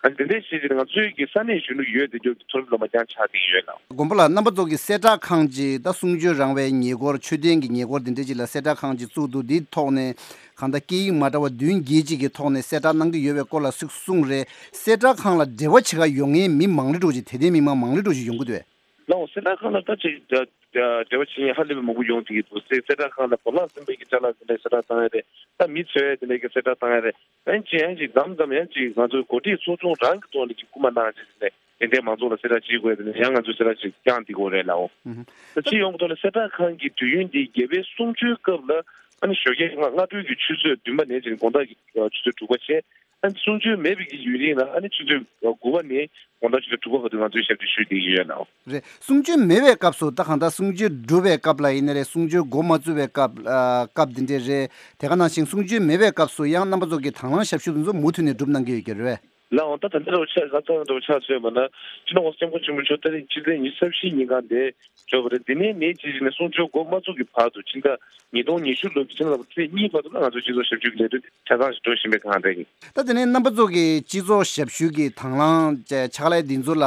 ཨ་ནི་དེ་འདྲའི་ཞིག་གིས་ང་ཚོའི་གི་ས་གནས་གཞོན་ནུ་ཡོད་བསྡད་རྒྱུ་གི་མཐོ་རིམ་སློབ་མ་རྐྱང་ཆགས་བསྡད་ཡོད་ལགས། མགོན་པོ་ལགས། རྣམ་པ་ཚོ་གི་གསལ་བསྒྲགས་ཁང་ཅིག་ད་གསུང་ཆོས་རང་བའི་ཉེ་འཁོར་ཆོས་ལྡན་གྱི་ཉེ་འཁོར་དེ་འདྲ་ཅིག་ལ་གསལ་བསྒྲགས་ཁང་ཅིག་བཙུགས་འདུག། འདིའི་ཐོག་ནས་གང་ལྟར་སྐད་ཡིག་མ་འདྲ་བ་བདུན་བརྒྱད་ཅིག་གི་ཐོག་ནས་གསལ་བསྒྲགས་གནང་གི་ཡོད་པའི་སྐོར་ལ་ཚིག་གསུངས་རེད། གསལ་བསྒྲགས་ཁང་ལ་འབྲེལ་བ་བྱེད་ག་ཡོང་མཁན་མི་མང་རེ་འགྲོ་ཅིག་དད་ལྡན་མི་མང་མང་རེ་འགྲོ་ཅིག་ཡོང་གི་འདུག་གས། ལགས་འོང་། གསལ་བསྒྲགས་ཁང་ལ་ད་ཅིག་འབྲེལ་བ་བྱེད་མཁན་ཧ་ལས་པའི་མང་པོ་ཡོང་བསྡད་ཀྱི་འདུག། གསལ་བསྒྲགས་ཁང་ལ་བོར་བརླག་ཟིན་པའི་གི་ཅ་ལག་དེ་འདྲའི་གསལ་བསྒྲགས་བཏང་ཡ་རེད། ད་མི་འཚོལ་ཡ་དེ་འདྲའི་གི་གསལ་བསྒྲགས་བཏང་ཡ་རེད། ཡང་ཅིག་ཡང་ཅིག་མཚམས་མཚམས་ཡང་ཅིག་ང་ཚོའི་འགོ་ཁྲིད་ཚོགས་ཆུང་རང་གི་ཐོག་ནས་ཀྱི་སྐུལ་མ་གནང་བྱས་ནས་དེ་འདྲའི་མང་ཚོགས་ལ་གསལ་བསྒྲགས་བྱེད་དགོས་དེ་ནས་ཡང་ང་ཚོས་གསལ་བསྒྲགས་ཅིག་བསྐྱངས་བསྡད་ཀྱི་ཡོད་རེད་ལགས། ཨོ། ད་སྤྱི་ཡོངས་ཀྱི་ཐོག་ནས་གསལ་བསྒྲགས་ཁང་གི་དུས་ཡུན་འདི་རྒྱལ་བའི་གསུང་ཆོས་སྐབས་ལ་ཨ་ནི་ཞོགས་ཀས་སྔ་སྔ་དྲོའི་གི་ཆུ་ཚོད་བདུན་པ་ནས་བྱས་ནས་དགོང་དག་གི་ཆུ་ཚོད་དྲུག་པ་བྱས། ཨ་ནི་གསུང་ཆོས་མེད་པའི་གི་ཡུན་རིང་ལ་ཨ་ནི་ཆུ་ཚོད་དགུ་པ་ནས་དགོང་དག་ཆུ་ཚོད་དྲུག་པ་བར་དུ་ང་ཚོས་ཞབས་ཕྱི་ཞུས་བསྡད་ཀྱི་ཡོད་ལགས། རེད། གསུང་ཆོས་མེད་པའི་སྐབས་སུ་ད་གང་ལྟར་གསུང་ཆོས་སྒྲུབ་པའི་སྐབས་ལ་ཡིན་ན་རེད། གསུང་ཆོས་འགོ་མ་བཙུགས་པའི་སྐབས་ཨ་སྐབས་འདི་འདྲས་རེད། དེ་ག་ནང་བཞིན་གསུང་ཆོས་མེད་པའི་སྐབས་སུ་ཡང་རྣམ་པ་ཚོ་གི་དང་བླངས་ཞབས་ཞུ་འདི་ཚོ་མུ་མཐུད་ནས་སྒྲུབ་གནང་གི་ཡོད་ཀྱི་རེད། ལའང་ད་ད་འདི་རུ་ཆ་ང་ཚང་རུ་ཆ་མཚོན་པ་ན་སྤྱི་ནོར་༸གོང་ས་༸སྐྱབས་མགོན་ཆེན་པོ་མཆོག་ད་རེས་ཕྱི་ཚེས་ཉི་ཤུ་རྩ་བཞི་ཉིན་གང་འདིར་འབྱོར་བ་རེད། འདི་ནས་ནས་ཅི་ཞིག་ནས་གསུང་ཆོས་འགོ་མ་ཚུགས་ཀྱི་བར་དུ་ཕྱི་ཟླ་ཉིས་སྟོང་ཉི་ཤུ་ལོའི་ཕྱི་ཟླ་ལྔ་པའི་ཚེས་གཉིས་བར་དུ་ལ་ང་ཚོ་སྤྱི་ཚོགས་ཞབས་ཞུ་གི་ལས་དོན་ཆ་ཚང་ཞིག་འགྲོ་བཞིན་པའི་སྒང་རེད། ད་དེ་ནས་རྣམ་པ་ཚོ་གི་སྤྱི་ཚོགས་ཞབས་ཞུ་གི་དང་བླངས་ཕྱག་ལས་འདི་ཚོ་ལ་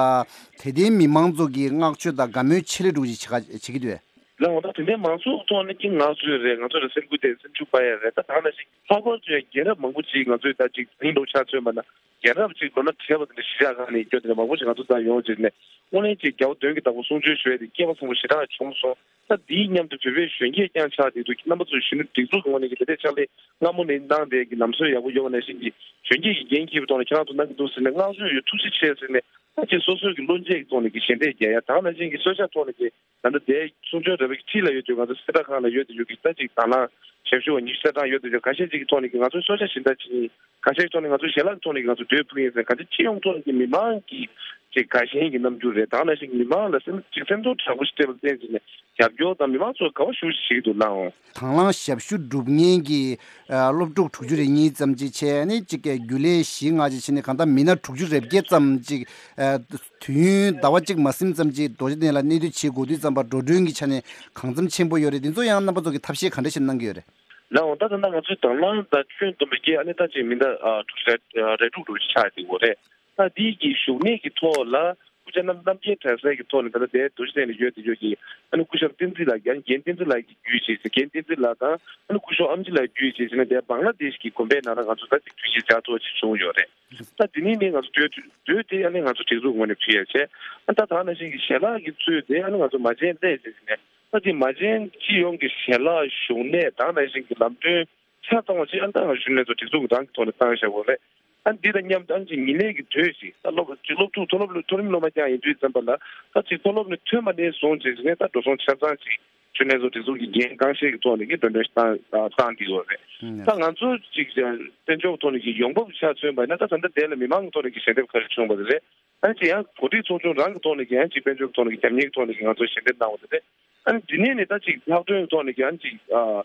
དད་ལྡན་མི་མང་ཚོ་གི་བསྔགས་བརྗོད་དང་དགའ་མོས་ཆེད་ལས་འདྲ་ཅིག་བྱེད་ཀ་བྱེད་ཀྱི་འདུག་ལའང་ད་དེ་འདྲའི་མང་ཚོགས་ཐོག་ནས་ཀྱི་ངག་བཟོས་རེད། ང་ཚོ་ལ་སེམས་འགུལ་ཐེབས་སེམས་ཤུགས་སྤར་ཡ་རེད། ད་ད་ག་ནང་བཞིན་ལྷག་པར་དུ་ཡང་རྒན་རབས་མང་པོ་ཅིག་ང་ཚོའི་ད་ཅིག་དེང་འདྲ་ཆ་མཚོན་པ་ན་རྒན་རབས་ཅིག་ལོ་ན་བགྲེས་པ་དེ་འདྲ་གཞིས་ཆགས་ཁག་ནས་སྐྱོ་དེ་འདྲ་མང་པོ་ཞིག་ང་ཚོ་ད་ཡོང་བྱས་ནས་དངོས་གནས་ཅིག་རྒྱལ་བ་དོན་གྱི་བདག་པོ་གསུང་ཆོས་ཞུ་ཡ་དེ་སྐལ་བ་བཟང་པོ་ཞེ་དྲག་བྱུང་སོང་། ད་དེའི་མཉམ་དུ་བོད་པའི་གཞོན་སྐྱེས་ཀྱང་ཆགས་བསྡད་འདུག་རྣམ་པ་ཚོ་གཞོན་ནུ་སྒྲིག་འཛུགས་ཀྱི་ངོས་ནས་ཀྱི་དེ་འདྲའི་ཕྱག་ལས་སྔ་མོ་ནས་གནང་བསྡད་ཀྱི་ལམ་སྲོལ་ཡག་པོ་ཡོད་པ་ནང་བཞིན་གྱི་གཞོན་སྐྱེས་ཀྱི་འགན་འཁྱེར་བའི་ཐོག་ནས་ཁྱེད་རང་ཚོ་གནང་གི་འདུག་ཟེར་ནས་བསྔགས་བརྗོད་ཡོད། ཐུགས་རྗེ་ཆེ་ཟེར་ནས་ད་ཅིག་སོ་སོའི་གི་བློ་འབྱེད་ཀྱི་ཐོག་ནས་ཀྱི་ཞལ་འདེབས་རྒྱག་ཡ། ད་ག་ནང་བཞིན་གྱི་གསོལ་ཇ་ཐོག་ནས་ཀྱི་ད་ལྟ་དེ་གསུང་ཆོས་ར་བའི་ཁྲིད་ལ་ཡོད་དུས་ང་ཚོ་གསལ་བསྒྲགས་ཁང་ལ་ཡོད་དུ་ཡོད་ཀྱི་ད་ཅིག་དང་བླངས་ཞབས་ཞུ་བ་ཉི་ཤུ་རྩ་གྲངས་ཡོད་དུ་ཡོད། ཁ་ཤས་ཅིག་གི་ཐོག་ནས་ཀྱི་ང་ཚོ་གསོལ་ཇ་ཞལ་འདེབས་བྱེད། ཁ་ཤས་ཀྱི་ཐོག་ནས་ང་ཚོ་ཞལ་ལག་གི་ཐོག་ནས་ཀྱི་ང་ཚོ་འདོད་ཕུལ་ཡིན་ཟེར་ག་ཚོད་སྤྱི་ཡོངས་ཐོག་ནས་ཀྱི་མི་མང་གི་ཅིག་དགའ་ཞེན་གྱི་རྣམ་འགྱུར་རེད། ད་ག་ནང་བཞིན་གྱི་མི་མང་ལ་སེམས་ཅིག་སེམས་ཚོར་དྲག་པོ་ཞིག་སྤྲད་པ་བསྟན་ཟེར་ནས་རྒྱབ་སྐྱོར་དང་མི་མང་ཚོ་དགའ་བ་ཞུ་ཞིག་འདུག་ལའང་། དང་བླངས་ཞབས་ཞུ་སྒྲུབ་མཁན་གྱི་ཨ་སློབ་ཕྲུག་དྲུག་ཅུ་རེ་གཉིས་ཙམ་ཅིག་བྱས་ནས་ཅིག་རྒྱུན་ལས་བཞི་ལྔ་ཅིག་བྱས་ནས་གང་ལྟར་མི་སྣ་དྲུག་ཅུ་རེ་བརྒྱད་ཙམ་ཅིག་ཨ་དུས་ཡུན་ཟླ་བ་གཅིག་མ་ཟིན་ཙམ་ཅིག་རྡོ་རྗེ་གདན་ལ་གནས་སྡོད་བྱེད་དགོས་དུས་ཙམ་པ་འགྲོ་གྲོན་གྱི་ཆ་ནས་གང་འཚམ་ཆེན་པོ་ཡོད་རེད། འདི་ཚོ་ཡང་རྣམ་པ་ཚོ་གིས་ཐབས་ཤེས་ག་འདྲ་ཞིག་གནང་གི་ཡོད་རེད། ལའང་ད་ད་ལྟ་ང་ཚོའི་དང་བླངས་དང་ཁྱོན་བསྡོམས་པའི་གི་ཨ་ནི་ད་ཅིག་མི་སྣ་ཨ་དྲུག་ཅུ་རེ་རེ་དྲུག་དྲུག་ཅིག་ཆགས་བསྡད་ཡོད་རེད། ད་འདི་གི་བཞུགས་གནས་ཀྱི་ཐོག་ལ་སྐུ་ཕྱྭ་རྣམ་རྣམ་རྒྱལ་གྲྭ་ཚང་གི་ཐོག་ནས་ད་ལྟ་དེ་རྡོ་རྗེ་གདན་ལ་ཡོད་དེ་ཡོད་ཀྱི་ཨ་ནི་སྐུ་ཞབས་བསྟན་འཛིན་ལགས་ཀྱིས་ཨ་ནི་རྒན་བསྟན་འཛིན་ལགས་ཀྱིས་བརྒྱུད་བྱས་ཏེ་རྒན་བསྟན་འཛིན་ལགས་དང་ཨ་ནི་སྐུ་ཞབས་ཨམ་ཆི་ལགས་བརྒྱུད་བྱས་ཏེ་ནས་དེ་བང་ལ་དེཤ་གི་དགོན་པའི་ནང་ལ་ང་ཚོ་ད་ཅིག་དུས་ཆེན་བཅར་ཐུབ་པ་ཅིག་བྱུང་ཡོད་རེད། ད་དེ་ནས་ནི་ང་ཚོ་དུས་དུས་དེ་ཨ་ནི་ང་ཚོ་སྒྲིག་འཛུགས་ངོས་ནས་ཕུལ་ཡ་བྱས། ཨ་ད་ད་ནང་བཞིན་གྱི་ཞལ་ལག་གི་ཚུལ་དེ་ཨ་ནི་ང་ཚོ་མ་བྱན་ལས་ཟེར་ནས་ད་ཅིག་མ་བྱན་སྤྱི་ཡོངས་ཀྱི་ཞལ་ལག་བཞུགས་གནས་ད་ནང་བཞིན་གྱི་ལམ་སྟོན་ཆ་ཚང་བ་ཅིག་ཨ་ད་ང་ཞུ་ནས་ཚོ་སྒྲིག་འཛུགས་ཀྱི་རང་གི་ཐོག་ནས་བཏང་བཞག་པ་རེད། ཨ་འདི་དང་མཉམ་དུ་ཨ་ཅིག་ཉིན་ལས་ཀྱི་དུས་ཤིག་ད་སློབ་ཅིག་སློབ་ཕྲུག་མཐོ་སློབ་མཐོ་རིམ་སློབ་མ་རྐྱང་ཡིན་དུས་ཙམ་པ་ལ་ད་ཅིག་མཐོ་སློབ་ནས་ཐོན་པ་ནས་བཟུང་ཅིག་ནས་ད་འགྲོ་སོང་ཆ་ཚང་ཅིག་ཞུ་ནས་ཚོ་སྒྲིག་འཛུགས་ཀྱི་འགན་རྐང་བཞེས་ཀྱི་ཐོག་ནས་ཀྱི་འགྲོ་གྲོན་བཏང་བཏང་བསྡད་ཡོད་རེད། ད་ང་ཚོ་ཅིག་དཔལ་འབྱོར་ཐོག་ནས་ཀྱི་ཡོང་འབབ་ཆ་མཚོན་པ་ཡིན་ན་ད་ད་ལྟ་དེ་ལ་མི་མང་གི་ཐོག་ནས་ཀྱི་ཞལ་འདེབས་ག་རེ་བྱུང་བ་རེད། ཨ་ནི་ཅིག་ཡང་འགོ་ཁྲིད་ཚོགས་ཆུང་རང་གི་ཐོག་ནས་ཀྱི་ཡང་ཅིག་དཔལ་འབྱོར་གྱི་ཐོག་ནས་ཀྱི་རྒྱབ་གཉེར་གྱི་ཐོག་ནས་ཀྱི་ང་ཚོ་ཞལ་འདེབས་གནང་བ་དེ་རེད། ཨ་ནི་འདི་ནས་ནི་ད་ཅིག་ལྷག་དོན་གྱི་ཐོག་ནས་ཀྱི་ཨ་ནི་ཅིག་ཨ་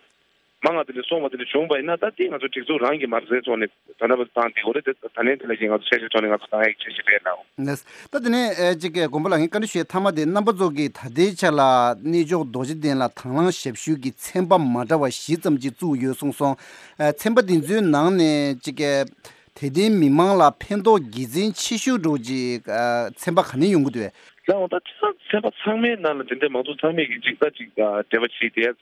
མང་བ་དེ་འདྲ་སོང་བ་དེ་འདྲ་བྱུང་བ་ཡིན་ན་ད་དེ་ང་ཚོ་སྒྲིག་འཛུགས་རང་གི་མ་རྩའི་ཐོག་ནས་ད་ལྟ་བར་བཏང་བསྡད་ཡོད་རེད། དེ་ད་ནས་དེ་ལ་ཀྱི་ང་ཚོ་འཆར་གཞིའི་ཐོག་ནས་ང་ཚོ་བཏང་ཡག་འཆར་གཞི་རེད་ལགས། ལགས། ད་དེ་ནས་ཨེ་ཅིག་གི་དགོན་པ་ལགས་ངས་བཀའ་འདྲི་ཞུ་ཡའི་མཐའ་མ་དེ་རྣམ་པ་ཚོ་གིས་ད་ལྟའི་ཆ་ལ་གནས་མཆོག་རྡོ་རྗེ་གདན་ལ་དང་བླངས་ཞབས་ཞུ་གི་ཚན་པ་མ་འདྲ་བ་བཞི་ཙམ་ཅིག་བཙུགས་ཡོད་གསུངས་སོང་། ཨེ་ཚན་པ་འདི་ཚོའི་ནང་ནས་ཅིག་གི་དད་ལྡན་མི་མང་ལ་ཕན་ཐོགས་དགེ་མཚན་ཆེ་ཤོས་འདྲ་བོ་ཅིག་ཨ་ཚན་པ་ག་ནས་ཡོང་གི་འདུག་གས། ལགས་འོང་ད་ཚན་པ་ཚང་མའི་ནང་ལ་དེ་འདྲའི་མང་ཚོགས་ཚང་མས་ཀྱི་ཅིག་ད་ཅིག་ཨ་འབྲེལ་བ་བྱས་ཏེ་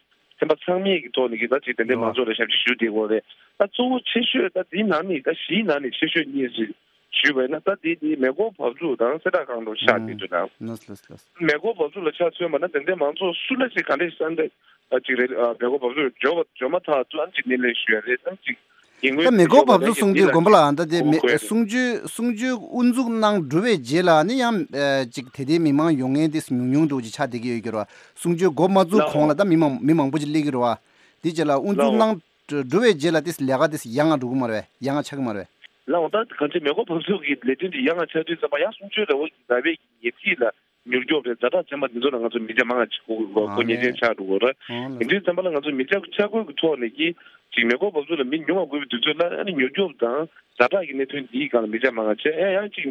ཚན་པ་ཚང་མས་ཀྱི་ཐོག་ནས་ཀྱི་ད་ཅིག་དེ་འདྲའི་མང་ཚོགས་ལ་ཞབས་ཕྱི་ཞུ་བསྡད་ཡོད་རེད། ད་གཙོ་བོ་ཆེ་ཤོས་ད་འདིའི་ནང་ནས་ད་བཞིའི་ནང་ནས་ཆེ་ཤོས་གཉིས་ཞིག་ཞུས་པ་ཡིན་ན་ད་དེ་དེ་མེ་འཁོར་བབས་ཚུགས་དང་གསལ་བསྒྲགས་ཁང་དུ་ཆགས་བསྡད་འདུག་ལགས། ལགས་སོ་ལགས་སོ། མེ་འཁོར་བབས་ཚུགས་ལ་ཆ་མཚོན་པ་ན་དེ་འདྲའི་མང་ཚོགས་སུ་ལ་ཞིག་ག་འདྲས་ཤིག་ད་ཅིག་རེད། ཨ་མེ་འཁོར་བབས་ཚུགས་འབྱོར་བ་འབྱོར་མ་ཐག་ཏུ་ཨ་ཅིག་སྣེ་ལེན་ཞུ་ཡ་རེད་ད་ཅིག་ཡིན་ད་མེ་འཁོར་བབས་ཚུགས་གསུང་དུས་དགོན་པ་ལ་ད་དེ་མེ་གསུང་ཆོས་གསུང་ཆོས་དབུ་འཛུགས་གནང་གྲུབ་པའི་རྗེས་ལ་ནི་ཡང་ཨ་ཅིག་དད་ལྡན་མི་མང་ཡོང་མཁན་དེ་ཉུང་ཉུང་འདྲ་བོ་ཅིག་ཆགས་བསྡད་ཀྱི་ཡོད་ཀྱི་རེད་བ། གསུང་ཆོས་འགོ་མ་བཙུགས་གོང་ལ་ད་མི་མང་མི་མང་པོ་ཅིག་སླེབས་ཀྱི་རེད་བ། དེ་རྗེས་ལ་དབུ་འཛུགས་གནང་གྲུབ་པའི་རྗེས་ལ་དེ་ལས་ཀ་དེ་ཡག་ང་འགྲོ་གི་མ་རེད། ཡག་ང་ཆགས་ཀྱི་མ་རེད། ལགས་འོང་ད་གང་ཅི་མེ་འཁོར་བབས་ཚུགས་ཀྱི་ལས་དོན་དེ་ཡག་ང་ཆགས་དུས་ཙམ་པ་ཡང་གསུང་ཆོས་ར་བ་ར་བའི་ཉེ་ཚིག་ལ་མྱུར་སྐྱོབ་རེད། ཛ་དྲག་ཚན་པ་འདི་ཚོ་ལ་ང་ཚོ་མི་ཆ་མང་ང་ཅིག་གོ་གོ་ཉེ་ཆེན་ཆགས་འགྲོ་གི་རེད། ཡིན་དུས་ཙམ་པ་ལ་ང་ཚོ་མི་ཆ་ཆ་བགོས་ཀྱི་ཐོག་ནས་ཀྱི་ཅིག་མེ་འཁོར་བབས་ཚུགས་ལ་མི་ཉུང་བ་དགོས་པའི་དུས་ཚོད་ལ་ཨ་ནི་མྱུར་སྐྱོབ་དང་ཛ་དྲག་གི་གནད་དོན་འདིའི་སྒང་ལ་མི་ཆ་མང་ང་ཆེ་ཨེ་ཡང་ཅིག་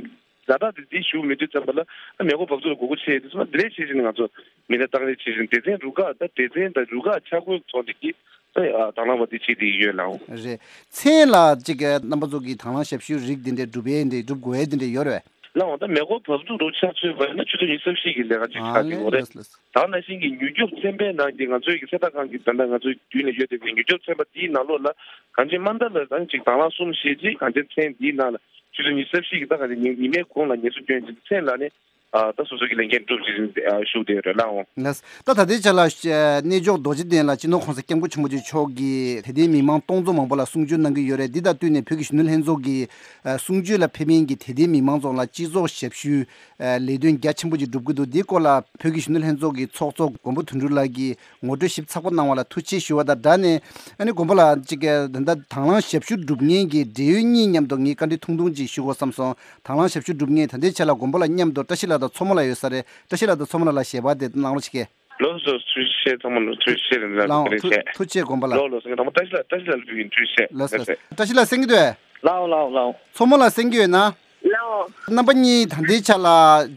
ཛ་དྲག་དེ་འདི་ཞུ་མི་དུས་ཙམ་པ་ལ་ཨ་མེ་འཁོར་བབས་ཚུགས་ལ་དགོས་མཁོ་ཆེ་དུས་ཙམ་པ་འདི་ལས་ཤེས་བཞིན་ང་ཚོ་མི་སྣ་བཏང་རེས་བྱེད་བཞིན་སྡེ་ཚན་རུ་ཁག་ད་སྡེ་ཚན་དང་རུ་ཁག་ཆ་བགོས་ཀྱི་ཐོག་ནས་ཀྱི་ཨ་དང་བླངས་པ་འདི་བྱེད་བསྡད་ཀྱི་ཡོད་ལགས། རེད། མཚན་ལ་ཅིག་གི་རྣམ་པ་ཚོ་གི་དང་བླངས་ཞབས་ཞུའི་རིགས་འདི་འདྲའི་སྒྲུབ་ཡས་འདི་སྒྲུབ་དགོས་ཡས་འདི་འདྲའི་ཡོད་རེད། ལགས་འོང་ད་མེ་འཁོར་བབས་ཚུགས་རུ་ཆ་མཚོན་པ་ཡིན་ན་ཆུ་ཚོད་ཉི་ཤུ་རྩ་བཞི་གི་ལས་ཀ་ཅིག་ཆགས་ཀྱི་ཡོད་རེད། ལགས་སོ་ལགས་སོ། ད་ནང་བཞིན་གྱི་མྱུར་སྐྱོབ་ཚན་པའི་ནང་གི་ང་ཚོའི་གི་གསལ་བསྒྲགས་ཁང་གི་ད་ལྟ་ང་ཚོའི་མདུན་ལ་ཡོད་བསྡད་པའི་མྱུར་སྐྱོབ་ཚན་པ་འདིའི་ནང་ལོགས་ལ་གང་ཅི་མ་མཐའ་ལ་ད་ཅིག་དང་བླངས་གསུམ་བཞི་ཅིག་གང་ཅི་མཚན་འདིའི་ནང་ལ་ཆུ་ཚོད་ཉི་ཤུ་རྩ་བཞི་གི་ད་གང་ཅི་ཉི་ཉི་མའི་གུང་ལ་ཉི་ཤུ་སྐྱོན་ཅིག་མཚན་ལ་ནི་ཨ་ད་སོ་སོ་གི་ལས་འགན་སྒྲུབ་བཞིན་ཨ་བཞུགས་བསྡད་ཡོད་རེད་ལགས་འོང་། ལགས། ད་ད་ལྟའི་ཆ་ལ་ཨ་གནས་མཆོག་རྡོ་རྗེ་གདན་ལ་སྤྱི་ནོར་༸གོང་ས་༸སྐྱབས་མགོན་ཆེན་པོ་མཆོག་གིས་དད་ལྡན་མི་མང་སྟོང་ཚོ་མང་པོ་ལ་གསུང་ཆོས་གནང་གི་ཡོད་རེད། འདི་དང་བསྟུན་ནས་བོད་ཀྱི་གཞོན་ནུ་ལྷན་ཚོགས་ཀྱིས་ཨ་གསུང་ཆོས་ལ་ཕེབས་མཁན་གྱི་དད་ལྡན་མི་མང་ཚོ་ལ་སྤྱི་ཚོགས་ཞབས་ཞུའི་ཨ་ལས་དོན་རྒྱ་ཆེན་པོ་ཅིག་སྒྲུབ་ཀྱི་འདུག་འདིའི་སྐོར་ལ་བོད་ཀྱི་གཞོན་ནུ་ལྷན་ཚོགས་ཀྱི་ཚོགས་གཙོ་མགོན་པོ་དོན་གྲུབ་ལགས་ཀྱིས་ངོ་སྤྲོད་ཞིབ་ཚགས་པོ་གནང་བ་ལ་ཐུགས་རྗེ་ཆེ་ཞུ་བ་དང་སྦྲགས་ནས། ཨ་ནི་དགོན་པ་ལ་གཅིག་གི་ད་ལྟ་དང་བླངས་ཞབས་ཞུ་སྒྲུབ་མཁན་གྱི་འབྲེལ་ཡོད་གཉིས་མཉམ་དུ་ངས་བཀའ་འདྲི་ཐུང་ཐུང་ཅིག་ཞུ་དགོས་བསམ་སོང་། དང་བླངས་ཞབས་ཞུ་སྒྲུབ་མཁན་ད་ལྟའི་ཆ་ལ་དགོན་པ་ལ་མཉམ་དུ་བཀྲ་ཤིས་ལགས་དང་མཚོ་མོ་ལགས་ཡོད་ས་རེད། བཀྲ་ཤིས་ལགས་དང་མཚོ་མོ་ལགས་ལ་ཞལ་པར་དེ་གནང་རོགས་ཞིག་གི། ལགས་སོ། ཐུགས་རྗེ་ཆེ་ཚང་མ་ལ་ཐུགས་རྗེ་ཆེ་རིན་ལགས། ལགས་འོང་། ཐུགས་རྗེ་ཆེ། ཐུགས་རྗེ་ཆེ་དགོན་པ་ལགས། ལགས་ལགས་སོ། ངས་དང་པོ་བཀྲ་ཤིས་ལགས་བཀྲ་ཤིས་ལགས་ལ་ཕུལ་གྱིན། ཐུགས་རྗེ་ཆེ། ལགས་སོ། ལགས་སོ། བཀྲ་ཤིས་ལགས་གསན་གྱི་འདུག་གས། ལགས་འོང་ལགས་འོང་ལགས་འོང་། མཚོ་མོ་ལགས་གསན་གྱི་ཡོད་ན། ལའོ། རྣམ་པ་གཉིས་ད་ལྟའི་ཆ་ལ་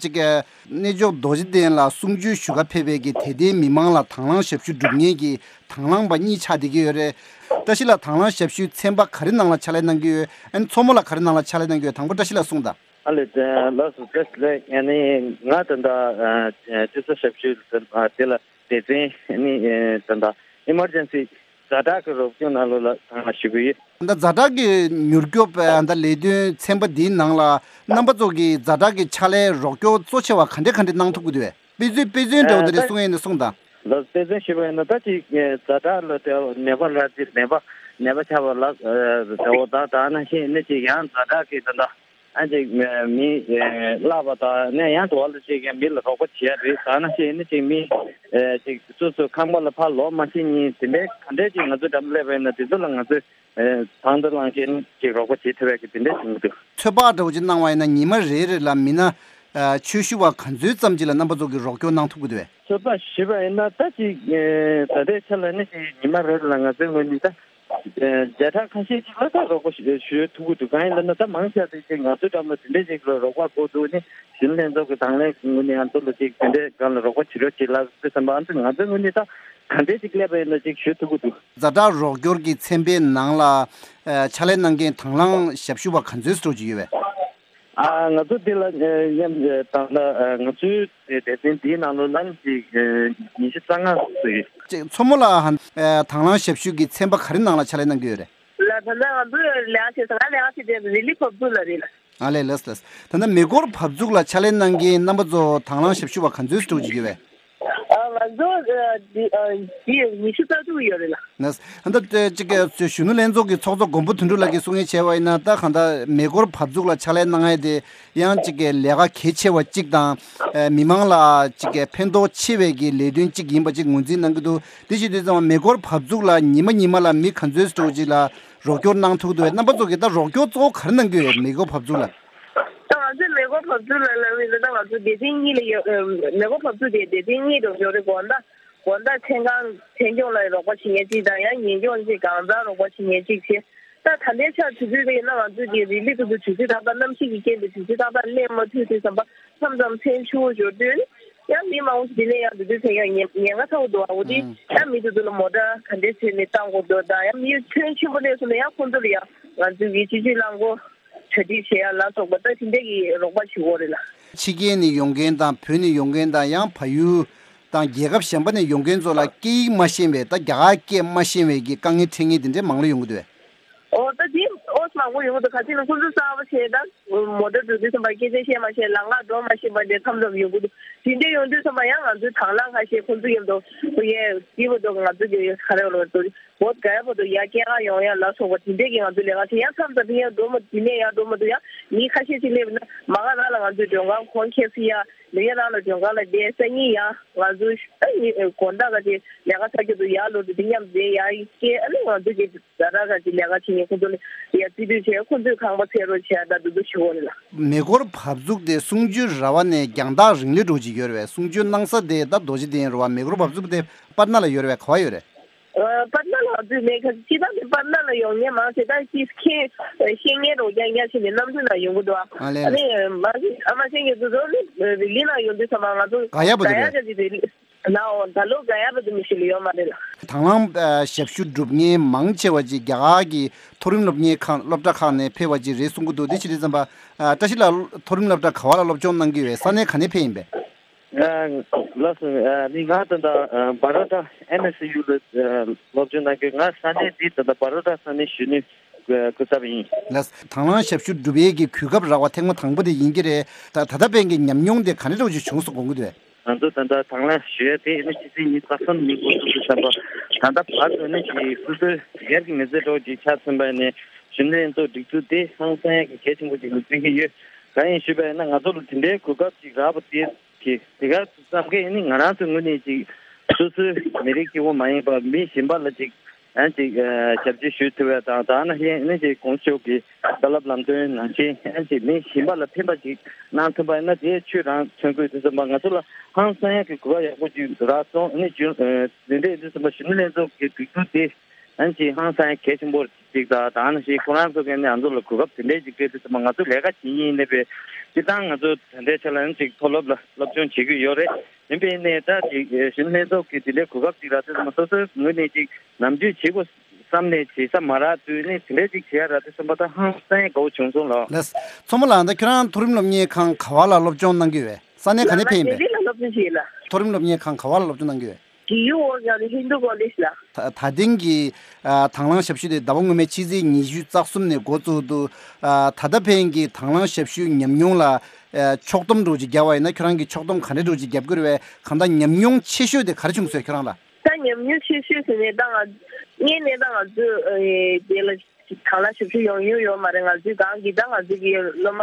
ཅིག་གནས་མཆོག་རྡོ་རྗེ་གདན་ལ་གསུང་ཆོས་ཞུ་ག་ཕེབས་པའི་གི་དད་ལྡན་མི་མང་ལ་དང་བླངས་ཞབས་ཞུ་སྒྲུབ་མཁན་གྱི་དང་བླངས་པ་གཉིས་ཆགས་བསྡད་ཀྱི་ཡོད་རེད། བཀྲ་ཤིས་ལགས་དང་བླངས་ཞབས་ཞུའི་ཚན་པ་ག་རེ་ནང་ལ་ཕྱག་ལས་གནང་གི་ཡོད། ཨ་ནི་མཚོ་མོ་ལགས་ག་རེ་ནང་ལ་ཕྱག་ལས་གནང་གི་ཡོད། དང་པོ་བཀྲ་ཤིས་ལགས་གསུངས་དང་། ཨ་ལེ། ལགས་སོ། བཀྲ་ཤིས་ལགས། ཨ་ནི་ང་ད་ལྟ་སྤྱི་ཚོགས་ཞབས་ཞུ་དེ་ལ་སྡེ་ཚན་ནི་ད་ལྟ་ཨི་མར་ཇེན་སི་ཛ་དྲག་གི་རོགས་སྐྱོར་ནང་ལོགས་ལ་དང་བླངས་ཞུ་གི་ཡོད། ད་ཛ་དྲག་གི་མྱུར་སྐྱོབ་ད་ལས་དོན་ཚན་པ་འདིའི་ནང་ལ་རྣམ་པ་ཚོ་གི་ཛ་དྲག་གི་ཕྱག་ལས་རོགས་སྐྱོར་གཙོ་ཆེ་བ་ག་འདྲ་ག་འདྲ་གནང་ཐུབ་ཀྱི་འདུག་པས། དཔེ་མཚོན་དཔེ་མཚོན་འདྲ་བོ་དེ་འདྲ་གསུང་ཡས་ན་གསུངས་དང་། ལགས། དཔེ་མཚོན་ཞུས་པ་ཡིན་ན་ད་ཅིག་ཛ་དྲག་ལ་དེ་ནད་པ་ལ་ཅིག་ནད་པ་ནད་པ་ཆགས་པ་ལ་དེ་འོ་ད་ད་ནང་བཞིན་ནི་ཅིག་ཡང་ཛ་དྲག་གི་ད་ལྟ་ཨ་ཅིག་མི་བརླག་པ་དང་ནས་ཡང་དུ་བ་ལ་ཅིག་ཡང་མི་ལ་རོགས་པ་བྱེད་ཡ་རེད། ད་ནང་བཞིན་ནི་ཅིག་མི་ཅིག་སོ་སོ་ཁང་པ་ལ་ཕར་ལོག་མ་ཤེས་ཉིན་དེ་འདྲའི་ག་འདྲའི་ཅིག་ང་ཚོ་འགྲམ་སླེབས་པ་ཡིན་ན་དེ་ཚོ་ལ་ང་ཚོས་དང་དུ་བླངས་བྱས་ནས་ཅིག་རོགས་པ་བྱེད་ཐུབ་ཡ་གི་དེ་འདྲ་བྱུང་གི་འདུག་ཚོད་དཔག་འདྲ་བོ་ཅིག་གནང་བ་ཡིན་ན་ཉི་མ་རེ་རེ་ལ་མི་སྣ་ཆོས་ཞུ་བ་ག་ཚོད་ཙམ་ཅིག་ལ་རྣམ་པ་ཚོ་གིས་རོགས་སྐྱོར་གནང་ཐུབ་ཀྱི་འདུག་པས། ཚོད་དཔག་ཞུས་པ་ཡིན་ན་ད་ཅིག་ད་ལྟའི་ཆ་ལ་ནི་ཅིག་ཉི་མ་རེ་རེ་ལ་ང་ཚོའི་ངོས་ནས་ད་བརྒྱ་ཕྲག་ཁ་ཤས་ཅིག་ལ་ད་རོགས་པ་ཞུ་ཞུ་ཐུབ་ཀྱི་འདུག་གང་ཡིན་ལབ་ན་ད་མང་ཆེ་བ་དེ་ཅིག་ང་ཚོའི་འགྲམ་ལ་དེ་འདྲས་ཅིག་ལ་རོགས་པ་དགོས་འདུག་ནི་གཞོན་ནུ་ལྷན་ཚོགས་ཀྱི་དང་ལེན་ངོས་ནས་ང་ཚོ་ལ་ཅིག་དེ་འདྲས་སྒང་ལ་རོགས་པ་བྱེད་རོགས་བྱེད་ལབ་དུས་ཙམ་པ་ང་ཚོའི་ངོས་ནས་ད་ག་འདྲས་ཅིག་སླེབས་པ་ཡིན་ན་ཅིག་ཞུ་ཐུབ་ཀྱི་འདུག་ཛ་དྲག་རོགས་སྐྱོར་གྱི་ཚན་པའི་ནང་ལ་ཨ་ཕྱག་ལས་གནང་མཁན་དང་བླངས་ཞབས་ཞུ་བ་ག་ཚོད་ཙམ་ཅིག་ཡོད་པས། ཨ་ང་ཚོ་འདི་ལ་ཨ་མཉམ་དང་ལ་ཨ་ང་ཚོའི་སྡེ་ཚན་འདིའི་ནང་ལོ་ལམ་གྱི་ཨ་ཉི་ཤུ་རྩ་ལྔ་ཙམ་ཡོད། ཅིག་མཚོ་མོ་ལགས་ཨ་དང་བླངས་ཞབས་ཞུ་གི་ཚན་པ་ག་རེ་ནང་ལ་ཕྱག་ལས་གནང་གི་ཡོད་རེད། ལ་ད་ལྟ་ང་ཚོ་ལས་ཀ་བྱེད་ས་ང་ལས་ཀ་བྱེད་དེ་རི་ལི་བབས་ཚུགས་ལ་རེད་ལ། ཨ་ལས་ལགས་ལགས། ད་ལྟ་མེ་འཁོར་བབས་ཚུགས་ལ་ཕྱག་ལས་གནང་མཁན་རྣམ་པ་ཚོ་དང་བླངས་ཞབས་ཞུ་བ་ག་ཚོད་ཙམ་ཅིག་ཡོད་པས། ཨ་ང་ཚོ་ཨ་འདི་ཨ་འདི་ཉི་ཤུ་རྩ་དྲུག་ཡོད་རེད་ལ། ནས་ད་ལྟ་ཅིག་གི་གཞོན་ནུ་ལྷན་ཚོགས་ཀྱི་ཚོགས་གཙོ་མགོན་པོ་དོན་གྲུབ་ལགས་ཀྱིས་གསུང་ཡས་བྱས་པ་ཡིན་ན་ད་གང་ལྟར་མེ་འཁོར་བབས་ཚུགས་ལ་ཕྱག་ལས་གནང་ཡས་དེ་ཡང་ཅིག་གི་ལས་ཀ་གལ་ཆེ་བ་གཅིག་དང་ཨ་མི་མང་ལ་ཅིག་གི་ཕན་ཐོགས་ཆེ་བའི་གི་ལས་དོན་གཅིག་ཡིན་པ་ཅིག་ངོས་འཛིན་གནང་གི་འདུག་དེ་བྱེད་དུས་ཙམ་པ་མེ་འཁོར་བབས་ཚུགས་ལ་ཉི་མ་ཉི་མ་ལ་མི་ག་ཚོད་ཙམ་ཅིག་ལ་རོགས་སྐྱོར་གནང་ཐུབ་འདུག་པས། རྣམ་པ་ཚོ་གིས་ད་རོགས་སྐྱོར་གཙོ་བོ་ག་རེ་གནང་གི་ཡོད། མེ་འཁོར་བབས་ཚུགས་ལ། ད་ང་ཚོས་མེ་འཁོར་བབས་ཚུགས་ལ་ལབ་ཡིན་ན་ད་ང་ཚོ་སྡེ་ཚན་གཉིས་ལ་ཡོད། མེ་འཁོར་བབས་ཚུགས་དེ་སྡེ་ཚན་གཉིས་རུ་ཡོད་རེད། དགོང་དག་དགོང་དག་མཚན་གང་མཚན་སྐྱོང་ལ་རོགས་པ་བྱེད་མཁན་གཅིག་དང་ཡང་ཉིན་སྐྱོང་གཅིག་གང་ཟག་རོགས་པ་བྱེད་མཁན་གཅིག་བྱས། ད་ད་ལྟའི་ཆར་དུས་ཚོད་དེ་ཡིན་ན་ང་ཚོས་ཀྱི་རི་ལི་ཀུ་ཏུ་དུས་ཚོད་ད་ལྟ་གནམ་གཤིས་ཀྱི་རྐྱེན་པས་དུས་ཚོད་ཏག་ཏག་སླེབས་མ་ཐུབ་དུས་ཙམ་པ་མཚམས་མཚམས་མཚན་ཆུ་བོ་ཞོར་དུས་ནི་ཡང་མི་མང་པོ་ཞིག་འདི་ནས་ཡང་འདི་དུས་ཚོད་ཡང་ཉེན་ཉེན་ཁ་ཚ་པོ་འདུག་ཨ། འོ་དེ་ཡང་མི་དེ་ཚོ་ལ་མོ་ཊ་ག་འདྲས་བྱས་ནས་བཏང་དགོས་འདུག་དང་ཡང་མི་ཁྱོན་ཆེན་པོ་སླེབས་སོང་ན་ཡང་ཁོང་ཚོ་ལ་ཡང་ང་ཚོས་ཀྱི་སྤྱི་སྤྱོད་རླངས་འཁོར་གྲ་སྒྲིག་བྱེད་ཡ་ལ་སོགས་པ་ད་དེ་འདྲས་ཀྱི་རོགས་པ་ཞུ་དགོས་རེད་ལ། ཕྱི་རྒྱལ་ནས་ཡོང་མཁན་དང་བོད་ནས་ཡོང་མཁན་དང་ཡང་བལ་ཡུལ་དང་རྒྱལ་ཁབ་གཞན་པ་ནས་ཡོང་མཁན་ཚོ་ལ་སྐད་ཡིག་མ་ཤེས་པའི་ད་རྒྱ་གར་སྐད་མ་ཤེས་པའི་གི་དཀའ་ངལ་འཕྲད་མཁན་དེ་འདྲས་མང་ལོས་ཡོང་གི་འདུག་པས། ཨོ་ད་དེ་ཨོ་མང་པོ་ཡོང་གི་འདུག་ག་ཅི་ན་ཁོང་ཚོ་གསར་པ་བྱས་ད་མོ་ཊ་འགྲོ་དུས་ཙམ་པ་སྐད་ཆ་བཤད་མ་ཤེས་ལམ་ཁ་འགྲོ་མ་ཤེས་པ་དེ་མཚམས་མཚམས་ཡོང་གི་འདུག་དེ་འདྲས་ཡོང་དུས་ཙམ་པ་ཡང་ང་ཚོའི་དང་བླངས་ཁ་ཤས་ཁོང་ཚོ་མཉམ་དུ་ཁོ་ཡས་དེ་བར་དུ་ང་ཚོ་གི་ག་རེ་ལབ་དགོས་འདུག་བོད་ག་ཡ་བར་དུ་ཡར་སྐྱེལ་ག་ཡོང་ཡ་ལ་སོགས་པ་དེ་འདྲས་ཀྱི་ང་ཚོ་ལས་ཀ་བྱེད། ཡང་མཚམས་མཚམས་ཡར་འགྲོ་མ་དེ་ནས་ཡར་འགྲོ་མ་ཐུབ་ཡང་མི་ཁ་ཤས་ཅིག་སླེབས་ན་མ་ག་རང་ལ་ང་ཚོའི་མགྲོན་ཁང་ཁོང་ཁྱེར་སི་ཡ་ལ་ཡ་རང་ལ་མགྲོན་ཁང་ལ་བསྡད་སང་ཉིན་ཡང་ང་ཚོ་ཨ་ནི་དགོང་དག་ག་ཅིག་ལས་ཀ་ཚར་རྒྱུ་དུ་ཡར་ལོག་དུས་དེ་མཉམ་བསྡད་ཡར་སྐྱེལ། ཨ་ནི་ང་ཚོ་གི་ཛ་དྲག་ག་ཅིག་ལས་ཀ་བྱེད་མཁན་ཁོང་ཚོ་ལ་ཡར་རྩིས་སྤྲོད་བྱས་ཁོང་ཚོས་ཁང་པ་འཚོལ་རོགས་བྱས་ད་དུ་དུ་ཞུ་བ་རེད་ལ། མེ་འཁོར་བབས་ཚུགས་དེ་གསུང་ཆོས་ར་བ་ནས་རྒྱང་ཐག་རིང་ལོས་འགྲོ་གི་ཡོད་རེད་པས། གསུང་ཆོས་གནང་ས་དེ་ད་རྡོ་རྗེ་གདན་རེད་པ། མེ་འཁོར་བབས་ཚུགས་དེ་པར་ན་ལ་ཡོད་རེད་པས། ག་པར་ཡོད་རེད། པར་ན་ལ་ང་ཚོས་མེད་ཁ་ཅི་ད་ནི་པར་ན་ལ་ཡོང་མཁན་མང་ཆེ་ད་ཅི་མཁན་ཤེས་མཁན་རོགས་རྐྱང་རྐྱང་ཞིག་ནས་གནམ་གྲུ་ནང་ཡོང་གི་འདུག་ཨ་ལས། ཨ་ནི་མ་ཨ་མ་ཤེས་མཁན་ཚོ་ཚོ་ནི་རི་ལི་ནང་ཡོང་དུས་ཙམ་པ་ང་ཚོ་ག་ཡ་བར་དུ་ག་ཡ་རེད། ག་ཅིག་རི་ལི་ནའོ་ད་ལོ་ག་ཡ་བར་དུ་མི་ཤེས་ལ་ཡོད་མ་རེད་ལ། དང་བླངས་ཨ་ཞབས་ཞུ་སྒྲུབ་མཁན་མང་ཆེ་བ་ཅིག་རྒྱ་གར་གྱི་མཐོ་རིམ་སློབ་གཉེར་ཁང་སློབ་གྲྭ་ཁག་ནས་ཕེབས་པ་ཅིག་རེད་གསུང་གི་འདུག་དེ་ཕྱི་དྲིལ་ཙམ་པ་ཨ་བཀྲ་ཤིས་ལགས་མཐོ་རིམ་སློབ་གྲྭ་ག་བ་ལ་སློབ་སྦྱོང་གནང་གི་ཡོད། ས་གནས་ག་ནས་ཕེབས་ཡིན་པས། ཨ་ལགས་སོ། ཨ་ནི་ང་ད་ལྟ་ཨ་བྷ་རོ་ཌ་ཨེན་ཨེས་ཡུ་ལ་ཨ་སློབ་སྦྱོང་གནང་གི། ང་ས་གནས་འདི་ད་ལྟ་བྷ་རོ་ཌ་ས་གནས་གཞོན་ནུའི་སྐུ་ཚབ་ཡིན། ལགས། དང་བླངས་ཞབས་ཞུ་སྒྲུབ་ཡས་ཀྱི་གོ་སྐབས་རག་པ་ཐེངས་མ་དང་པོ་དེ་ཡིན་གྱི་རེད། ད་ད་ལྟ་ཕན་གྱི་ཉམས་མྱོང་དེ་ག་འདྲ་འདྲ་བོ་ཞིག་བྱུང་སོང་དགོངས་ཀྱི་འདུག་ང་ཚོ་ད་ལྟ་དང་བླངས་ཞུ་ཡས་དེ་ནི་ཕྱི་ཚེས་ཉི་ཤུ་རྩ་གསུམ་ཉིན་འགོ་ཚུགས་དུས་ཙམ་པ་ད་ལྟ་བར་དུ་ནི་ཅིག་སོ་སོའི་སྒེར་གྱི་མི་ཚེ་འདྲ་བོ་ཅིག་ཆགས་ཟིན་པ་ནས་གཞོན་ནུ་ལྷན་ཚོགས་སྒྲིག་འཛུགས་དེ་ཧང་སང་ཡས་ཀྱི་གལ་ཆེན་པོ་ཅིག་ལ་བརྩི་གི་ཡོད། གང་ཡིན་ཞུས་པ་ཡིན་ན་ང་ཚོ་ལ་དེ་འདྲའི་གོ་སྐབས་ཅིག་རག་པ་དེ། གི་དེ་གར་བསམ་མཁན་ནི་ང་རང་ཚོའི་ངོས་ནས་ཅིག་སོ་སོའི་མི་རིགས་སྐྱེ་བོ་མ་ཡིན་པ་མི་གཞན་པ་ལ་ཅིག་ཡང་ཅིག་ཞབས་ཕྱི་ཞུ་ཐུབ་པ་དང་ད་ནང་བཞིན་ནི་ཅིག་གོང་ཞུས་ཀྱི་བཀའ་སློབ་ལམ་སྟོན་ནང་བཞིན་ཡང་ཅིག་མི་གཞན་པ་ལ་ཕན་པ་ཅིག་གནང་ཐུབ་པ་ཡིན་ན་དེ་ཆོས་རང་མཚོན་དགོས་དུས་ཙམ་པ་ང་ཚོ་ལ་ཧང་སང་ཡག་གི་གོ་སྐབས་ཡག་པོ་ཅིག་རག་སོང་ནི་རྒྱུན་འདི་འདྲ་ཡིན་དུས་ཙམ་པ་གཞོན་ནུ་ལྷན་ཚོགས་ཀྱི་སྒྲིག་འཛུགས་དེ་ཡང་ཅིག་ཧང་སང་ཡག་གལ་ཆེན་པོ་རེད། ཅིག་དང་། ད་ནང་བཞིན་ཁོ་རང་ཚོ་གིས་ནི་ང་ཚོ་ལ་གོ་སྐབས་དེ་འདྲའི་ཅིག་སྤྲད་དུས་ཙམ་པ། ང་ཚོ་ལས་ཀ་བྱེད་མཁན་ཡིན་ནའི་བས་སྤྱིར་བཏང་ང་ཚོ་ད་ལྟའི་ཆ་ལ་ནི་ཅིག་མཐོ་སློབ་ལ་སློབ་སྦྱོང་བྱེད་ཀྱི་ཡོད་རེད། ཡིན་པས་ནས་ད་ཅིག་གཞོན་ལྷན་ཚོགས་ཀྱི་དེ་འདྲའི་གོ་སྐབས་ཅིག་རག་དུས་ཙམ་པ། སོ་སོའི་ངོས་ནས་ཅིག་ནམ་རྒྱུན་བྱེད་དགོས་བསམ་ནས་བྱེད་ས་མ་རག་དུས་ནི་དེ་འདྲའི་ཅིག་བྱེད་ཡ་རག་དུས་ཙམ་པ། ད་ཧང་སང་དགའ་བོ་བྱུང་སོང་ལགས། ལགས། མཚོ་མོ་ལགས། ད་ཁྱོད་རང་མཐོ་རིམ་སློབ་གཉེར་ཁང་ག་བ་ལ་སློབ་སྦྱོང་གནང་གི་ཡོད་པས། ས་གནས་ག་ནས་ཕེབས་ཡིན་པས། ང་ལྡི་ལི་ལ་སློབ་སྦྱོང་བྱས་ལགས། མཐོ་རིམ་སློབ་གཉེར་ཁང་ག་བ་ལ་སློབ་སྦྱོང་གནང་གི་ཡོད། གི་ཡུ་ཝོ་ཡང་ཧིན་དུ་ཀོ་ལེཇ་ལགས། ད་ད་ཐེངས་ཀྱི་ཨ་དང་བླངས་ཞབས་ཞུ་དེ་ཟླ་བ་སྔོན་མའི་ཕྱི་ཚེས་ཉི་ཤུ་རྩ་གསུམ་ནས་འགོ་བཙུགས་འདུག། ཨ་ད་ལྟ་ཕན་གྱི་དང་བླངས་ཞབས་ཞུའི་ཉམས་མྱོང་ལ་ཨ་ཕྱོགས་བསྡོམས་འདྲ་བོ་ཅིག་བརྒྱབ་པ་ཡིན་ན། ཁྱོད་རང་གིས་ཕྱོགས་བསྡོམས་ག་འདྲ་འདྲ་བོ་ཅིག་བརྒྱབ་དགོས་རེད་པས། གང་ལྟར་ཉམས་མྱོང་ཆེ་ཤོས་དེ་ག་རེ་བྱུང་སོང་ཁྱོད་རང་ལ། ད་ཉམས་མྱོང་ཆེ་ཤོས་ཟེར་ནས་ད་ང་སྔོན་ནས་ད་ང་ཚོས་ཨ་དེ་ལ་དང་བླངས་ཞབས་ཞུ་ཡོང་མྱོང་ཡོད་མ་རེད། ང་ཚོའི་སྒང་གི་ད་ང་ཚོའི་གི་སློབ་མ་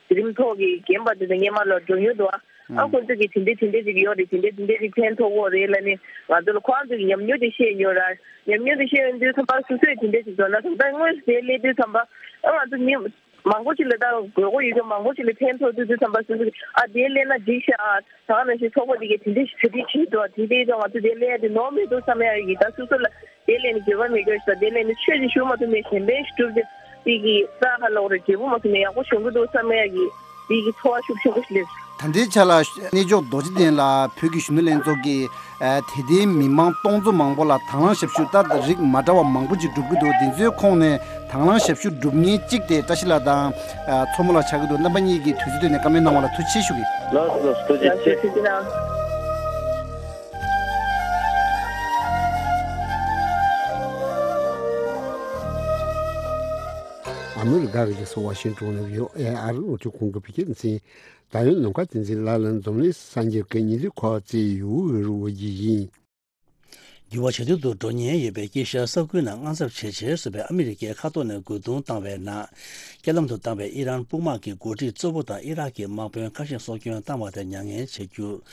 དེ་རིམ་ཐོག་གི་རྒན་པ་དེ་ཚོ་སྔོན་མ་ལ་འགྲོ་མྱོང་འདུག་ཨ། ཨ་ཁོང་ཚོ་གི་དེ་འདྲས་དེ་འདྲས་ཅིག་ཡོད་རེད། དེ་འདྲས་དེ་འདྲས་ཅིག་ཕན་ཐོགས་ཀྱི་རེད་ལབ་ནས་ང་ཚོ་ལ་ཁོང་ཚོ་གི་ཉམས་མྱོང་དེ་བཤད་ཡོད་ར། ཉམས་མྱོང་དེ་བཤད་ཡོང་དུས་ཙམ་པ་སོ་སོས་དེ་འདྲས་ཅིག་འགྲོ་ན། ད་ལྟ་དངོས་སུ་དེ་སླེབས་དུས་ཙམ་པ་ཨ་ང་ཚོ་མི་མང་པོ་ཞིག་ལ་ད་དགོས་མཁོ་ཡོད་མཁན་མང་པོ་ཞིག་ལ་ཕན་ཐོགས་དུས་ཙམ་པ། སོ་སོ་གི་ཨ་དེ་སླེབས་ན་འགྲིག་ཤག། ཨ་ད་ག་ནང་བཞིན་ཚོགས་པ་དེ་གས་དེ་འདྲས་ཞིག་གྲ་སྒྲིག་བྱས་འདུག། དེ་འདྲས་ཙང་ང་ཚོ་དེ་སླེབས་ཡ་དེ་ནོར་མི་འདུག་བསམ་ཡ་གི། ད་སོ་སོ་ལ་དེ་ལས་ནི་འགྱོད་པ་མེད་སྐྱོ་ཞིག་དང་། དེ་ལས་ནི་ཆོས་ཅིག་ཞུ་མ་ཐུབ་ནས་གཞན་ཕན་ཞིག་སྒྲུབ་རྗེས་དེ་གི་ས་ཧ་ལོག་རེད། འབྲས་བུ་མ་ཐོན་ནས་ཡག་པོ་བྱུང་གི་འདུག་བསམ་ཡ་གི་དེ་གི་ཚོར་བ་ཤུགས་ཆེན་པོ་ཞིག་སླེབས། ད་ལྟའི་ཆ་ལ་གནས་མཆོག་རྡོ་རྗེ་གདན་ལ་བོད་ཀྱི་གཞོན་ནུ་ལྷན་ཚོགས་ཀྱི་ཨ་དད་ལྡན་མི་མང་སྟོང་ཚོ་མང་པོ་ལ་དང་བླངས་ཞབས་ཞུ་ལྟར་རིགས་མ་འདྲ་བ་མང་པོ་ཅིག་སྒྲུབ་ཀྱི་འདུག། འདི་ཚོའི་ཁོངས་ནས་དང་བླངས་ཞབས་ཞུ་སྒྲུབ་མཁན་གཅིག་དེ་བཀྲ་ཤིས་ལགས་དང་ཨ་མཚོ་མོ་ལགས་ཆགས་ཀྱི་འདུག། རྣམ་པ་གཉིས་ཀྱིས་དུས་ཚོད་བཏོན་ནས་བཀའ་མོལ་གནང་བ་ལ་ཐུགས་རྗེ་ཆེ་ཞུ་གི། ལགས་སོ། ཐུགས་རྗེ་ཆེ། ཐུགས་རྗེ་གནང་། ཨ་མི་རི་ཀ་གི་རྒྱལ་ས་ཝ་ཤིང་ཏོན་ནས་བྷི་ཨོ་ཨེ་ཨ་རི་རླུང་འཕྲིན་ཁང་གི་བོད་སྐད་སྡེ་ཚན། ད་ཡོད་ནམ་མཁའ་བསྟན་འཛིན་ལགས་ལ་འཛམ་གླིང་སངས་རྒྱས་ཀྱི་ཉིན་དུས་ཁོ་བ་བརྩི་ཡུལ་འོས་རུ་བ་ཡི་ཡིན། འགྱུར་བ་ཇེ་སྡུག་ཏུ་འགྲོ་ཉེན་ཡོད་པའི་དཀྱིལ་ཤར་ས་ཁུལ་ནང་དངངས་འཚབ་ཇེ་ཆེར་སོང་བའི་ཨ་མི་རི་ཀའི་མཁའ་ཐོག་ནས་རྒོལ་རྡུང་བཏང་བའི་ནང་། རྐྱེན་ལམ་དུ་བཏང་བའི་ཨི་རན་དཔུང་དམག་གི་འགོ་ཁྲིད་གཙོ་བོ་དང་ཨི་རག་གི་དམག་དཔོན་ཁ་ཤས་སྲོག་སྐྱོན་བཏང་བ་དེར་མྱ་ངན་བྱེད་རྒྱུར།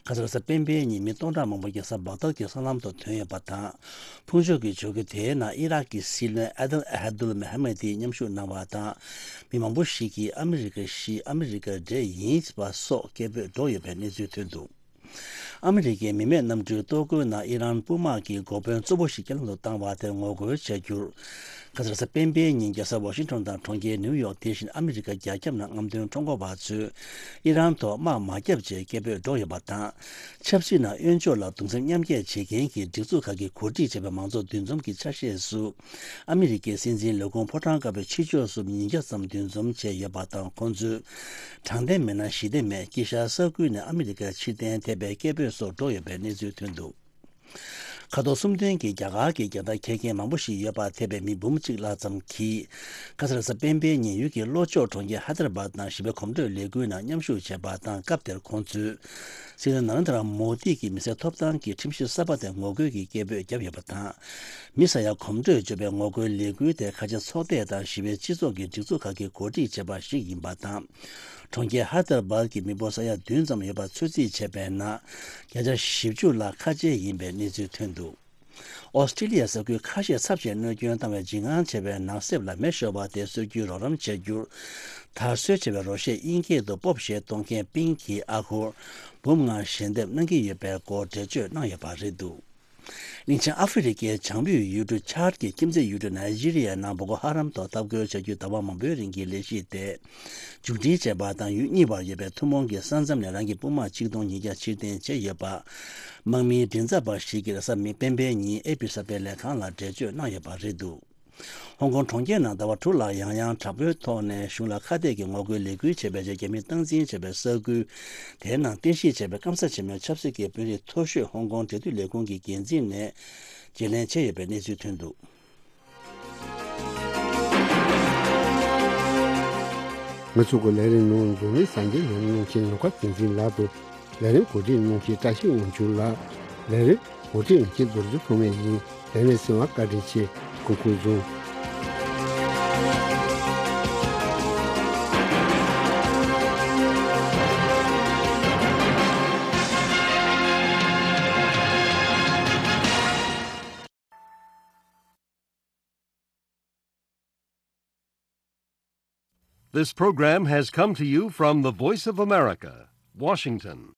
ཁ་སང་རེས་གཟའ་སྤེན་པའི་ཉིན་མི་སྟོང་ཕྲག་མང་པོ་རྒྱལ་ས་བག་དར་གྱི་སྲང་ལམ་དུ་ཐོན་ཡོད་པ་དང་། ཕུང་མཆོད་ཀྱི་ཇུས་འགོད་དེའི་ནང་ཨི་རག་གི་སྲིད་བློན་ཨ་དེལ་ཨ་ཧ་དུལ་མེ་ཧ་མེ་ཏི་མཉམ་ཞུགས་གནང་བ་དང་། མི་མང་པོ་ཞིག་གིས་ཨ་མི་རི་ཀ་ཤི། ཨ་མི་རི་ཀ་འདྲེ་ཡིན་པ་སོགས་སྐད་འབོད་བསྒྲགས་ཡོད་པའི་གནས་ཚུལ་ཐོན་འདུག། ཨ་མི་རི་ཀའི་མི་མེད་གནམ་གྲུའི་གཏོར་རྒོལ་ནང་ཨི་རན་དཔུང་དམག་གི་འགོ་དཔོན་གཙོ་བོ་ཞིག་རྐྱེན་ལམ་དུ་བཏང་བ་དེར་ངོ་རྒོལ་བྱ་རྒྱུར། ཁ་སང་རེས་གཟའ་སྤེན་པའི་ཉིན་རྒྱལ་ས་ཝ་ཤིང་ཊོན་དང་གྲོང་ཁྱེར་ནིའུ་ཡོག། དེ་བཞིན་ཨ་མི་རི་ཀ་རྒྱ་ཁྱབ་ནང་རྔམ་སྟོན་ཁྲོམ་སྐོར་བ་ཚོས་ཨི་རན་ཐོག་དམག་མ་བརྒྱབ་ཅེས་སྐད་འབོད་བསྒྲགས་ཡོད་པ་དང་། ཆབ་སྲིད་ནང་གཡོན་ཕྱོགས་ལ་གདུང་སེམས་མཉམ་སྐྱེད་བྱེད་མཁན་གྱི་སྒྲིག་འཛུགས་ཁག་གིས་གོ་སྒྲིག་བྱས་པའི་མང་གཙོ་འདུ་འཛོམས་ཀྱི་ཆ་ཤས་སུ། ཨ་མི་རི་ཀའི་སྲིད་འཛིན་ལས་ཁུངས་ཕོ་བྲང་དཀར་པོའི་ཕྱི་ཕྱོགས་སུ་མི་ཉིས་བརྒྱ་ཙམ་འདུ་འཛོམས་བྱས་ཡོད་པ་དང་། ཁོང་ཚོས་དྲང་བདེན་མེད་ན་ཞི་བདེ་མེད། དཀྱིལ་ཤར་ས་ཁུལ་ནས་ཨ་མི་རི་ཀར་ཕྱིར་འཐེན་ཐེབས་པའི་སྐད་འབོད་སོགས་བསྒྲགས་ཡོད་པའི་གནས་ཚུལ་ཐོན་འདུག། ཁ་ཐོར་གསུམ་ལྡན་གྱི་རྒྱ་གར་གྱི་རྒྱལ་དར་འཁྱེར་མཁན་མང་པོ་ཞིག་ཡོད་པ་ཐེ་བའི་མི་འབུམ་གཅིག་ལྷག་ཙམ་གྱིས། ཁ་སང་རེས་གཟའ་སྤེན་པའི་ཉིན་ཡུལ་གྱི་ལྷོ་ཕྱོགས་གྲོང་ཁྱེར་ཧ་དར་བཱད་ནང་ཞི་བའི་གོམ་བགྲོད་ལས་འགུལ་ནང་མཉམ་ཞུགས་བྱས་པ་དང་། སྐབས་དེར་ཁོང་ཚོས་སྲིད་བློན་ན་རེན་དྲ་མོ་དི་གི་མི་སེར་ཐོབ་ཐང་གི་ཁྲིམས་གཞི་གསར་པ་དེར་ངོ་རྒོལ་གྱི་སྐད་འབོད་བརྒྱབ་ཡོད་པ་དང་། མི་ས་ཡ་གོམ་བགྲོད་གཅོད་པའི་ངོ་རྒོལ་ལས་འགུལ་དེ་ཁ་ཆེ་ཚོགས་སྡེ་དང་ཞི་བའི་སྤྱི་ཚོགས་ཀྱི་སྒྲིག་འཛུགས་ཁག་གིས་གོ་སྒྲིག་བྱས་པ་ཞིག་ཡིན་པ་དང་། གྲོང་ཁྱེར་ཧ་དར་བཱད་ཀྱི་མི་འབོར་ས་ཡ་བདུན་ཙམ་ཡོད་པ་ཚོད་རྩིས་བྱས་པའི་ནང་། བརྒྱ་ཆ་བཞི་བཅུ་ལྷག་ཁ་ཆེ་ཡིན་པའི་གནས་ཚུལ་ཐོན་འདུག། ཨོ་སི་ཀྲི་ལི་ཡ་ས་ཁུལ་ཁ་ཤས་ཚབས་ཆེན་གནོད་སྐྱོན་བཏང་བའི་འཇིགས་དངངས་ཆེ་བའི་ནགས་གསེབ་ལ་མེ་ཤོར་བ་དེ་གསོད་རྒྱུའི་རོགས་རམ་བྱ་རྒྱུར། དར་སྲོལ་ཆེ་བའི་རོ་ཤས་དབྱིན་སྐད་དུ་པོབ་ཞེས་གཏོང་མཁན་པིང་གིས་ཨ་སྒོར་འབུམ་ལྔ་ཞལ་འདེབས་གནང་གི་ཡོད་པའི་སྐོར་འགྲེལ་བརྗོད་གནང་ཡོད་པ་རེད་འདུག། གླིང་ཆེན་ཨ་ཧྥེ་རི་ཁའི་བྱང་བོད་ཡུལ་གྲུ་ཆཱཌ་ཀྱི་ཁྱིམ་མཚེས་ཡུལ་གྲུ་ནཱི་ཇི་རི་ཡའི་ནང་བོ་ཀོ་ཧ་རམ་ཐོག་འཐབ་རྒོལ་བྱ་རྒྱུའི་ཟླ་བ་མང་པོའི་རིང་གི་ལས་གཞི་དེ་མཇུག་སྒྲིལ་བྱས་པ་དང་། ཡུལ་གཉིས་བར་ཡོད་པའི་ཐུན་མོང་གི་ས་མཚམས་ནས་རང་གི་དཔུང་དམག་ཆིག་སྟོང་ཉིས་བརྒྱ་ཕྱིར་འཐེན་བྱས་ཡོད་པ། དམག་མིའི་མགྲིན་ཚབ་པ་ཞིག་གིས་རེས་གཟའ་མི་སྤེན་པའི་ཉིན་ཨེ་པི་གསར་སྤེལ་ལས་ཁང་ལ་འགྲེལ་བརྗོད་གནང་ཡོད་པ་རེད་འདུག། ཧོང་ཀོང་གྲོང་ཁྱེར་ནང་ཟླ་བ་དྲུག་ལ་ཡང་ཡང་དྲག་པོའི་ཐོག་ནས་གཞུང་ལ་ཁ་གཏད་ཀྱི་ངོ་རྒོལ་ལས་འགུལ་བྱས་པའི་རྗེས། རྒྱ་མིས་སྟངས་འཛིན་བྱས་པའི་ས་ཁུལ་དེའི་ནང་རྟེན་གཞི་བྱས་པའི་སྐམ་ས་ཆེན་མོའི་ཆབ་སྲིད་ཀྱི་དཔོན་རིགས་མཐོ་ཤོས་ཧོང་ཀོང་འབྲེལ་མཐུད་ལས་ཁུངས་ཀྱི་འགན་འཛིན་ནས་བརྗེ་ལེན་བྱས་ཡོད་པའི་གནས་ཚུལ་ཐོན་འདུག། ང་ཚོ་གི་ལས་རིམ་ནང་འཛམ་གླིང་སངས་རྒྱས་ལས་རིམ་གནང་མཁན་ནམ་མཁའ་བསྟན་འཛིན་ལགས་དང་། ལས་རིམ་གོ་སྒྲིག་གནང་མཁན་བཀྲ་ཤིས་དབང་ཕྱུག་ལགས། ལས་རིམ་གོ་སྒྲིག་གནང་མཁན་རྡོ་རྗེ་ཐོགས་མེད་ཡིན། ལས་རིམ་གསན་པར་བཀའ་དྲིན་ཆེ། སྐུ་ཁམས་བཟང་། This program has come to you from the Voice of America, Washington.